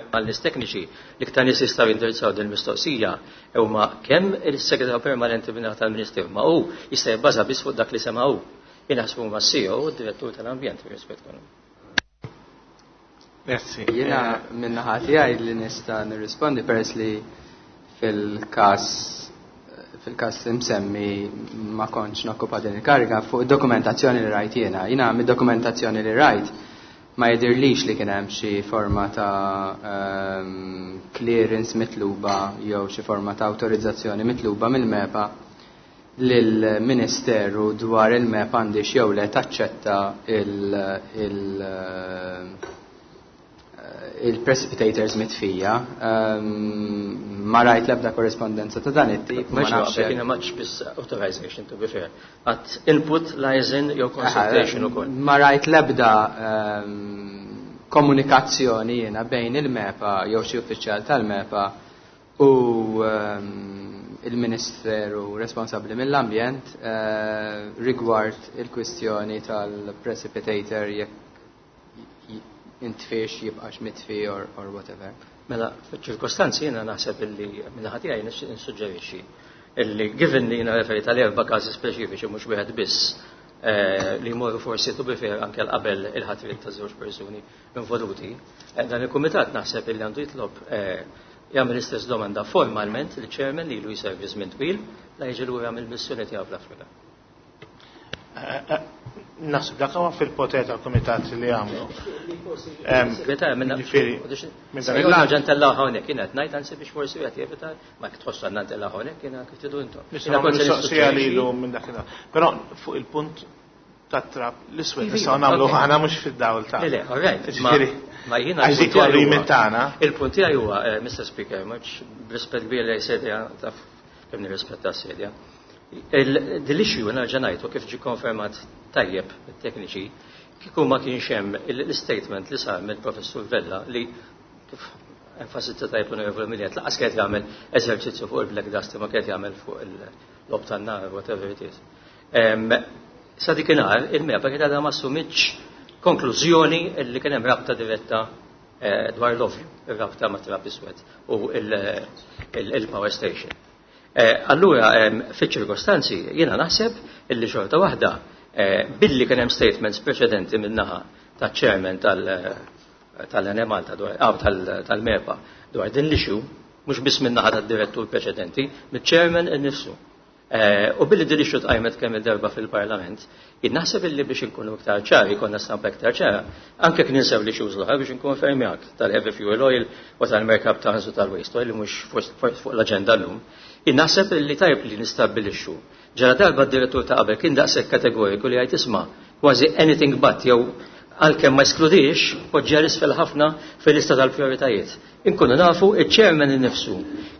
Speaker 4: Għal-nies tekniċi li iktar nies jistgħu jindirizzaw din il-mistoqsija huma kemm il-segretarju permanenti minn tal-Ministeru, ma hu jista' jibbaża biss fuq dak li sema' hu. Jien naħsbu huma CEO u d-direttur tal-ambjent rispett kollu.
Speaker 1: Grazzi.
Speaker 3: Jiena min-naħa tiegħi li nista' nirrispondi peress li fil-każ li msemmi ma kontx nokkupa din il-kariga fuq id-dokumentazzjoni li rajt jiena. Jiena mid-dokumentazzjoni li rajt ma jidirlix li kien hemm xi forma ta' clearance mitluba jew xi forma ta' awtorizzazzjoni mitluba mill-MEPA lill-Ministeru dwar il-MEPA għandix jew le taċċetta il-precipitators mitfija. Ma rajt l-ebda korrespondenza ta' dan it-tip.
Speaker 4: Ma nafx kien hemm biss authorization, to be fair. Għat input, liaison jew consultation ukoll.
Speaker 3: Ma rajt l-ebda komunikazzjoni jiena bejn il-MEPA jew xi uffiċjal tal-MEPA u il-Ministeru responsabbli mill-ambjent rigward il-kwistjoni tal-precipitator jekk intfiex, jibqax mitfi or whatever.
Speaker 4: Mela, fil-ċirkostanzi jiena naħseb illi min-naħa tiegħi nissuġġerixxi illi given li jiena referi tal-erba' każi speċifiċi mhux wieħed biss, li jmorru forsi to be fair anke qabel il-ħatriet ta' żewġ persuni involuti, dan il-kumitat naħseb illi għandu jitlob, jagħmel l-istess domanda formalment li chairman li ilu jservi żmien twil la jiġi lura mill-missjoni tiegħu fl-Afrika.
Speaker 1: Naħseb dak huwa fil-poter tal-kumitat li għamlu. Ġifieri, minn dan il-lat.
Speaker 4: Ġan tellaw hawnhekk, kienet ngħid anzi biex forsi qed jevita, ma tħossu għandna ntellgħu hawnhekk, jiena kif tridu intom.
Speaker 1: Nistgħu mistoqsija lilu minn dakinhar. Però fuq il-punt tat-trab l-iswed nistgħu nagħmlu aħna mhux fid-dawl ta'
Speaker 4: Le, all right.
Speaker 1: Ġifieri,
Speaker 4: Ma jiena
Speaker 1: għax dik huwa l-limit tagħna.
Speaker 4: Il-punt tiegħi huwa, Mr. Speaker, mhux b'rispett kbir lejn sedja, taf kemm nirrispetta s-sedja. Dil-issue nerġa' ngħid u kif ġie konfermat tajjeb mit-tekniċi, kieku ma kienx hemm l-statement li sar mill-Professur Vella li kif enfasizza tajjeb l-Onorevoli Mugliett, laqas kienet jagħmel eżerċizzju fuq il-black dust ma kienet jagħmel fuq il-lob tan-nar, whatever it is. Sa dikinhar il-MEPA kienet għadha ma assumitx konklużjoni li kien hemm rabta diretta dwar l-ovju, ir-rabta ma' trab iswed u il-power station. Allura, fiċ-ċirkostanzi, jiena naħseb illi xorta waħda, billi kien hemm statements preċedenti min-naħa taċ-chairman tal-Enemalta tal-MEPA dwar din l-issue, mhux biss min-naħa tad-direttur preċedenti, miċ-chairman innifsu. U billi din l-issue tqajmet kemm il-darba fil-Parlament, jien naħseb illi biex inkunu iktar ċari, jkollna stampa iktar ċara, anke kien ninsew li issues l-oħra biex inkun fermjak tal-heavy fuel oil u tal-mercaptans u tal-waste oil li mhux fuq l-aġenda llum. Jien naħseb illi tajb li nistabbilixxu. Ġara darba d-direttur ta' qabel kien daqshekk kategoriku li jgħid isma' kważi anything but jew għalkemm ma eskludix, poġġa isfel ħafna fil-lista tal-prioritajiet. Inkunu nafu iċ-chairman innifsu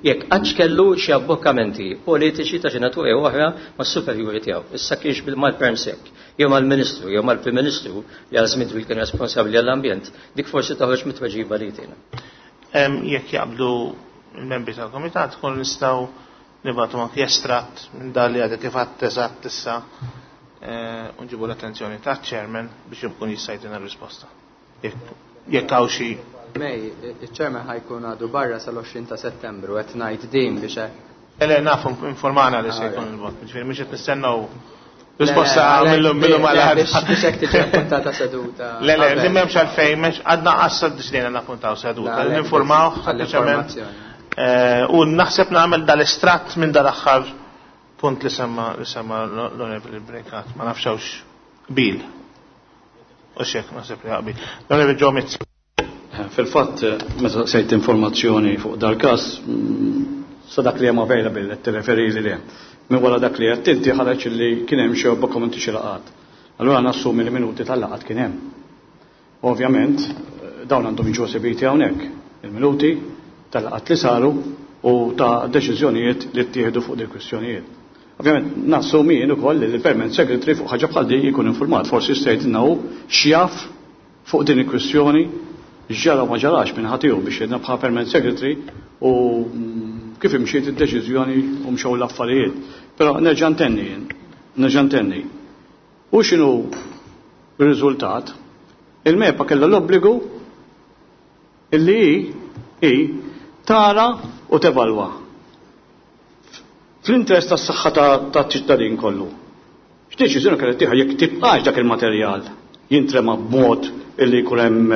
Speaker 4: jekk qattx kellu xi abbokkamenti politiċi ta' xi natura jew oħra mas-superjuri tiegħu. Issa kienx mal-Permsec, jew mal-Ministru, jew mal-Prim Ministru li għal żmien twil kien responsabbli għall-ambjent, dik forsi toħroġ mit-tweġiba li jtina.
Speaker 1: Jekk jaqblu il-membri tal-Komitat, kun nistgħu nibgħatu anki estratt minn dan li għadek kif għadt eżatt issa u nġibu l-attenzjoni taċ-chairman biex jkun jista' jtina r-risposta. Jekk hawn xi
Speaker 3: Mej, il-chairman ħa jkun għadu barra sal-20 ta' Settembru, qed ngħid din biex hekk.
Speaker 1: Le, nafu, informana li se jkun il-vot, ġifieri mhux qed nistennew risposta mill-lum għal
Speaker 3: Biex hekk tiġi appuntata seduta.
Speaker 1: Le, li m'hemmx għalfejn, m'hemmx għadna qassa deċidejna nappuntaw seduta, ninformaw sempliċement. U naħseb nagħmel dal-estratt minn dal-aħħar punt li semma li semma l-Onorevoli Brincat, ma nafx hawnx bil. U xek, naħseb li qbil. L-Onorevoli Joe Mizzi.
Speaker 2: Fil-fatt, meta sejt informazzjoni fuq dal-każ, sa dak li hemm available qed tirreferi li le. Minn wara dak li qed inti ħareġ li kien hemm xi dokumenti xi laqgħat. Allura nassumi li minuti tal-laqgħat kien hemm. Ovvjament, dawn għandhom jiġu esibiti hawnhekk, il-minuti tal-laqgħat li saru u ta' deċiżjonijiet li ttieħdu fuq dik kwistjonijiet. Ovvjament, nassumi jien ukoll li l-Permanent Secretary fuq ħaġa bħal din jkun informat, forsi jista' jgħidilna hu x'jaf fuq din il-kwistjoni, x'ġara u ma ġarax minn ħadd biex jgħidna bħala Permanent Secretary u kif imxiet id-deċiżjoni u mxew l-affarijiet. Però nerġa' ntenni jien, nerġa' ntenni. U x'inhu r-riżultat? Il-MEPA kellha l-obbligu illi hi tara u tevalwa fl-interess tas-saħħa taċ-ċittadin kollu. X'deċiżjoni kellha tieħu jekk tibqax dak il-materjal jintrema b'mod illi jkun hemm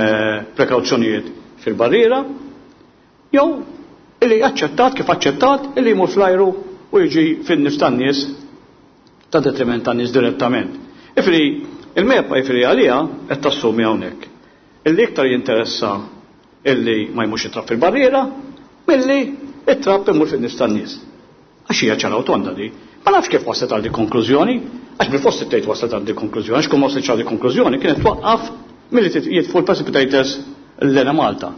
Speaker 2: prekawzjonijiet fil-barriera, jew illi aċċettat kif aċċettat illi jmur fl-ajru u jiġi fin-nifs tan-nies ta' detriment tan-nies direttament. Ifri, il-MEPA ifri għalija qed tassumi hawnhekk. Illi iktar jinteressa illi ma jmurx it-trab fil-barriera milli it-trab imur fin-nifs tan-nies. Għax hija ċara u tonda di. Ma nafx kif waslet għal di konklużjoni, għax bil-fost tgħid waslet għal di konklużjoni, għax kum waslet għal di konklużjoni kienet twaqqaf milli jitfu l-precipitators l-Enemalta.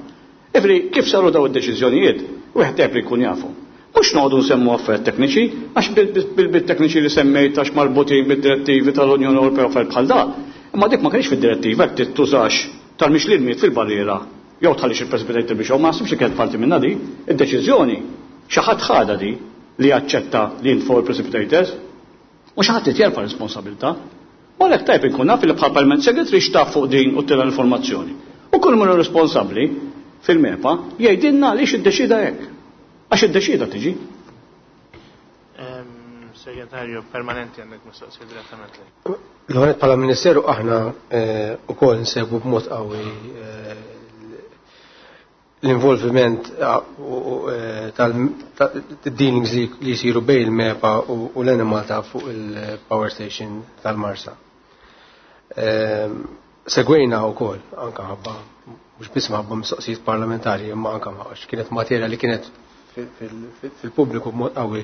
Speaker 2: Ifri, kif saru daw id-deċiżjonijiet, wieħed tajb li jkun jafu. Mhux noqogħdu nsemmu affarijiet tekniċi, għax bil-tekniċi li semmejt għax marbutin bid-direttivi tal-Unjoni Ewropea u affarijiet bħal da. Imma dik ma kienx fid-direttiva jekk tużax tal-mix l-ilmiet fil-barriera jew tħallix il-precipitator biex ma naħsibx li kienet parti minnha di. Id-deċiżjoni xi ħadd ħadha di li jaċċetta li jintfgħu il-precipitators u xi ħadd jerfa' responsabilità. U għalhekk tajb inkun naf li bħal Permanent Secretary xtaf fuq din u tira l-informazzjoni. U kull min hu responsabbli fil-MEPA jgħidilna għaliex iddeċida hekk. Għax iddeċida tiġi.
Speaker 1: Segretarju permanenti għandek mistoqsija direttament lejk.
Speaker 10: L-għonet bħala Ministeru aħna ukoll nsegwu b'mod qawwi l-involviment tal-dealings li jsiru bejn il-MEPA u l-Enemalta fuq il-power station tal-Marsa. Segwejna wkoll anka ħabba mhux biss ħabba mistoqsijiet parlamentari imma anka għax kienet materja li kienet fil-pubbliku b'mod qawwi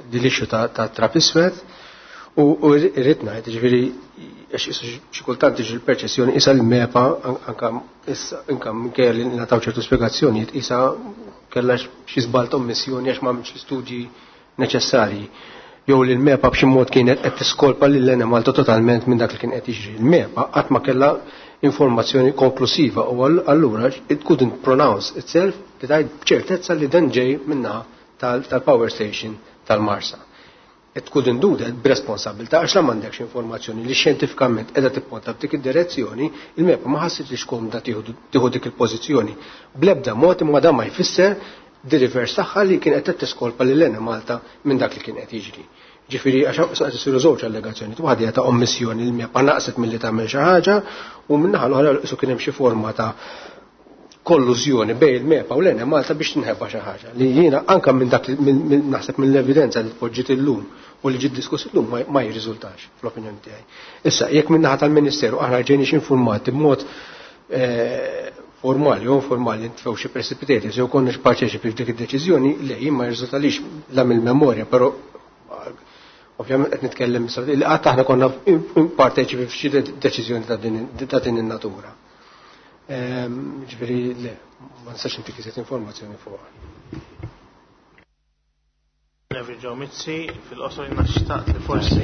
Speaker 10: din l-issue ta' trab iswed u irrid ngħid, ġifieri għax xi kultant tiġi l-perċezzjoni isa l-MEPA anka issa anka minkejja li ngħataw ċertu spjegazzjonijiet isa kellha xi żball ta' ommissjoni għax m'għamilx l-istudji neċessarji. Jew li l-MEPA b'xi mod kienet qed tiskolpa lil Enemalta totalment minn dak li kien qed jiġri. Il-MEPA qatt ma kellha informazzjoni konklusiva u allura it couldn't pronounce itself li tgħid b'ċertezza li dan ġej minnaħa tal-power station tal-Marsa. It couldn't do that b'responsabilità għax la m'għandekx informazzjoni li xjentifikament qiegħda tipponta f'dik id-direzzjoni, il-MEPA ma ħassitx komda tieħu dik il-pożizzjoni. Bl-ebda mod imma dan ma jfisser the reverse tagħha li kien qed tiskolpa lil Enemalta minn dak li kien qed jiġri. Ġifieri għax qed isiru żewġ allegazzjoni, waħda hija ta' ommissjoni li l-MEPA naqset milli tagħmel xi ħaġa u min-naħa l-oħra qisu kien hemm xi forma ta' kollużjoni bejn il-MEPA u l-Enemalta biex tinħeba xi ħaġa li jiena anke minn dak naħseb mill-evidenza li tpoġġiet illum u li ġiet diskuss illum ma jirriżultax fl-opinjoni tiegħi. Issa, jekk min-naħa tal-Ministeru aħna ġejniex informati b'mod formali jew informali ntfew xi precipitators jew konniex parteċipi f'dik id-deċiżjoni, le jien ma jirriżultalix la mill-memorja, però ovvjament qed nitkellem li qatt aħna konna parteċipi f'xi deċiżjoni ta' din in-natura. Ġifieri le, ma nistax intik iżjed informazzjoni fuqha.
Speaker 1: Nevi Joe Mizzi, fil-qosor jiena xtaqt li forsi.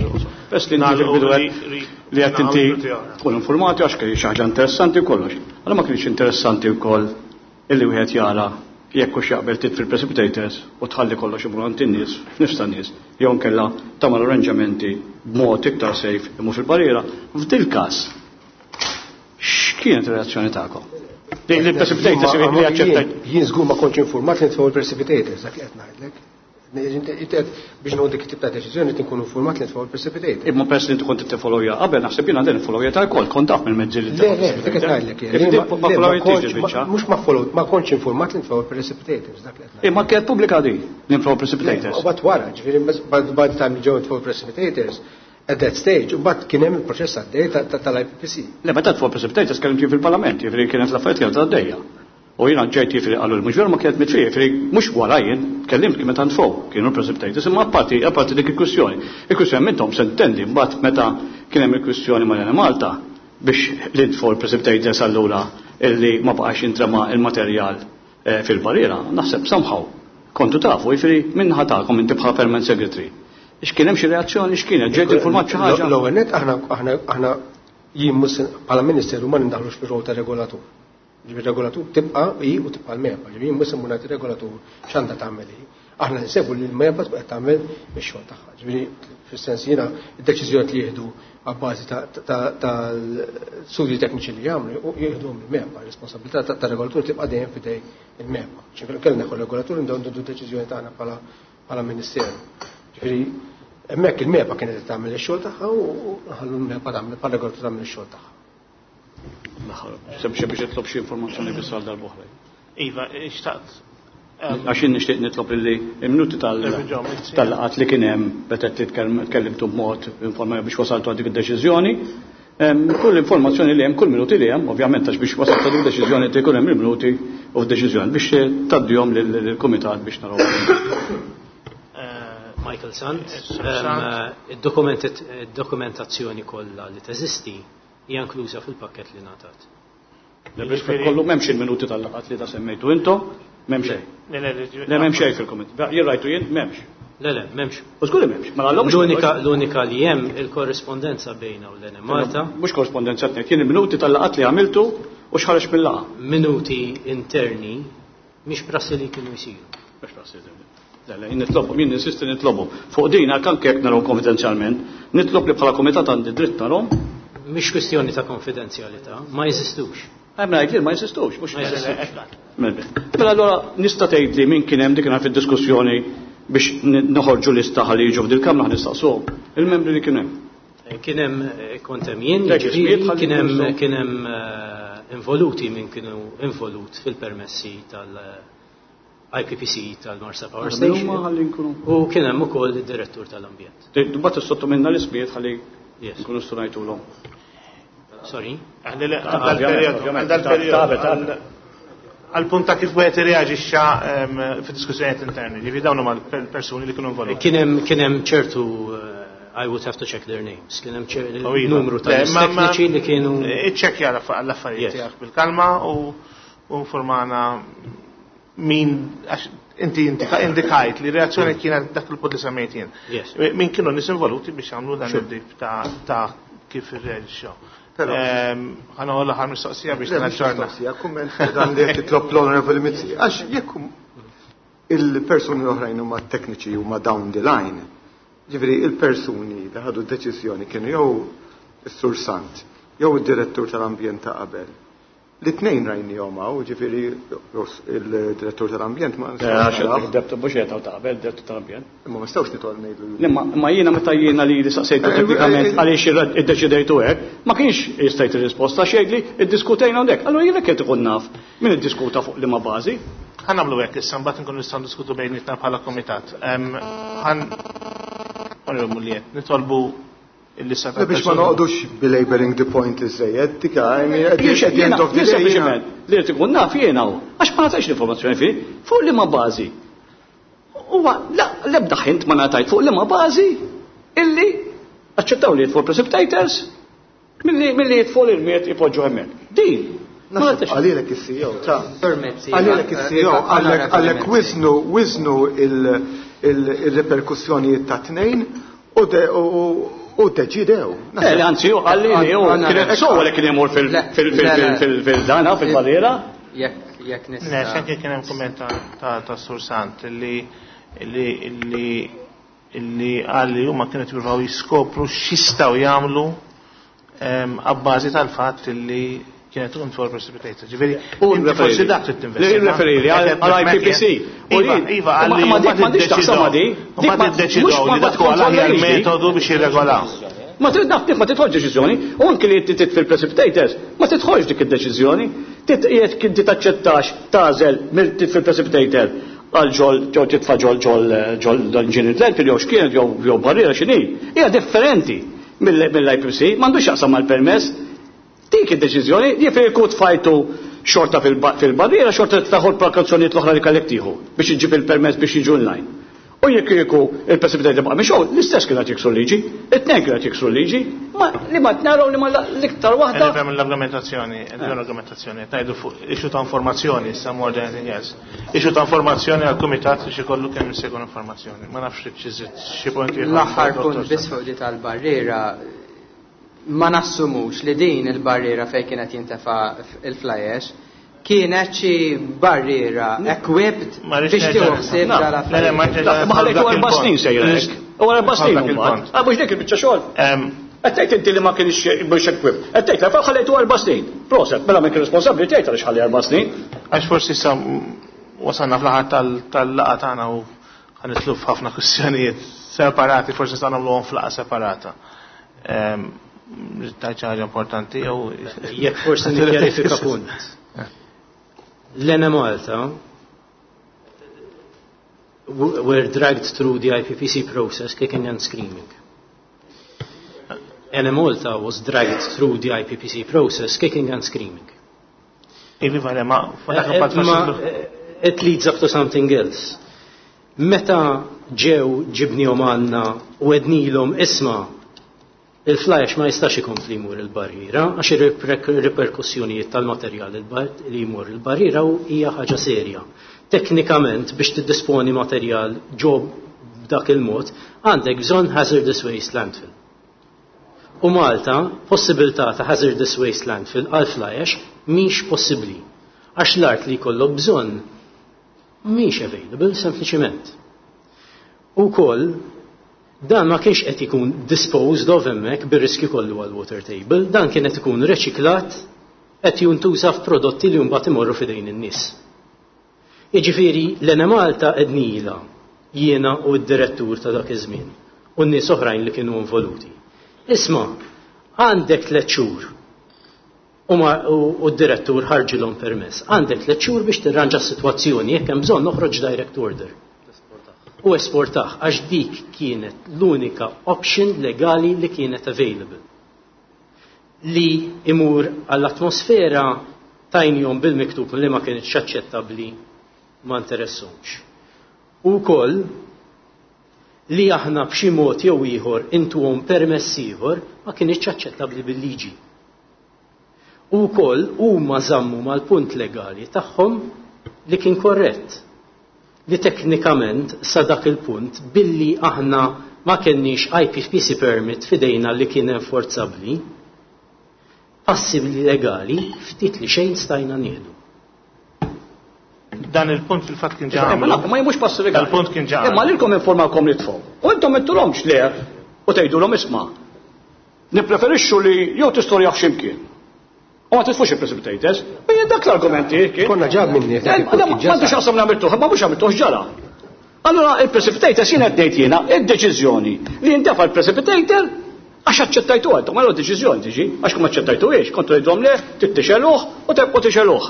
Speaker 2: Bes li inti fil-bidu li qed inti tkun informati għax kien xi ħaġa interessanti u kollox. Allora ma kienx interessanti wkoll illi wieħed jara jekk hux jaqbel titfi l-precipitators u tħalli kollox imur għand in-nies, f'nifs tan-nies, jew inkella tagħmel arranġamenti b'mod iktar safe imur fil-barriera. F'dil każ x'kienet ir-reazzjoni tagħkom? Li l-precipitators li aċċettajt.
Speaker 10: Jien żgur ma kontx informat li nitfgħu l-precipitators, dak li qed ngħidlek. Biex nieħu dik it-tip ta' deċiżjoni tinkun informat li nitfgħu l-precipitators.
Speaker 2: Imma peress li inti kont tiffollowja qabel naħseb jiena din followja tal-kol, kont taf mill-mezzi li
Speaker 10: Le, le, dik qed ngħidlek.
Speaker 2: Ma followjtix il-biċċa.
Speaker 10: Mhux ma follow, ma kontx informat li nitfgħu l-precipitators, dak li qed ngħidlek.
Speaker 2: Imma kienet pubblika di li nitfgħu precipitators.
Speaker 10: U bat wara, ġifieri by the time li ġew nitfgħu precipitators, at that stage, u bat kien hemm il-proċess għaddej tal-IPPC.
Speaker 2: Le, meta tfgħu precipitators kellimt jien fil-Parlament, jiġifieri kienet l-affarijiet kienet għaddejja. U jiena ġejt jiġifieri qalu li mhux veru ma kienet mitfija, jiġifieri mhux wara jien tkellimt kien meta ntfgħu kienu l-precipitators, imma apparti apparti dik il-kwistjoni. Il-kwistjoni minnhom se ntendi mbagħad meta kien hemm il-kwistjoni mal Malta biex li ntfgħu l-precipitators allura illi ma baqax jintrema il-materjal fil-barriera, naħseb somehow kontu tafu, jiġifieri minn ħatakom inti bħala permanent secretary. X'kien hemm xi reazzjoni, x'kienet, ġejt informat xi ħaġa?
Speaker 10: L-ewwel nett aħna jien mhux bħala ministeru ma nindaħlux fir-rol ta' regolatur. Ġifieri regolatur tibqa' hi u tibqa' l-MEPA, ġifieri jien mhux se ngħid regolatur x'għandha tagħmel hi. Aħna nsebu li l-MEPA tibqa' tagħmel ix-xogħol tagħha. Ġifieri fis-sens jiena d-deċiżjoni li jieħdu għabbażi tal-studji tekniċi li jagħmlu jieħduhom il-MEPA, responsabilità tar-regolatur tibqa' dejjem f'idej il-MEPA. Ġifieri kellna kull regolatur ndew ndu deċiżjoni tagħna bħala ministeru. Ġifieri hemmhekk il-MEPA kienet tagħmel ix-xogħol tagħha u ħallu l-MEPA tagħmel bħala regolatur tagħmel ix-xogħol tagħha.
Speaker 2: Sempliċi biex nitlob xi informazzjoni biss għal darb'oħra.
Speaker 1: Iva, xtaqt.
Speaker 2: Għax jien nixtieq nitlob illi il-minuti tal-laqgħat li kien hemm meta tkellimtu b'mod informali biex wasaltu għal dik id-deċiżjoni. Kull informazzjoni li hemm, kull minuti li hemm, ovvjament għax biex wasaltu għal dik id-deċiżjoni jkun hemm il-minuti u f'deċiżjoni biex tgħaddihom lill-kumitat biex naraw.
Speaker 9: Michael Sant, id-dokumentazzjoni kollha li teżisti hija inkluża fil-pakket li ngħatat.
Speaker 2: Le biex kollu m'hemmx il-minuti tal-laqgħat li ta' semmejtu intom, m'hemm xejn.
Speaker 1: Le, le,
Speaker 2: Le, m'hemm xejn fil-kumitat. Jien rajtu jien, m'hemmx.
Speaker 9: Le, le, m'hemmx.
Speaker 2: U żgur li m'hemmx. Mela allura mhux
Speaker 9: L-unika li hemm il-korrispondenza bejna u l-Enemalta.
Speaker 2: Mhux korrispondenza tnejn, kien il-minuti tal-laqgħat li għamiltu u x'ħareġ mill-laqgħa.
Speaker 9: Minuti interni mhix prassi li kienu jsiru.
Speaker 2: Mhux prassi li. Le, le, jien nitlobhom, jien ninsisti nitlobhom. Fuq din, anke jekk narahom konfidenzjalment, nitlob li bħala kumitat għandi dritt narahom.
Speaker 9: Mhix kwistjoni ta' konfidenzjalità, ma jeżistux.
Speaker 2: Hemm ngħid li ma jeżistux, mhux
Speaker 9: Ma jeżistux.
Speaker 2: Mela allura nista' tgħid li min kien hemm dik fid-diskussjoni biex noħorġu lista ħalli jiġu f'dil kamra nistaqsuhom. Il-membri li kien hemm.
Speaker 9: Kien hemm kont hemm jien,
Speaker 2: Lek,
Speaker 9: ġifieri,
Speaker 2: ismijiet ħalli
Speaker 9: kien hemm,
Speaker 2: jkunu.
Speaker 9: kien hemm involuti min kienu involut fil-permessi tal-IPPC tal-Marsa Power
Speaker 2: Għadha
Speaker 9: Station.
Speaker 2: huma ħalli nkunu.
Speaker 9: U kien hemm ukoll id-direttur tal-ambjent.
Speaker 2: Mbagħad issottominna l-ismijiet ħalli
Speaker 9: Yes.
Speaker 2: nkunu stunajtulhom.
Speaker 9: Sorry.
Speaker 1: Għandi le, għandha l-perjodu, għandha l-perjodu. Għal-punt ta' kif wieħed irreaġixxa fid-diskussjonijiet interni, ġifieri dawn huma l-persuni li kienu involuti.
Speaker 9: Kien hemm ċertu I would have to check their names. Kien hemm
Speaker 1: Oh, iva.
Speaker 9: numru ta'
Speaker 1: Le,
Speaker 9: nies
Speaker 1: ma-
Speaker 9: tekniċi li kienu
Speaker 1: Iċċekkja l-affarijiet
Speaker 9: Yes.
Speaker 1: tiegħek bil-kalma u informana min għax inti indikajt li reazzjoni kienet dak il-punt li semmejt jien.
Speaker 9: Yes.
Speaker 1: Min kienu nies involuti biex jagħmlu dan id-dib ta' kif irreaġixxew.
Speaker 8: Però-
Speaker 1: Ħa noħol l-aħħar mistoqsija biex
Speaker 8: Le, mhux
Speaker 1: naġġorna.
Speaker 8: mistoqsija, kumment dan li qed titlob l-Honorable Mizzi. Għax jekk il-persuni l-oħrajn huma tekniċi huma down the line, ġifieri il-persuni li ħadu d-deċiżjoni kienu jew is-Sur Sant, jew id-direttur tal-ambjent ta' qabel. Li tnejn rajnihom hawn, ġifieri il-direttur tal-ambjent ma
Speaker 2: nistgħux. Għax mhux qed taqbel direttur tal-ambjent.
Speaker 8: Imma ma nistgħux nitol ngħidu.
Speaker 2: Imma jiena meta jiena li saqsejtu teknikament għaliex iddeċidejtu hekk, ma kienx jistajt ir-risposta xejn li iddiskutejna hawnhekk. Allura jiena qed ikun naf min iddiskuta fuq liema bażi.
Speaker 1: Ħa nagħmlu hekk issa mbagħad nkunu nistgħu ndiskutu bejnietna bħala kumitat. Ħan nitolbu il-lista
Speaker 8: ta' Biex ma noqgħodux belaboring the point iżejjed, dik I mean, at the end of the day.
Speaker 2: Sempliċement li qed ikun naf jiena hu, għax ma ngħatajx l-informazzjoni fi, fuq liema bażi. Huwa l-ebda ħint ma ngħatajt fuq liema bażi illi aċċettaw li jitfu precipitators milli jitfu l-irmiet ipoġġu hemmhekk. Din
Speaker 8: Għalilek il-CEO, ta' Għalilek il-CEO, għalek wiznu, wiznu il-reperkussjonijiet ta' tnejn u deċidew.
Speaker 2: Le, anzi, għalli li u kienet sowa li kien imur fil-dana, fil-barriera.
Speaker 3: Jekk nista.
Speaker 1: Le, xanke kien hemm kumment ta' Sur Sant li li li għalli huma kienu jippruvaw jiskopru x'jistgħu jagħmlu abbażi tal-fatt li kienet tkun for precipitated. Ġifieri,
Speaker 2: u
Speaker 1: forsi dak trid tinvesti.
Speaker 2: Referi li għal IPPC.
Speaker 1: Iva, iva, għalli
Speaker 2: ma dik m'għandix taqsam ma di.
Speaker 1: Ma tiddeċidew li dak huwa l-aħjar metodu biex jirregolaw.
Speaker 2: Ma trid naf ma tidħolx deċiżjoni, u anke li titfi fil-precipitators, ma tidħolx dik id-deċiżjoni. Jekk inti taċċettax tagħżel mill titfi fil-precipitator għal ġol ġol titfa' ġol ġol ġol engineered landfill jew x'kienet jew barriera x'inhi. Hija differenti mill-IPC, m'għandux jaqsam mal-permess. Dik id-deċiżjoni, jiġifieri kieku tfajtu xorta fil-barriera, xorta taħol prekawzjonijiet l-oħra li kellek tieħu biex iġġib il-permess biex jiġu online. U jekk kieku il-precipitator baqa' mixgħul, l-istess kienet jiksru liġi, it-tnejn kienet jiksru liġi, ma li ma tnaraw li ma l-iktar waħda.
Speaker 1: Nifhem l-argumentazzjoni, l-argumentazzjoni, ngħidu fuq issue ta' informazzjoni, issa more than anything else. Issue ta' informazzjoni għall-kumitat biex ikollu kemm jista' jkun informazzjoni. Ma nafx xi punti.
Speaker 3: L-aħħar punt biss fuq di tal-barriera, ma nassumux li din il-barriera fejn kienet jintefa' il-fly ash kienet xi barriera equipped biex tieħu ħsieb
Speaker 2: dal-affarijiet. Ma ħallejtu 4 snin sejrek. U 4 snin imbagħad. Ah, mhux dik il-biċċa xogħol. Qed tgħid inti li ma kienx mhux equipped. Qed tgħid li ħallejtu 4 snin. Proset, mela min kien responsabbli tgħid għaliex ħalli 4 snin.
Speaker 1: Għax forsi sa wasalna fl-aħħar tal-laqgħa tagħna u ħanitlu f'ħafna kwistjonijiet separati, forsi sa nagħmluhom f'laqgħa separata. Tajt ħaġa importanti jew
Speaker 9: jekk forsi nikkjarifika punt. L-Enemalta were dragged through the IPPC process kicking and screaming. Enemalta was dragged through the IPPC process kicking and screaming.
Speaker 1: Ivi vale, ma
Speaker 9: Ma it leads up to something else. Meta ġew ġibnihom għandna u għednilhom isma' il-fly ash ma jistax ikompli jmur il-barriera għax ir-riperkussjonijiet tal-materjal li jmur il-barriera u hija ħaġa serja. Teknikament biex tiddisponi materjal ġo b'dak il-mod għandek bżonn hazardous waste landfill. U Malta, possibilità ta' hazardous waste landfill għal fly ash mhix possibbli għax l-art li jkollok bżonn mhix available sempliċiment. U koll dan ma kienx qed ikun disposed of hemmhekk bir-riskju kollu għal water table, dan kien qed ikun reċiklat qed jintuża f'prodotti li mbagħad imorru f'idejn in-nies. Jiġifieri l-Enemalta qednila jiena u d-direttur ta' dak iż-żmien u n-nies oħrajn li kienu involuti. Isma', għandek 3 xhur u d-direttur ħarġilhom permess. Għandek 3 xhur biex tirranġa s-sitwazzjoni jekk hemm bżonn noħroġ direct order. U esportaħ, għax dik kienet l-unika option legali li kienet available. Li imur għall-atmosfera tajnihom bil-miktub li ma kienx aċċettabbli ma interessomx. U koll li aħna b'xi mod jew ieħor intuhom permess ieħor ma kienx aċċettabbli bil-liġi. U koll huma żammu mal-punt legali tagħhom li kien korrett. Li teknikament sa dak il-punt billi aħna ma kenniex IPPC permit fidejna li kien enforzabbli, passibli legali ftit li xejn stajna nieħdu.
Speaker 1: Dan il-punt fil-fatt kien ġa
Speaker 2: Imma
Speaker 1: għamlu.
Speaker 2: ma jmux passi legali.
Speaker 1: Dal-punt kien ġa
Speaker 2: Imma lilkom informawkom li tfgħu. U intom ittulhomx le u tgħidulhom isma'. Nippreferixxu li jew tistorjaw x'imkien. U ma titfux il-precipitators. U jien dak l-argumenti kien.
Speaker 10: Konna ġab minni.
Speaker 2: M'għandux xaqsam l-għamiltuh, ma mhux għamiltuh ġara. Allora il-precipitator jien qed ngħid jiena id-deċiżjoni li jintefa' l-precipitator għax aċċettajtu għadhom, allora deċiżjoni tiġi, għax kum aċċettajtu iex, kontu jgħidhom le, tittixeluh u tebqgħu tixeluh.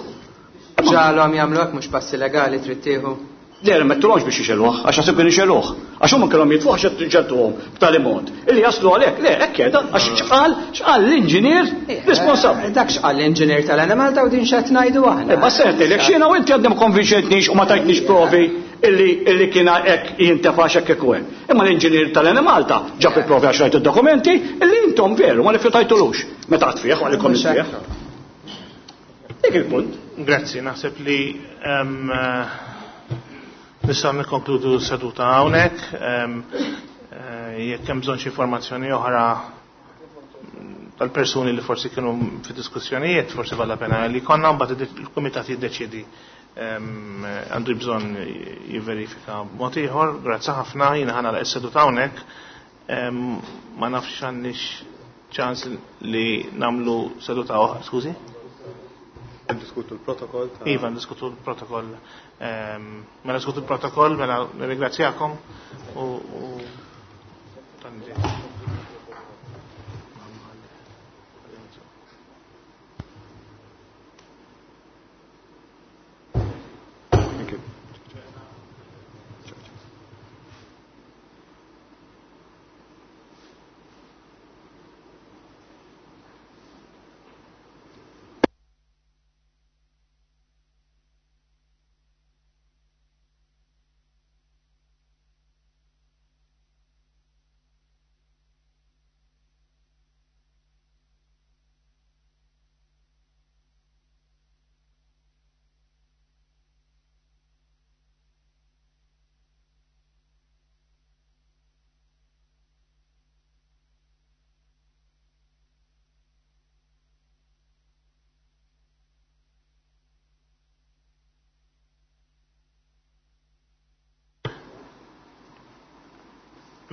Speaker 3: Ġalhom jagħmlu hekk mhux passi legali trid tieħu.
Speaker 2: Le, ma ttulhomx biex ixegħluh, għax naħseb kienu jxegħluh. Għax huma kellhom jitfuh għax ġegħeltuhom b'tali mod illi jaslu għalhekk. Le, hekk qiegħda, għax x'qal, x'qal l-inġinier responsabbli.
Speaker 3: Dak x'qal l-inġinier tal-Enemalta u din x'qed ngħidu aħna.
Speaker 2: Ma se ngħidlek x'jiena u inti għadni ma konvinċejtnix u ma tajtnix provi illi illi kien hekk jintefax hekk hekk u hekk. Imma l-inġinier tal-Enemalta ġab il-provi għax rajt id-dokumenti illi intom veru ma rifjutajtulux. Meta qatt fih, għalikom fih. Dik il-punt.
Speaker 1: Grazzi, naħseb li nistgħu nikkonkludu s-seduta hawnhekk. Eh, jekk hemm bżonn xi informazzjoni oħra tal-persuni li forsi kienu fi diskussjonijiet, forsi valla pena li konna mbagħad il-kumitat jiddeċiedi għandu bżonn jiverifika mod ieħor. Grazzi ħafna, jiena ħana l seduta hawnhekk. Ma nafx għandix ċans li namlu seduta oħra, skużi?
Speaker 8: Diskutu l-protokoll.
Speaker 1: Iva, diskutu l-protokoll. Mela diskutu l-protokoll, mela nirringrazzjakom u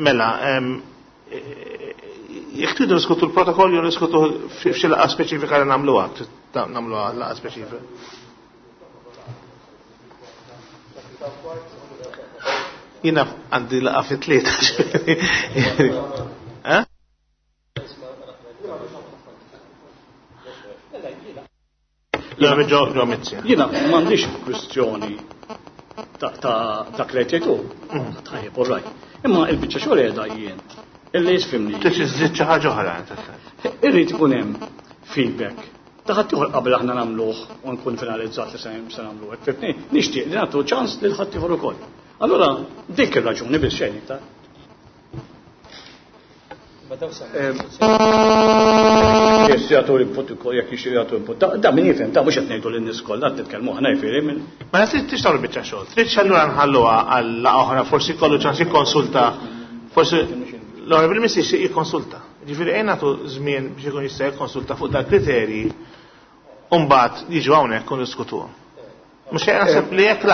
Speaker 1: Mela, jekk tridu niskutu l-protokoll jew niskutu f'xi laqgħa speċifika li nagħmluha, nagħmluha laqgħa speċifika. Jiena għandi laqgħa fit-tlieta. Eh?
Speaker 2: Jiena m'għandix kwistjoni ta' dak li qed jgħidu. Mm. Tajjeb, all right. Imma il-biċċa xogħol qiegħda jien. Illi jisfimni.
Speaker 1: Tix iżżid xi ħaġa oħra.
Speaker 2: Irrid ikun hemm feedback. Ta' ħadd ieħor qabel aħna nagħmluh u nkun finalizzat li se nagħmluh hekk fibni, nixtieq li nagħtu ċans lil ħadd ieħor ukoll. Allura dik ir-raġuni biss xejn iktar. Jekk jagħtu input ukoll jekk jixtiequ jagħtu input. Da min jifhem, da mhux qed ngħidu lin-nies kollha qed nitkellmu aħna jifieri minn.
Speaker 1: Mela trid tixtgħu biċċa xogħol. Trid allura nħalluha għal oħra forsi jkollu ċans jikkonsulta. Forsi l-Honorable Minister jixtieq jikkonsulta. Ġifieri ejn nagħtu żmien biex ikun jista' jikkonsulta fuq dal-kriterji u mbagħad jiġu hawnhekk u niskutuhom. Mux naħseb li jekk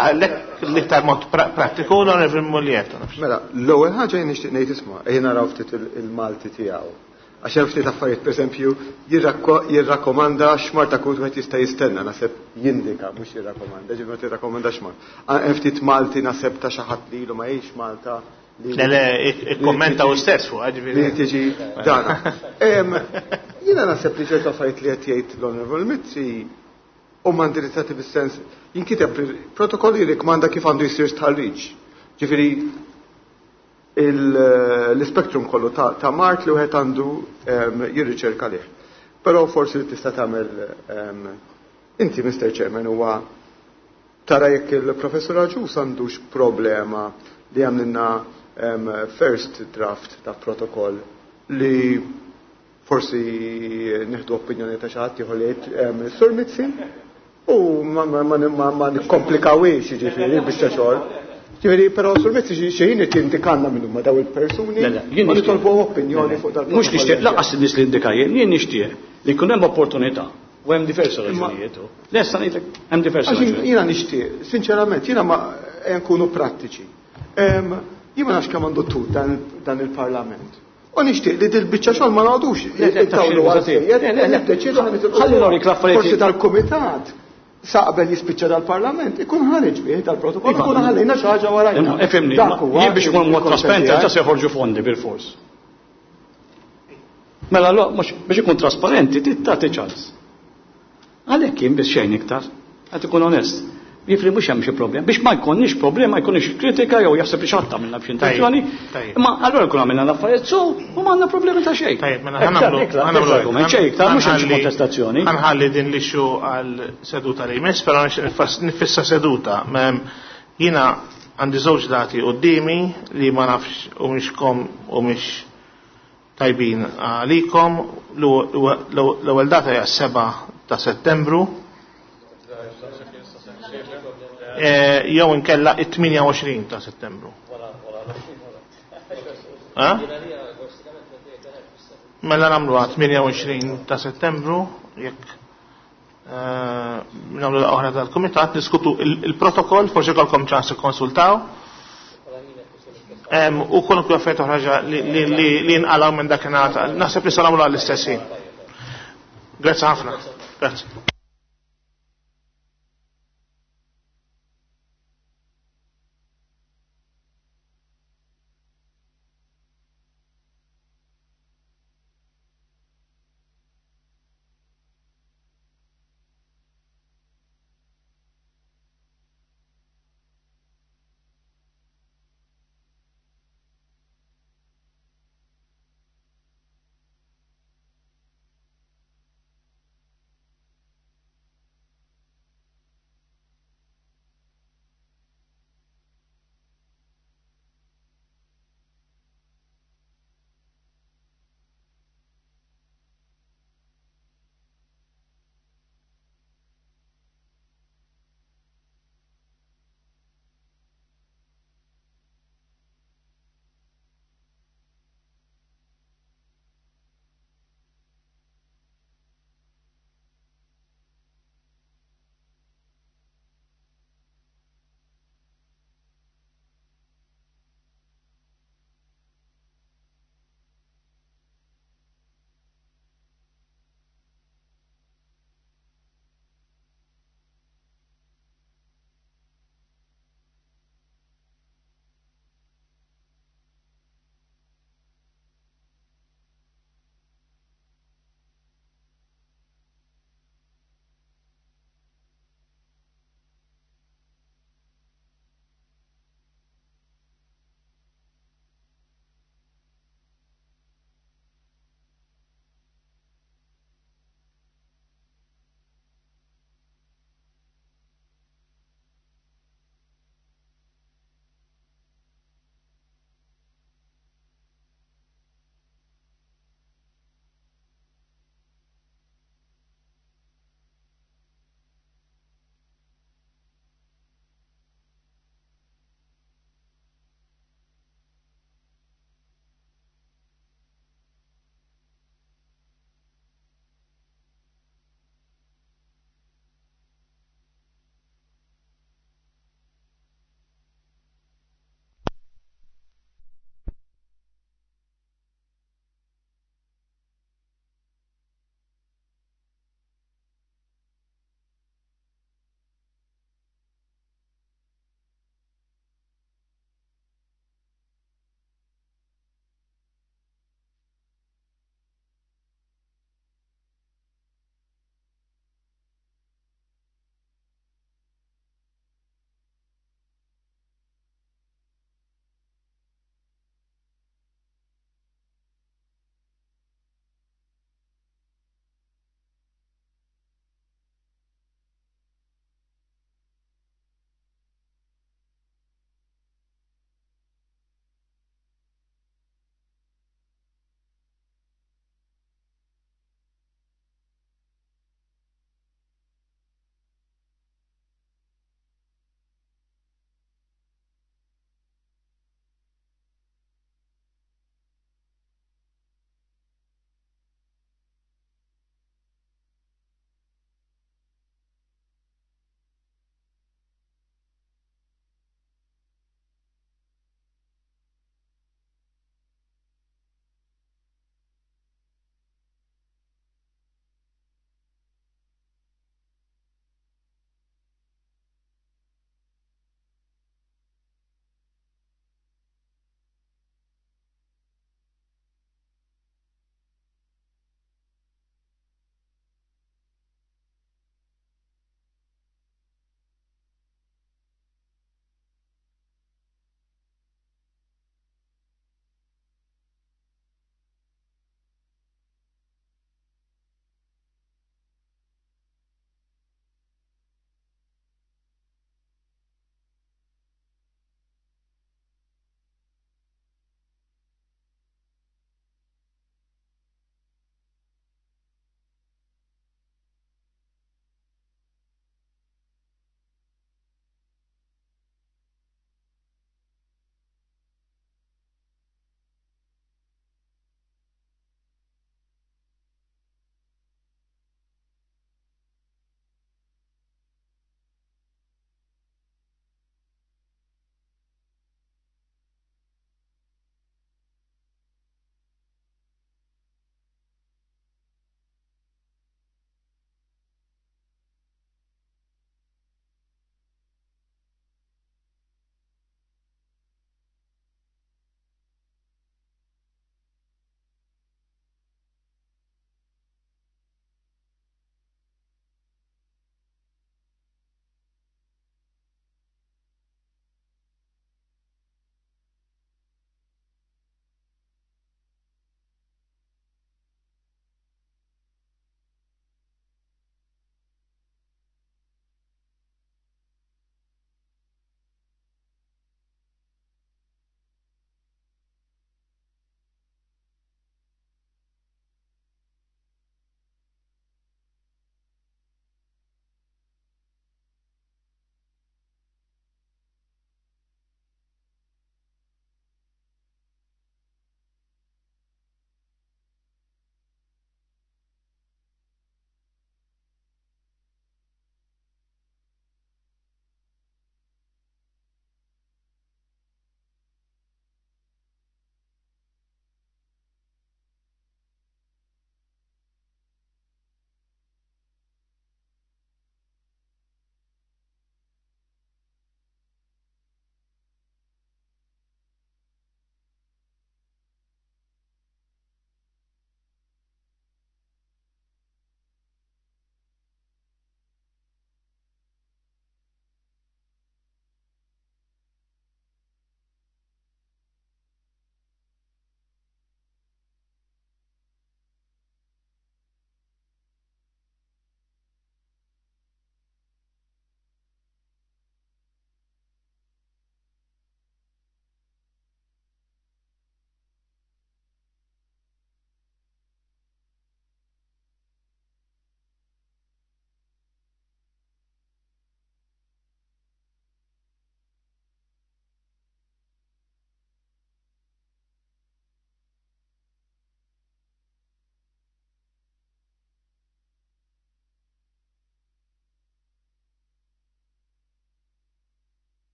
Speaker 1: l-iktar mod prattiku l-Onorevoli Mulliet.
Speaker 8: Mela, l-ewwel ħaġa jien nixtieq ngħid isma' ejja naraw ftit il-Malti tiegħu. Għax hemm ftit affarijiet, pereżempju, jirrakkomanda x'mar ta' kut wieħed jista' jistenna, naħseb jindika mhux jirrakkomanda, ġifieri ma tirrakkomanda x'mar. Hemm ftit Malti naħseb ta' xi ħadd li ilu ma jgħix Malta.
Speaker 1: Le, le, ikkommenta u stess fuq, ġifieri.
Speaker 8: Li tiġi dana. Jiena naħseb li ċertu affarijiet li qed jgħid l-Onorevoli Mizzi huma indirizzati bis-sens jinkiteb protokoll jirrikmanda kif għandu jsir stħarriġ. Ġifieri l-ispektrum kollu ta' mart li wieħed għandu jirriċerka lih. Però forsi li tista' tagħmel inti Mr. Chairman huwa tara jekk il-professur Agius għandux problema li għamlilna first draft ta' protokoll li forsi nieħdu opinjoni ta' xi ħadd ieħor li jgħid Sur Mizzi u ma nikkomplikawiex jiġifieri biċċa xogħol. Ġifieri, però Sur Mizzi xi ħin qed jindikanna min huma daw il-persuni u nitolbu opinjoni fuq dal
Speaker 2: Mhux nixtieq laqas in-nies li indika jien, jien nixtieq li jkun hemm opportunità u hemm diversi raġunijiet. Lesta ngħidlek hemm diversi raġunijiet.
Speaker 8: Jiena nixtieq, sinċerament, jiena ma nkunu prattiċi. Jien ma nafx kemm għandu tul dan il-Parlament. U nixtieq li dil-biċċa xogħol ma noqogħdux intawlu għal niddeċiedu ħa nitilqu.
Speaker 2: Ħalli norik l-affarijiet.
Speaker 8: Forsi dal-kumitat sa qabel jispiċċa dal-Parlament ikun ħareġ bih dal-protokoll,
Speaker 2: Iva.
Speaker 8: ikun ħallejna xi ħaġa warajna.
Speaker 2: Ifhimni,
Speaker 8: Dak huwa
Speaker 2: jien biex ikun mod
Speaker 8: il-konsens
Speaker 2: trasparenti
Speaker 8: tiegħi.
Speaker 2: ġa se joħorġu fondi bil-fors. Mela lo, mhux biex ikun trasparenti trid tagħti ċans. Għalhekk jien biss xejn iktar, qed ikun onest. Jifri mhux hemm xi problema. Biex ma jkollniex problema, jkollniex kritika jew jaħseb li xatta minna b'xi intenzjoni.
Speaker 1: Tajjeb.
Speaker 2: Imma allura nkun għamilna l-affarijiet so u ma għandna problemi ta' xejn.
Speaker 1: Tajjeb, mela
Speaker 2: Iktar,
Speaker 1: ħa nagħmlu
Speaker 2: iktar,
Speaker 1: ħa nagħmlu
Speaker 2: iktar argument, xejn iktar, mhux hemm xi
Speaker 1: Ħanħalli-
Speaker 2: kontestazzjoni.
Speaker 1: Ħanħalli din l-issue għal seduta li jmiss, però nixtieq nifissa seduta. Mem, Jiena għandi żewġ dati qudiemi li ma nafx u mhix kom u mhix tajbin għalikom. L-ewwel data hija 7 ta' Settembru. Jew inkella it-28 ta' Settembru. Eh? Mela nagħmluha 28 ta' Settembru, jekk nagħmlu laqgħa oħra tal-kumitat, niskutu il-protokoll, forsi jkollkom ċans ikkonsultaw. U kwalunkwe affarijiet oħra ġa li nqalgħu minn dakinhar. Naħseb li se nagħmluha l-istess ħin. Grazzi ħafna. Grazzi.